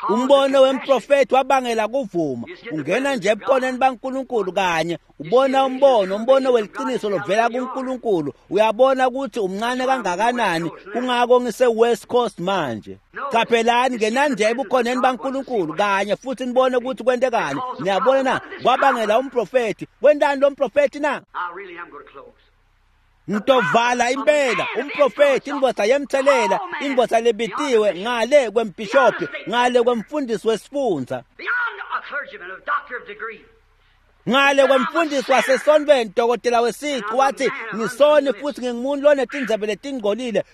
Umbono wemprofeti wabangela kuvuma. Ungena nje ebukhoneni baNkulunkulu kanye ubona umbono, umbono weliqiniso lovela kuNkulunkulu. Uyabona ukuthi umncane kangakanani, kungako ngise West Coast manje. Qaphelani ngenani nje ebukhoneni baNkulunkulu kanye futhi nibone ukuthi kwentekani. Niyabona na? Kwabangela umprofeti. Wentani lo mprofeti na? Ngitovala impela umprofeti, indoda yemthelela, indoda lebitiwe ngale kwembhishopi, ngale kwemfundisi wesifundza, ngale kwemfundisi wasesontweni, dokotela wesicu, wathi ngisoni futhi ngingumuntu lonetindzebe letingcolile.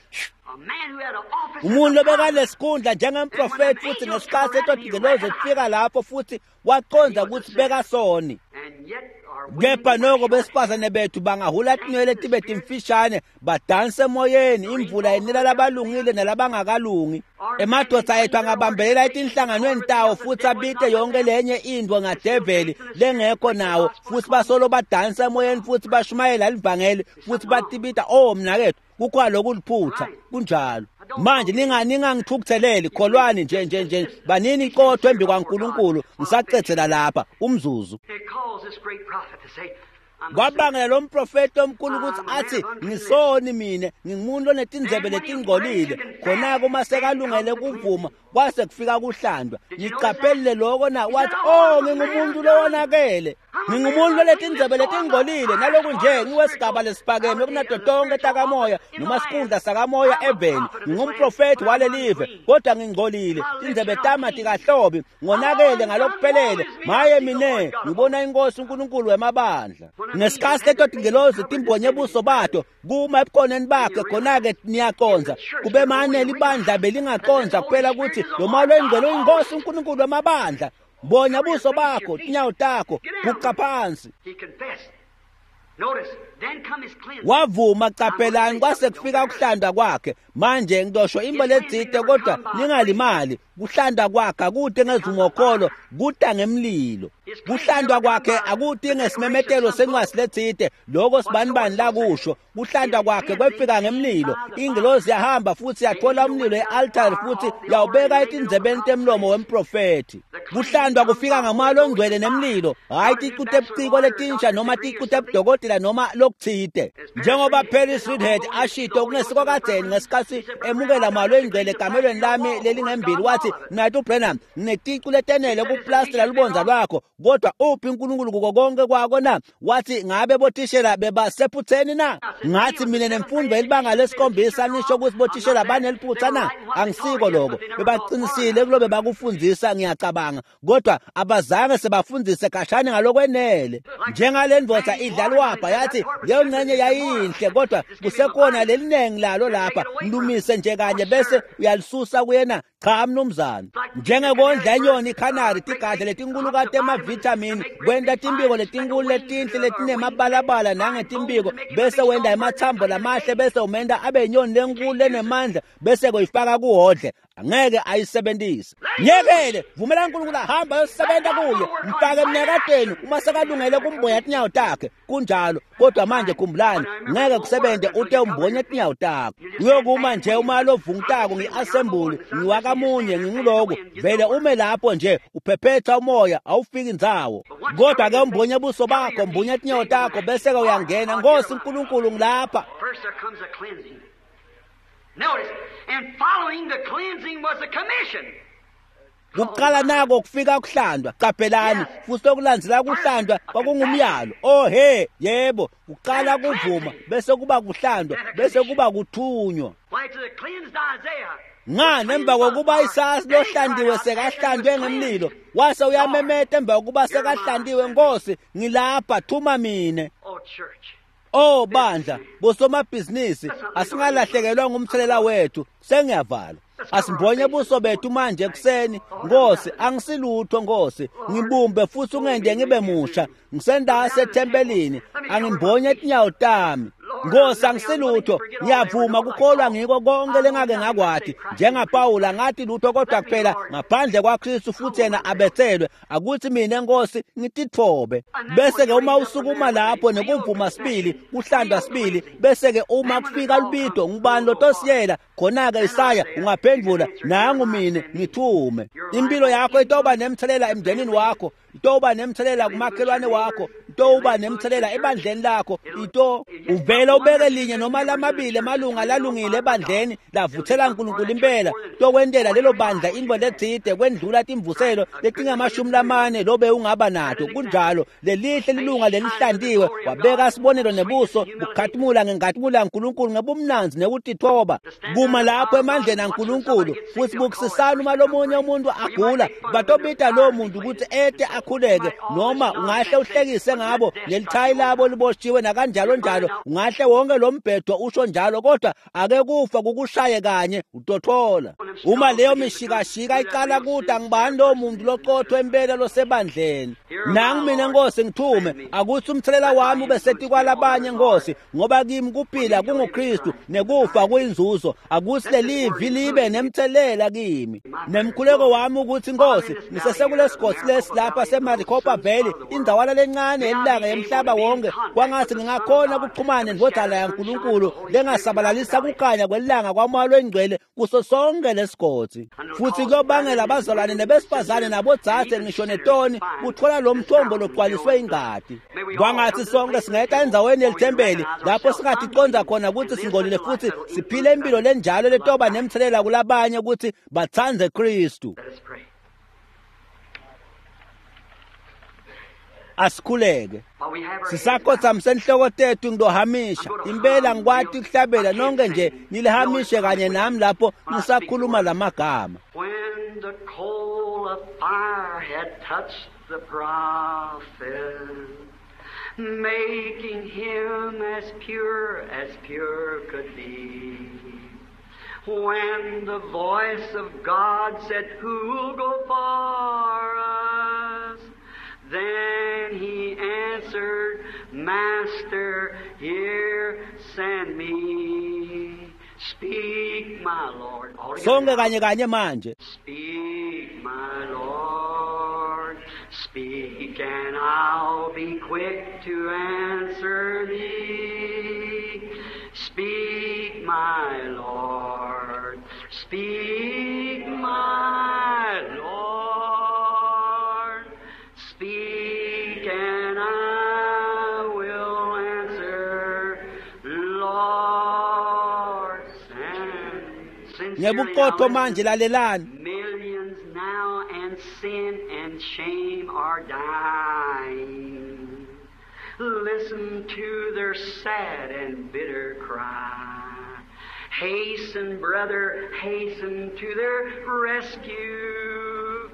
Umuntu lobekanesikhundla njengemprofeti, futhi ngesikhathi etotingelozi kufika lapho futhi waqonda ukuthi bekasoni. Kepha noko besifazane bethu bangahula tinwele tibe timfishane, badanse emoyeni, imvula yenela labalungile nalabangakalungi. Emadoda ethu angabambelela etinhlanganweni tawo futhi abite yonke lenye intfo ngadeveli lengekho nawo, futhi basolo badansa emoyeni futhi bashumayela livangeli futhi batibita oh mnakethu, kukhona lokuliphutha. Kunjalo. Manje ninga ningangithukutheleli, kholwani nje nje nje, banini iqotho embi kwaNkulunkulu. Ngisacedzela lapha umzuzu. Kwabangela lo mprofeti omkhulu ukuthi athi ngisoni mina, ngingumuntu onetindzebe letingcolile. Khona-ke uma sekalungele kuvuma kwase kufika kuhlandwa. Niqaphelile lokho na? Wathi oh ngingumuntu lowonakele, ngingumuntu lonetindzebe letingcolile, naloku nje ngiwesigaba lesiphakeme kunato tonke takamoya noma sikhundla sakamoya eveni. Ngingumprofeti walelive kodwa ngingcolile, tindzebe tami atikahlobi, ngonakele ngalokuphelele. Maye mine, ngibona inkosi uNkulunkulu wemabandla. Ngesikhathi leto tingelozi timbonye buso bato kuma ebukhoneni bakhe, khona-ke niyaqonza kube mane libandla belingaqonza kuphela ukuthi lo malo engcwele uyinkosi uNkulunkulu wemabandla. Bonya buso bakho, tinyawo takho, guqa phansi. Wavuma. Qaphelani, kwase kufika ukuhlanda kwakhe. Manje ngidosho imbo letsite, kodwa ningalimali. Kuhlanda kwakhe akude ngezivumokholo, kuda ngemlilo. Kuhlandwa kwakhe akude ngesimemetelo sencwadi letsite, lokho sibanibani lakusho. Kuhlandwa kwakhe kwefika ngemlilo. Ingilozi yahamba futhi yathola umlilo e-altari futhi yawubeka etindzebeni temlomo wemprofethi. Kuhlandwa kufika ngamoya longcwele nemlilo, hhayi ticu tebuciko letinsha noma ticu tebudokotela noma lokutsite. Njengoba Paris Reidhead ashito kungesiko kadzeni ngesikhatsi emukela moya longcwele ekamelweni lami lelingembili, wathi, "Mnaketfu Branham, ngineticu letenele kuplastela lubondza lwakho, kodwa uphi uNkulunkulu kuko konke kwako na?" Wathi, "Ngabe bothishela bebasephutheni na?" Ngathi, "Mina nemfundo elibanga lesikhombisa nisho ukuthi bothishela baneliphutha na? Angisiko lokho. Bebaqinisile kulobe bakufundzisa, ngiyacabanga, kodwa abazange sebafundise khashane ngalokwenele. Njengale ndvodza idlalwapha yathi leyo ngxenye yayinhle, kodwa kusekhona lelinengi lalo lapha, mlumise nje kanye bese uyalisusa kuyena. Cha mnumzane. Njengekondla inyoni ikhanari tigadla letinkulu emavithamini, kwenta timbiko letinkulu letinhle letinemabalabala nangetimbiko, bese wenta emathambo lamahle, bese umenta abe inyoni lenkulu lenemandla, bese kuyifaka kuhodle. Angeke ayisebenzise. Myekele, vumela uNkulunkulu ahamba ayosebenza kuye, mfake emnyakatweni uma sekalungele kumbonya tinyawo takhe. Kunjalo, kodwa manje khumbulani, ngeke kusebenze ute umbonye tinyawo takho. Uyokuma nje uma lovungutako ngi-assembly, ngiwakamunye, nginguloko, vele ume lapho nje uphephetha umoya, awufiki ndzawo. Kodwa ke umbonye buso bakho, mbonye tinyawo takho, bese ke uyangena. Nkosi uNkulunkulu, ngilapha. First there comes a cleansing. Notice, and following the cleansing was a commission. Kuqala nako kufika kuhlandwa, qaphelani, futhi lokulandzela kuhlandwa kwakungumyalo. Oh he, yebo, kuqala kuvuma, bese kuba kuhlandwa, bese kuba kuthunywa. Why, to the cleansed Isaiah. Ngani emva kokuba Isaya lohlandiwe sekahlandwe ngemlilo, wase uyamemeta emva kokuba sekahlandiwe, "Nkosi, ngilapha, thuma mine." Oh, church. Oh bandla, bosomabhizinisi, asingalahlekelwa ngumthelela wethu. Sengiyavala. Asimbonye buso bethu manje ekuseni. Nkosi, angisilutho Nkosi, ngibumbe futhi ungende ngibe musha. Ngisendase ethempelini, angimbonye tinyawo tami. Nkosi, angisilutho, ngiyavuma kukholwa ngiko konke lengake ngakwati. NjengaPawula ngathi lutho kodwa kuphela ngaphandle kwaKristu futhi yena abethelwe. Akuthi mina Nkosi ngititfobe. Bese ke uma usukuma lapho nekuvuma sibili, kuhlandwa sibili, bese ke uma kufika lubido, ngubani lotosiyela khona ke Isaya ungaphendvula, "Nangu mine, ngithume." Impilo yakho itoba nemthelela emndenini wakho, itoba nemthelela kumakhelwane wakho, itoba nemthelela ebandleni lakho. Ito uvela ubeke linye noma lamabili emalunga lalungile ebandleni lavuthela uNkulunkulu impela, tokwentela lelo bandla intfo letsite kwendlula timvuselo letingamashumi lamane lobe ungaba nato. Kunjalo, lelihle lilunga lelihlantiwe wabeka sibonelo nebuso bukhatimula ngenkatimula yaNkulunkulu ngebumnandzi nekutitfoba, kuma lapho emandleni aNkulunkulu futhi bukisisana. Uma lomunye umuntu agula, batobita lowo muntu ukuthi ete akhuleke, noma ungahle uhlekise ngabo lelithayi labo liboshiwe nakanjalo njalo, ungahle wonke lo mbhedo usho njalo, kodwa ake kufa kukushaye kanye utothola. Uma leyo mishikashika icala kude, ngibani lowo muntu loqotho empela losebandleni? Nangu mina Nkosi, ngithume. Akuthi umthelela wami ube setikwalabanye Nkosi, ngoba kimi kuphila kunguKristu nekufa kuyinzuzo. Akuthi lelivi libe nemthelela kimi. Nemkhuleko wami ukuthi Nkosi, ngisesekulesigodzi lesi lapha seMaricopa Valley, indawana lencane yelilanga yemhlaba wonke, kwangathi ngingakhona ukuxhumana nendvodzana yaNkulunkulu lengasabalalisa kukhanya kwelilanga kwamoya longcwele kuso sonke lesigodzi, futhi kuyobangela abazalwane nebesifazane nabodzadze ngisho netoni kuthola lo mthombo logcwaliswe ingadi. Kwangathi sonke singeta endzaweni yelithempeli lapho singaticonza khona ukuthi singcolile futhi siphile impilo lenjalo letoba nemthelela kulabanye ukuthi batsandze Kristu. Let us pray. Asikhuleke. While we have our heads Sisakhothamise inhloko tethu, ngilohamisha impela, ngikwati ukuhlabela nonke nje nilihamishe kanye nami lapho ngisakhuluma lamagama. When the coal of fire had touched the prophet, making him as pure as pure could be. When the voice of God said, "Who'll go for us?" Then he answered, "Master, here send me. Speak, my Lord." All together Sonke now. kanye kanye manje. Speak, my Lord, speak, and I'll be quick to answer thee. Speak, my Lord, speak, my Lord. Speak and I will answer, Lord, send. Ngebuqotho manje lalelani. Millions now and sin and shame are dying. Listen to their sad and bitter cry. Hasten, brother, hasten to their rescue.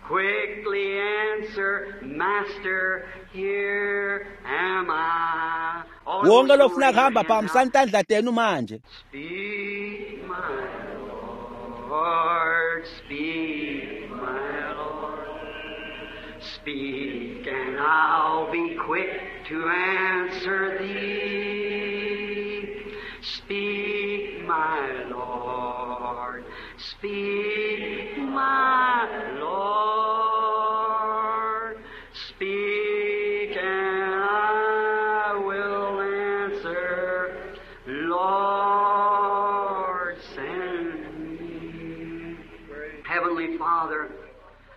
Quickly answer, Master, here am I. All Wonke those who lofuna raise their kuhamba hand now. phakamisani tandla tenu manje. Speak, my Lord, speak, my Lord. Speak, and I'll be quick to answer thee. Speak, my Lord, speak, my Lord. Speak, and I will answer, Lord, send me. Heavenly Father,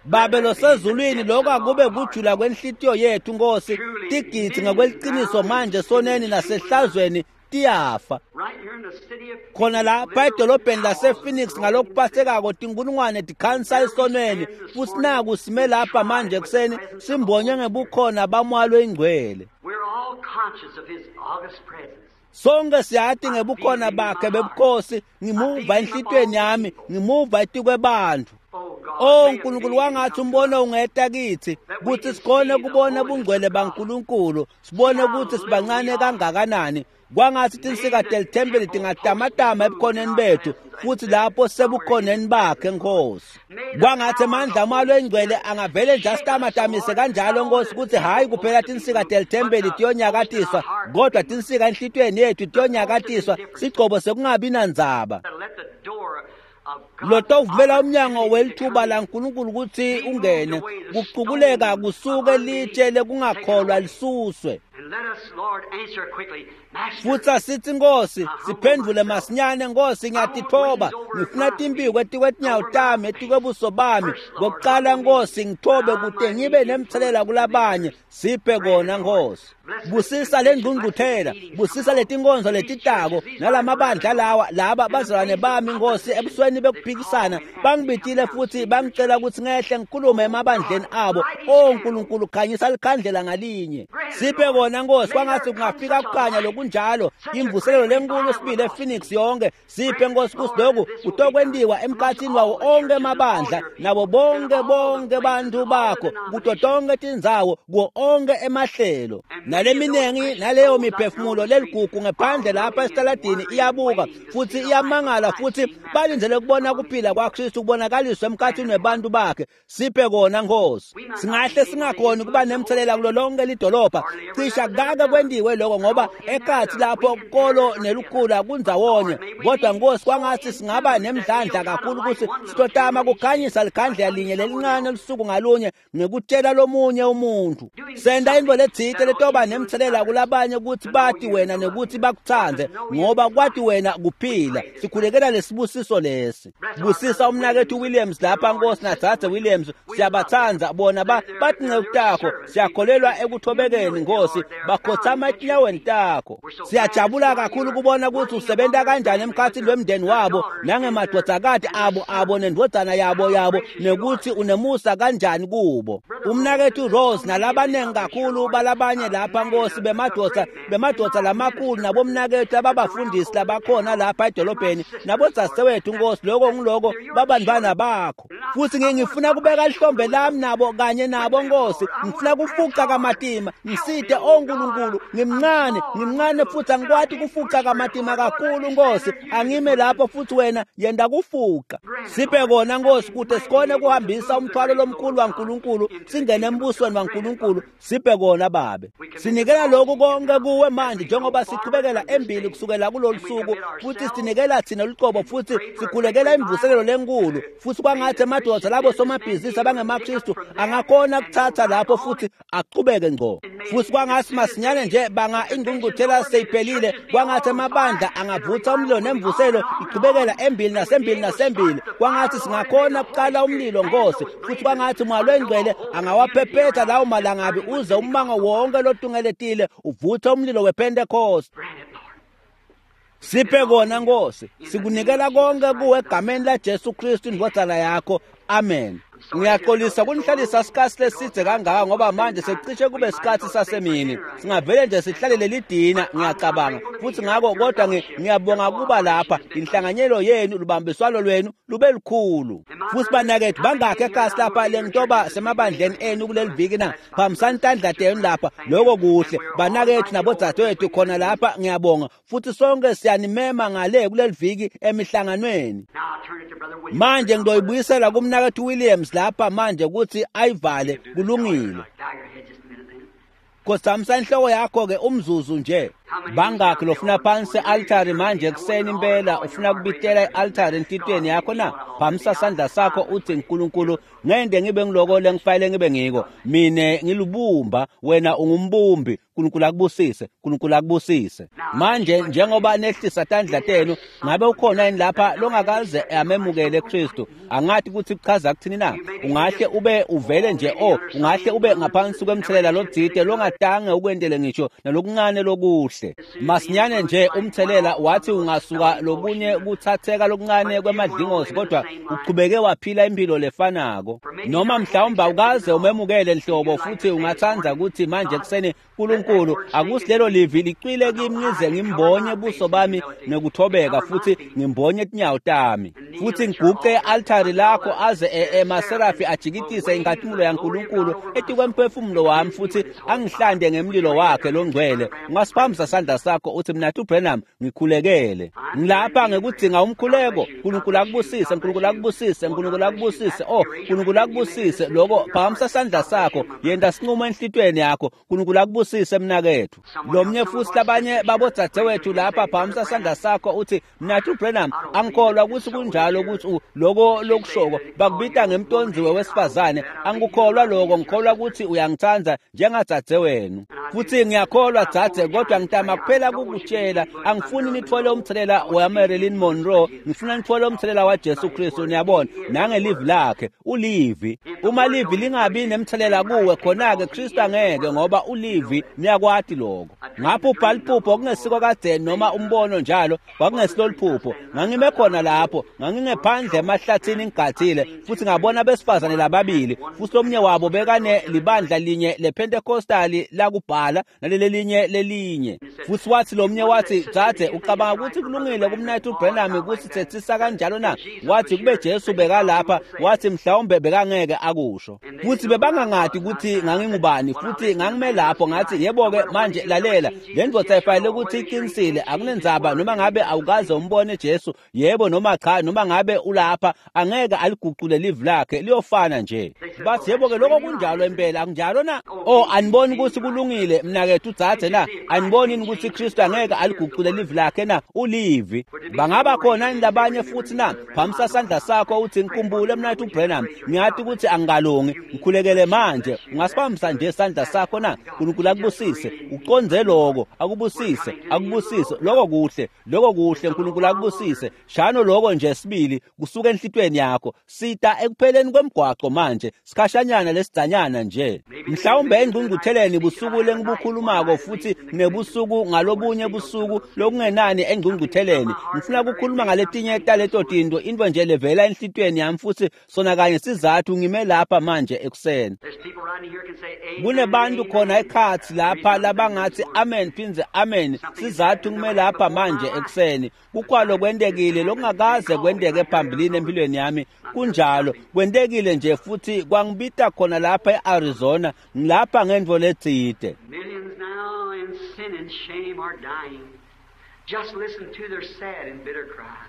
Babe losezulwini lokho akube kujula kwenhlitiyo yethu Nkosi tigidzi ngokweliciniso manje soneni nasehlazweni tiyafa right here in the city of khona lapha edolobheni lasePhoenix ngalokuphathekako tinkulungwane tikhansa esonweni futhi naku sime lapha manje ekuseni simbonye ngebukhona bamoya loyingcwele. We're all conscious of His august presence. Sonke siyati ngebukhona bakhe bebukhosi ngimuva enhlitiyweni yami ngimuva etikwebantfu. Oh God, O may a Nkulunkulu vision wangathi come to umbono us ungeta kithi kutsi sikhone kubona bungcwele baNkulunkulu sibone kutsi sibancane kangakanani kwangatsi tinsika telithempeli tingatamatama ebukhoneni bethu futhi lapho sebukhoneni bakhe Nkosi kwangatsi emandla amalo engcwele angavele nje asitamatamise kanjalo Nkosi kutsi hhayi kuphela tinsika telithempeli tiyonyakatiswa kodwa tinsika enhlitiyweni yethu tiyonyakatiswa sigcobo sekungabi nandzaba that let the door of God's lotovumela umnyango opportunity to welithuba come in. laNkulunkulu kutsi ungene kucukuleka kusuke litshe lekungakholwa lisuswe And let us, Lord, answer quickly. Master, futhi asithi Nkosi siphendvule masinyane Nkosi ngiyatithoba ngifuna timphiko etikwetinyawo tami etikwebuso bami kokuqala Nkosi ngithobe kute ngibe nemthelela kulabanye siphe kona Nkosi busisa lengqungquthela busisa letinkonzo letitako nalamabandla lawa laba bazalwane bami Nkosi ebusweni bekuphikisana bangibitile futhi bangicela ukuthi ngehle ngikhulume emabandleni abo o Nkulunkulu khanyisa likhandlela ngalinye siphe kona Nkosi kwangathi kungafika kukhanya lokunjalo imvuselelo lenkulu sibili ePhoenix yonke siphe Nkosi kuthi lokhu kutokwentiwa emkhathini wawo onke emabandla nabo bonke bonke bantu bakho kuto tonke tindzawo kuwo onke emahlelo naleminengi naleyo miphefumulo leligugu ngephandle lapha esitaladini iyabuka futhi iyamangala futhi balindzele kubona kuphila kwaKristu kubonakaliswa emkhathini webantu bakhe siphe kona Nkosi singahle singakhoni kuba nemthelela kulo lonke lidolobha cisha kake kwentiwe lokho ngoba ekhathi lapho kolo nelukhula kundzawonye kodwa Nkosi kwangathi singaba nemdlandla kakhulu ukuthi sitotama kukhanyisa likhandlela linye lelincane lusuku ngalunye ngekutshela lomunye umuntu senda intfo letsite letoba nemthelela kulabanye ukuthi bati wena nekuthi bakutsandze ngoba kwati wena kuphila sikhulekela lesibusiso lesi busisa umnakethu Williams lapha Nkosi nadzadze Williams siyabatsandza bona ba batinceku takho siyakholelwa ekuthobekeni Nkosi bakhotsama etinyaweni takho siyajabula kakhulu kubona ukuthi usebenta kanjani emkhathini wemndeni wabo nangemadvodzakati abo abo nendvodzana yabo yabo nekuthi unemusa kanjani kubo umnakethu Rose nalabanengi kakhulu balabanye lapha Nkosi bemadvodza bemadvodza lamakhulu nabomnakethu ababafundisi labakhona lapha edolobheni nabodzadzewethu Nkosi lokho ngiloko babantwana bakho futhi ngifuna kubeka lihlombe lami nabo kanye nabo Nkosi ngifuna kufuca kamatima ngisite o Nkulunkulu ngimncane ngimncane futhi angikwati kufuca kamatima kakhulu Nkosi angime lapho futhi wena yenda kufuca siphe kona Nkosi kute sikhone kuhambisa umthwalo lomkhulu waNkulunkulu singene embusweni waNkulunkulu siphe kona babe sinikela lokhu konke kuwe manje njengoba sichubekela embili kusukela kulolu suku futhi sinikela thina luqobo futhi sikhulekela imvuselelo lenkulu futhi kwangathi emadvodza labo somabhizinisi abangemakristu angakhona kuthatha lapho futhi aqhubeke ngqo futhi kwangathi masinyane nje banga ingqungquthela seyiphelile kwangathi amabandla angavutha umlilo nemvuselo iqhubekela embili nasembili nasembili kwangathi singakhona kuqala umlilo Nkosi futhi kwangathi umoya lwengcwele angawaphephetha lawo malangabi uze ummango wonke lotungeletile uvuthe umlilo wePentecost. Siphe kona Nkosi, sikunikela konke kuwe egameni la Jesu Kristu indvodzana yakho. Amen. Ngiyaxolisa kunihlalisa isikhathi leside kangaka ngoba manje sekucishe kube isikhathi sasemini. Singavele nje sihlalele lidina ngiyacabanga futhi ngakho kodwa ngiyabonga kuba lapha inhlanganyelo yenu lubambiswano lwenu lube lukhulu. Futhi banakethu bangakhe ekhasi lapha lengitoba semabandleni enu kuleli viki na phambisani tandla tenu lapha lokho kuhle banakethu nabodzadewethu khona lapha ngiyabonga futhi sonke siyanimema ngale kuleli viki emihlanganweni. Manje ngizoyibuyisela kumnakethu Williams lapha manje ukuthi ayivale kulungile. Khosamisa inhloko yakho ke umzuzu nje. Bangakhi lofuna phansi e-altari manje ekuseni impela ufuna kubitela i-altari enhlitiyweni yakho na? Phamisa sandla sakho uthi Nkulunkulu ngende ngibe ngiloko lengifanele ngibe ngiko. Mine ngilubumba wena ungumbumbi. Nkulunkulu akubusise, Nkulunkulu akubusise. Manje njengoba nehlisa tandla tenu ngabe ukhona yini lapha longakaze amemukele Kristu? Angathi ukuthi kuchaza kuthini na? Ungahle ube uvele nje oh ungahle ube ngaphansi kwemthelela lotsite longatange ukwendele ngisho nalokuncane lokuhle. Masinyane nje umthelela wathi ungasuka lokunye kuthatheka lokuncane kwemadlingozi kodwa uqhubeke waphila impilo lefanako. Noma mhlawumbe awukaze umemukele nhlobo futhi ungathanda ukuthi manje kuseni Nkulunkulu akusilelo livi licwile kimi ngize ngimbonye buso bami ngekuthobeka futhi ngimbonye tinyawo tami futhi ngiguqe e-altari lakho aze emaserafi ajikitise inkazimulo yaNkulunkulu etikwemphefumulo wami futhi angihlande ngemlilo wakhe longcwele. Ungasiphamisa sandla sakho uthi mina Branham ngikhulekele ngilapha ngekudzinga umkhuleko. Nkulunkulu akubusise, Nkulunkulu akubusise, Nkulunkulu akubusise, oh Nkulunkulu akubusise. Lokho phakamisa sandla sakho yenta sinqumo enhlitiyweni yakho. Nkulunkulu akubusise mnakethu. Lomnye futhi labanye babodzadzewethu lapha phakamisa sandla sakho uthi mina Branham angikholwa ukuthi kunjalo ukuthi lokho lokushoko bakubita ngemtonziwe wesifazane angikukholwa lokho ngikholwa ukuthi uyangithanda njengadzadzewenu futhi ngiyakholwa dzadze kodwa ngitama kuphela kukutshela angifuni nithole umthelela wa Marilyn Monroe ngifuna nithole umthelela wa Jesu Kristu. Niyabona nangelivi lakhe ulivi uma livi lingabi nemthelela kuwe khona ke Kristu angeke ngoba ulivi niyakwati lokho. Ngapho ubhala iphupho kungesiko kadzeni noma umbono njalo kwakungesilo liphupho ngangime khona lapho ngangingephandle emahlathini ngigathile futhi ngabona abesifazane lababili futhi lomnye wabo bekane libandla linye lePentecostali lakubhala nalelelinye lelinye futhi wathi lomnye wathi dzadze ucabanga ukuthi kulungile kumnayithu Branham ukuthi thethisa kanjalo na? Wathi kube Jesu bekalapha wathi mhlawumbe bekangeke akusho futhi bebangangadi ukuthi ngangingubani futhi ngangime lapho ngathi yebo ke manje lalela le ndvodza ifanele ukuthi iqinisile akunendzaba noma ngabe awukaze umbone Jesu yebo noma cha noma ngabe ulapha angeke aliguqule livi lakhe liyofana nje. Bathi yebo ke lokho kunjalo impela akunjalo na? Oh aniboni ukuthi kulungile mnakethu dzadze na? Aniboni ukuthi Kristu angeke aliguqule livi lakhe na? Ulivi bangaba khona yini labanye futhi na? Phamisa sandla sakho uthi ngikhumbule mnakethu Branham ngiyathi ukuthi angikalungi ngikhulekele manje. Ungasiphamisa nje sandla sakho na? Nkulunkulu akubusise uqonze lokho akubusise akubusise lokho kuhle lokho kuhle Nkulunkulu akubusise shano lokho nje sibili kusuka enhlitweni yakho. Sita ekupheleni kwemgwaqo manje sikhashanyana lesidzanyana nje mhlawumbe engqungqutheleni busuku lengibukhulumako futhi nebusuku ngalobunye busuku lokungenani engqungqutheleni ngifuna ukukhuluma ngaletinye taleto tinto into nje levela enhlitweni yami futhi sona kanye sizathu ngime lapha manje ekuseni. Kunebantu khona ekhathi lapha labangathi amen phinze amen sizathu ngime lapha manje ekuseni kukwalo kwentekile lokungakaze kwenteke phambilini empilweni yami kunjalo kwentekile nje futhi kwangibita khona lapha eArizona ngilapha ngendvo letsite. Millions now in sin and shame are dying. Just listen to their sad and bitter cry.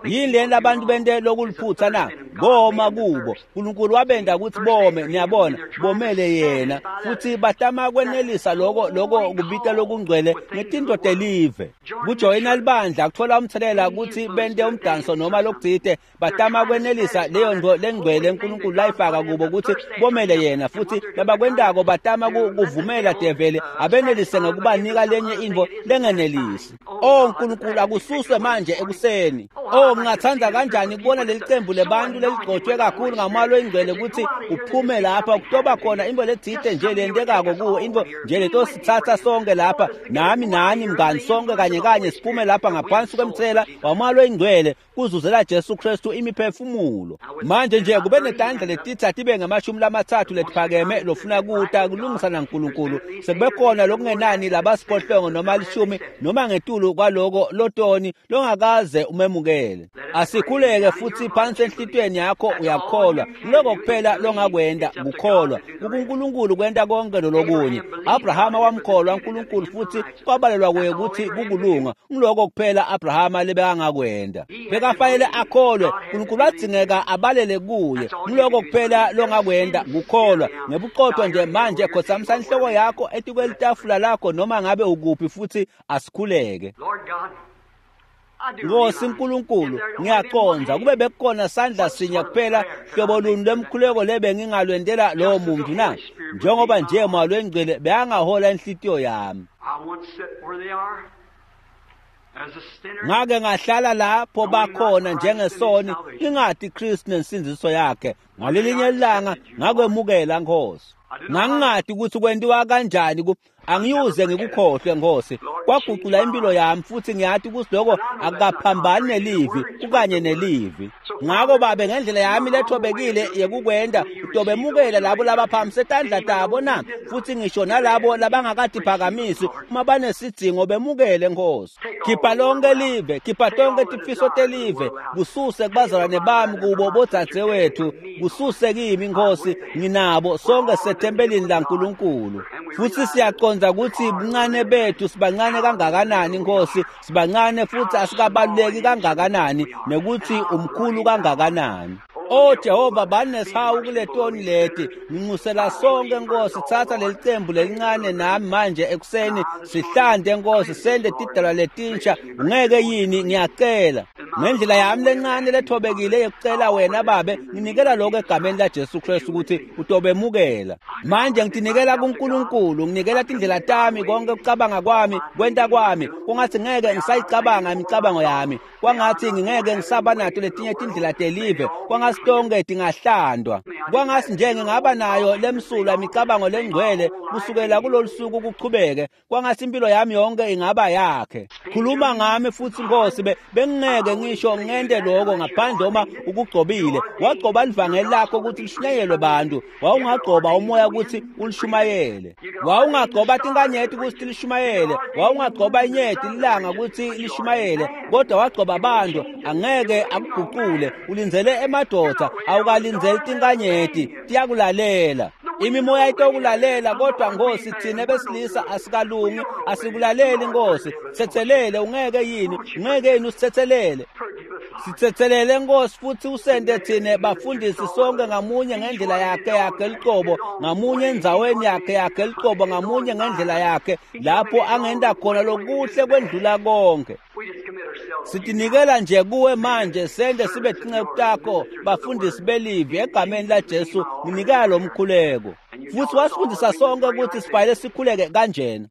Yini leni labantu bente lokuliphutha na? Boma kubo. Nkulunkulu wabenda ukuthi bome, niyabona, bomele yena. Futhi batama kwenelisa lokho lokho kubita lokungcwele ngetinto telive. Kujoyina libandla kuthola umthelela ukuthi bente umdanso noma lokutsite, batama kwenelisa leyo nto lengcwele uNkulunkulu layifaka kubo ukuthi bomele yena. Futhi labakwentako batama kuvumela devele abenelise ngekubanika lenye intfo lengenelisi. Oh Nkulunkulu, akususwe manje ekuseni. Oh, ngingathanda kanjani kubona leli cembu lebantu leligcotshwe kakhulu ngamoya oyingcwele ukuthi uphume lapha kutoba khona into letsite nje lentekako kuwo, into nje letosithatha sonke lapha, nami nani mngani, sonke kanye kanye siphume lapha ngaphansi kwemthela wamoya oyingcwele kuzuzela Jesu Kristu imiphefumulo. Manje nje kube netandla letitha tibe ngamashumi lamathathu letiphakeme lofuna kuta kulungisa naNkulunkulu. Sekube khona lokungenani labasiphohlongo noma lishumi noma ngetulu kwaloko lotoni longakaze umemukele. Asikhuleke futhi phansi enhlitiyweni yakho uyakholwa. Lokho kuphela longakwenda kukholwa. UNkulunkulu kwenta konke lolokunye. Abrahama wamkholwa uNkulunkulu futhi kwabalelwa kuye ukuthi kukulunga. Ngiloko kuphela Abrahama lebekangakwenda. Bekafanele akholwe, uNkulunkulu wadzingeka abalele kuye. Ngiloko kuphela longakwenda kukholwa. Ngebuqotho nje manje khothamisa inhloko yakho etikwelitafula lakho noma ngabe ukuphi futhi asikhuleke. Nkosi uNkulunkulu, ngiyaqonda kube bekukhona sandla sinye kuphela hlobo luni lwemkhuleko lebe ngingalwendela lowo muntu na? Njengoba nje moya lwengcwele beyangahola inhlitiyo yami. Ngake ngahlala lapho bakhona njengesoni, ngingati Kristu nensindziso yakhe. Ngalelinye ilanga ngakwemukela Nkosi. Ngangingati ukuthi kwentiwa kanjani ku angiyuze ngikukhohlwe Nkosi. Kwaguqula impilo yami futhi ngiyati ukuthi lokho akukaphambani nelivi, kukanye nelivi. Ngako babe ngendlela yami lethobekile yekukwenda utobemukela labo labaphakamisa tandla tabo na, futhi ngisho nalabo labangakatiphakamisi uma banesidzingo bemukele Nkosi. Khipha lonke live, khipha tonke tifiso telive, kususe kubazalwane bami kubo bodzadzewethu, kususe kimi Nkosi, nginabo sonke sethempelini laNkulunkulu. Futhi siyaqonda ukuthi buncane bethu sibancane kangakanani Nkosi, sibancane futhi asikabaluleki kangakanani, nekuthi umkhulu kangakanani. Oh Jehova, banesihawu kuletoni leti. Nginxusela sonke Nkosi, thatha leli cembu lelincane nami manje ekuseni sihlande Nkosi, sende tidalwa letinsha. Ungeke yini, ngiyacela ngendlela yami lencane lethobekile yekucela wena babe, nginikela lokho egameni la Jesu Kristu ukuthi utobemukela. Manje ngitinikela kuNkulunkulu, nginikela tindlela tami, konke ukucabanga kwami, kwenta kwami. Kungathi ngeke ngisayicabanga imicabango yami, kwangathi ngingeke ngisaba nato letinye tindlela telive, kwangathi tonke tingahlandwa. Kwangathi nje ngingaba nayo lemsulwa imicabango lengcwele kusukela kulolu suku kuchubeke. Kwangathi impilo yami yonke ingaba yakhe. Khuluma ngami futhi Nkosi, bengingeke ngisho ngente lokho ngaphandle uma ukugcobile. Wagcoba livangeli lakho ukuthi lishunyayelwe bantu, wawungagcoba umoya ukuthi ulishumayele, wawungagcoba tinkanyeti ukuthi lishumayele, wawungagcoba inyeti ilanga ukuthi lishumayele, kodwa wagcoba abantu angeke akuguqule. Ulindzele emadoda, awukalindzeli tinkanyeti, tiyakulalela. Imimoya itokulalela, kodwa Nkosi thina besilisa asikalungi, asikulaleli Nkosi. Sithethelele, ungeke yini, ungeke yini usithethelele. Sithethelele Nkosi futhi usende thina bafundisi sonke ngamunye ngendlela yakhe yakhe liqobo, ngamunye endzaweni yakhe yakhe liqobo, ngamunye ngendlela yakhe lapho angenda khona lokuhle kwendlula konke. Sitinikela nje kuwe manje, sende sibe tinceku takho bafundisi belivi egameni la Jesu. Nginikela lo mkhuleko. Futhi wasifundisa sonke ukuthi sifanele sikhuleke kanjena.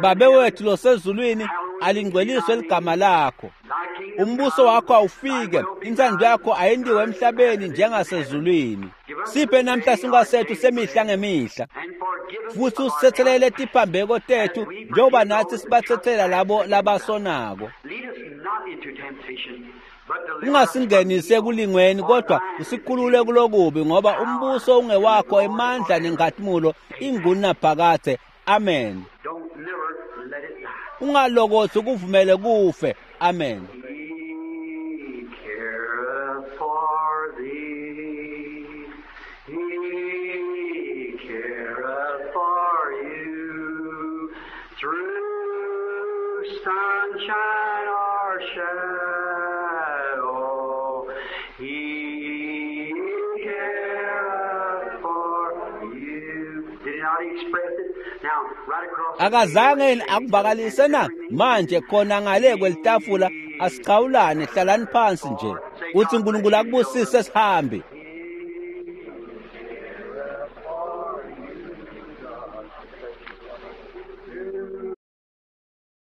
Babe wethu losezulwini, alingcweliswe ligama lakho. Umbuso wakho awufike, intsando yakho ayendiwe emhlabeni njengasezulwini. Siphe namhla sinkwa sethu semihla ngemihla, futhi usithethelele tiphambeko tethu njengoba nathi sibathethela labo labasonako. Ungasingenisi ekulingweni, kodwa usikhulule kulokubi, ngoba umbuso ungewakho, emandla nenkhatimulo ingunaphakadze. Amen. Ungalokothi ukuvumele kufe. Amen. He careth for thee. He careth for you. Through sunshine or shadow. Akazange yini akuvakalise na? Manje khona ngale kwelitafula asichawulane, hlalani phansi nje. Uthi uNkulunkulu akubusise sihambe.